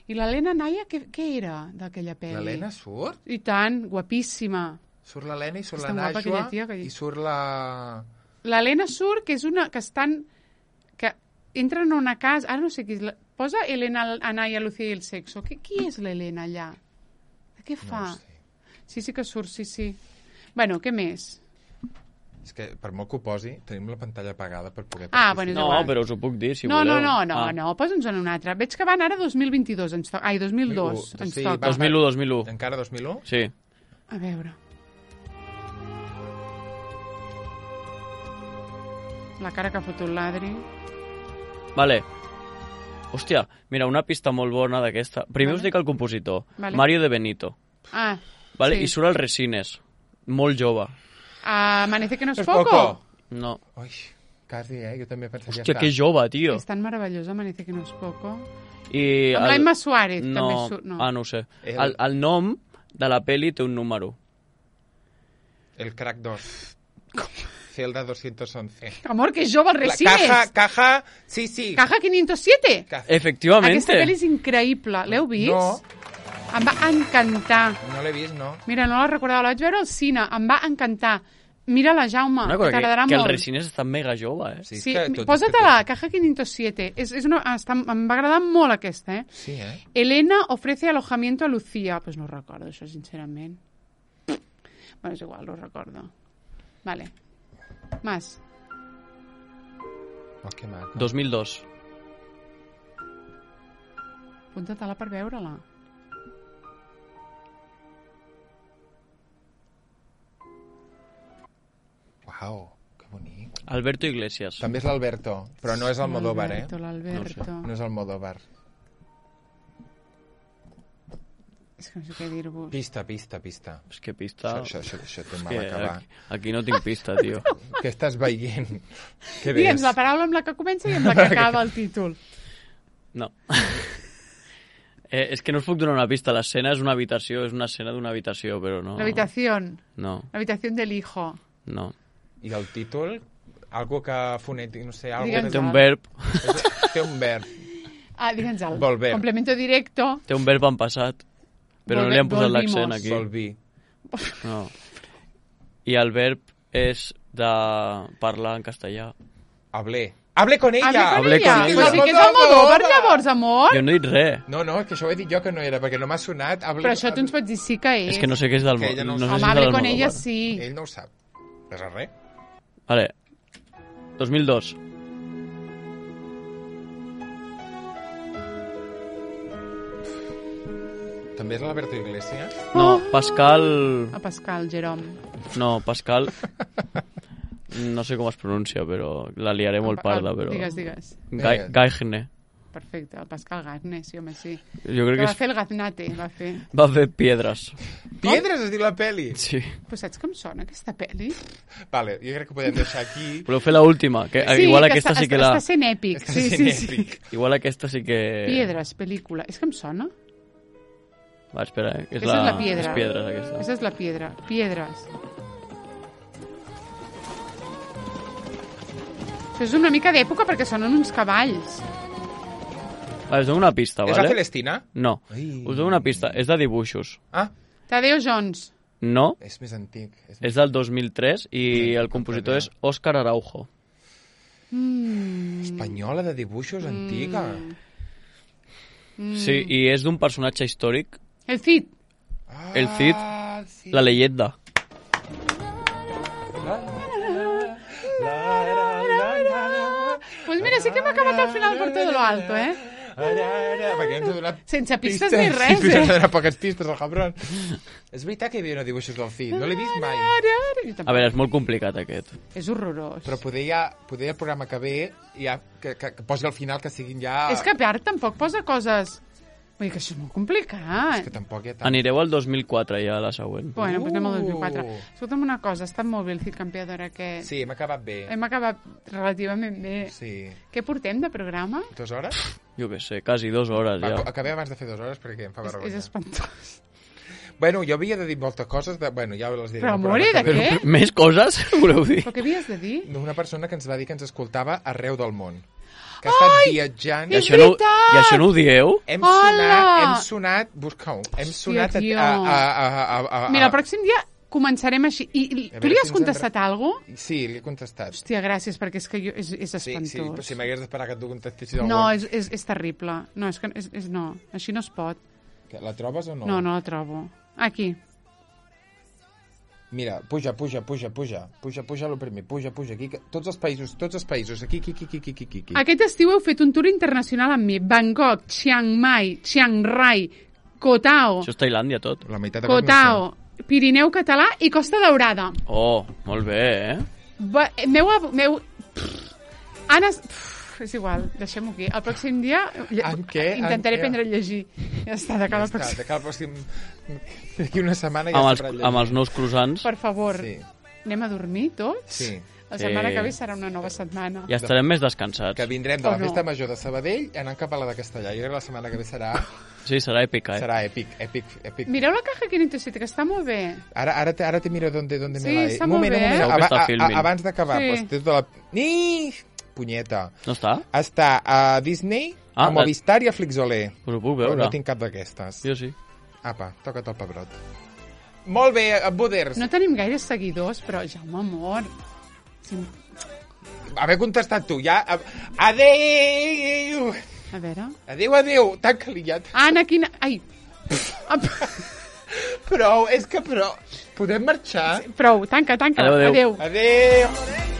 I l'Helena Naya, què era d'aquella pel·li? L'Helena surt? I tant, guapíssima. Surt l'Helena i surt la Najwa i surt la... L'Helena surt, que és una... que estan... que entren a una casa... Ara no sé qui és... Posa Helena Anaya, Lucía i el sexo. Qui és l'Helena allà? Què fa? No sé. Sí que surt, sí. Bueno, què més? És que, per molt que ho posi, tenim la pantalla apagada per poder participar. Bueno, no, però us ho puc dir, si voleu. No, posa'ns en una altra. Veig que van ara 2022, 2002, ens toca. 2001. Encara 2001? Sí. A veure. La cara que ha fotut l'Adri. Vale. Hòstia, mira, una pista molt bona d'aquesta. Primer us dic el compositor. Vale. Mario de Benito. Vale? Sí. I surt el Resines. Molt jove. Amanece que no es poco? No. Ui, Quasi, jo també pensaria... Hòstia, que jove, tio. És tan meravellosa, Amanece que no es poco. I amb l'Emma Suárez, també surt. No ho sé. El nom de la peli té un número. El Crack 2. Celda 211. Amor, que jove, el Resines. Caja, sí. Caja 507. Efectivament. Aquesta pel·li és increïble. L'heu vist? No. Em va encantar. No l'he vist, no. Mira, no la recordava. La vaig veure al cine. Em va encantar. Mira-la, Jaume, que t'agradarà molt. Que el Resines està mega jove, Sí, posa-te-la, Caja 507. Em va agradar molt aquesta, Sí, Elena ofrece alojamiento a Lucía. Pues no recordo això, sincerament. Bueno, és igual, no recordo. Vale. Más. Oh, que maco. 2002. Apunta-te-la per veure-la. Uau, que bonic. Alberto Iglesias. També és l'Alberto, però no és el Almodóvar, L'Alberto. No és Almodóvar. És que no sé què dir-vos. Pista. És que pista... Això té mal acabar. Aquí no tinc pista, tio. Què estàs veient? Digue'ns la paraula amb la que comença i amb la que acaba el títol. No. És que no us puc donar una pista. L'escena és una habitació, és una escena d'una habitació, però no... L'habitación. No. L'habitación del hijo. No. I el títol? Algo que fonètic, no sé... Té un verb. Té un verb. Digue'ns-el. Volver. Complemento directo. Té un verb en passat, però no li han posat l'accent aquí. Volví. No. I el verb és de parlar en castellà. Hablé con ella! Hablé con ella. Però sí que és Almodóvar, llavors, amor. Jo no he dit res. No, és que això ho he dit jo que no era, perquè no m'ha sonat. Però això tu ens pots dir sí que és. És que no sé què és del Home, Hablé con ella sí. Ell no ho sap. Res a res. Vale. 2002. També és l'Alberto Iglesias? No, Pascal... Pascal, Jerome. No, Pascal... No sé com es pronuncia, però la liaré molt parda, però... Digues. Gaigne. Perfecte, el Pascal Gaigne, sí, home, sí. Jo crec que va fer el Gaznate, va fer. Va fer Piedres. Piedres es diu la peli? Sí. Però saps com sona aquesta peli? Vale, jo crec que podem deixar aquí... Voleu fer l'última? Sí, igual aquesta sí que la... Està sent èpic. Sí. Igual aquesta sí que... Piedres, pel·lícula. És que em sona? Va, espera, és la piedra. És Piedres, aquesta. Aquesta és la piedra. Piedres. Això és una mica d'època perquè sonen uns cavalls. Us dono una pista, vale? És la Celestina? No. Us dono una pista. És de dibuixos. Tadeo Jones. No. És més antic. És del 2003 i el compositor és Óscar Araujo. Espanyola de dibuixos antiga. Sí, i és d'un personatge històric. El Cid. El Cid, sí. La leyenda. Pues mira, sí que hem acabat al final per tot lo alto, Perquè ens ha donat sense pistes ni res, Sí, ens ha donat poques pistes, el cabron. És veritat que hi havia dibuixos del Cid, no l'he vist mai. A veure, és molt complicat aquest. És horrorós. Però poder el programa que ve, ja, que posi al final que siguin ja... És que a part tampoc posa coses... Vull dir que això és molt complicat. És que tampoc hi ha tant. Anireu al 2004 ja, a la següent. Bueno, doncs anem al 2004. Escolta'm una cosa, ha estat molt bé el Cid Campeador aquest. Sí, hem acabat bé. Hem acabat relativament bé. Sí. Què portem de programa? 2 hores? Jo què sé, quasi 2 hores ja. Acabem abans de fer 2 hores perquè em fa vergonya. És espantós. Bueno, jo havia de dir moltes coses, bueno, ja les diré. Però, amor, i de què? Més coses, voleu dir? Però què havies de dir? Una persona que ens va dir que ens escoltava arreu del món. Que ha estat viatjant... És veritat! I això no ho dieu? Hem sonat... Busca-ho. Hem sonat a... Mira, el pròxim dia començarem així. I tu li has contestat alguna cosa? Sí, li he contestat. Hòstia, gràcies, perquè és que és espantós. Sí, però si m'hagués d'esperar que tu contestessis algú... No, és terrible. No, és que no, així no es pot. La trobes o no? No, no la trobo. Aquí. Mira, puja lo primer, puja, aquí, tots els països, aquí. Aquest estiu heu fet un tour internacional amb mi. Bangkok, Chiang Mai, Chiang Rai, Koh Tao. Això és Tailàndia, tot. La meitat de Koh Tao, Pirineu Català i Costa Daurada. Oh, molt bé, És igual, deixem-ho aquí. El pròxim dia intentaré aprendre a llegir. Ja està, de cara al pròxim. De cara al pròxim... D'aquí una setmana ja sabrà llegir. Amb els nous croissants. Per favor, anem a dormir tots? Sí. La setmana que ve serà una nova setmana. Ja estarem més descansats. Que vindrem de la festa major de Sabadell anant cap a la de Castellà. Jo crec que la setmana que ve serà... Sí, serà èpica, Serà èpic. Mireu la caja Quinto City, que està molt bé. Ara te miro d'on me la... Sí, està molt bé. Abans d'acabar, pues, des de la... Punyeta. No està? Està a Disney, a Movistar i a Flixolé. Però ho puc veure. No tinc cap d'aquestes. Jo sí. Apa, toca't el pebrot. Molt bé, Buders. No tenim gaires seguidors, però Jaume, amor... Haver contestat tu, ja... Adéu! A veure... Adéu, tanca-li ja. Anna, quina... Ai! Prou, és que prou. Podem marxar? Prou, tanca. Adéu. Adéu.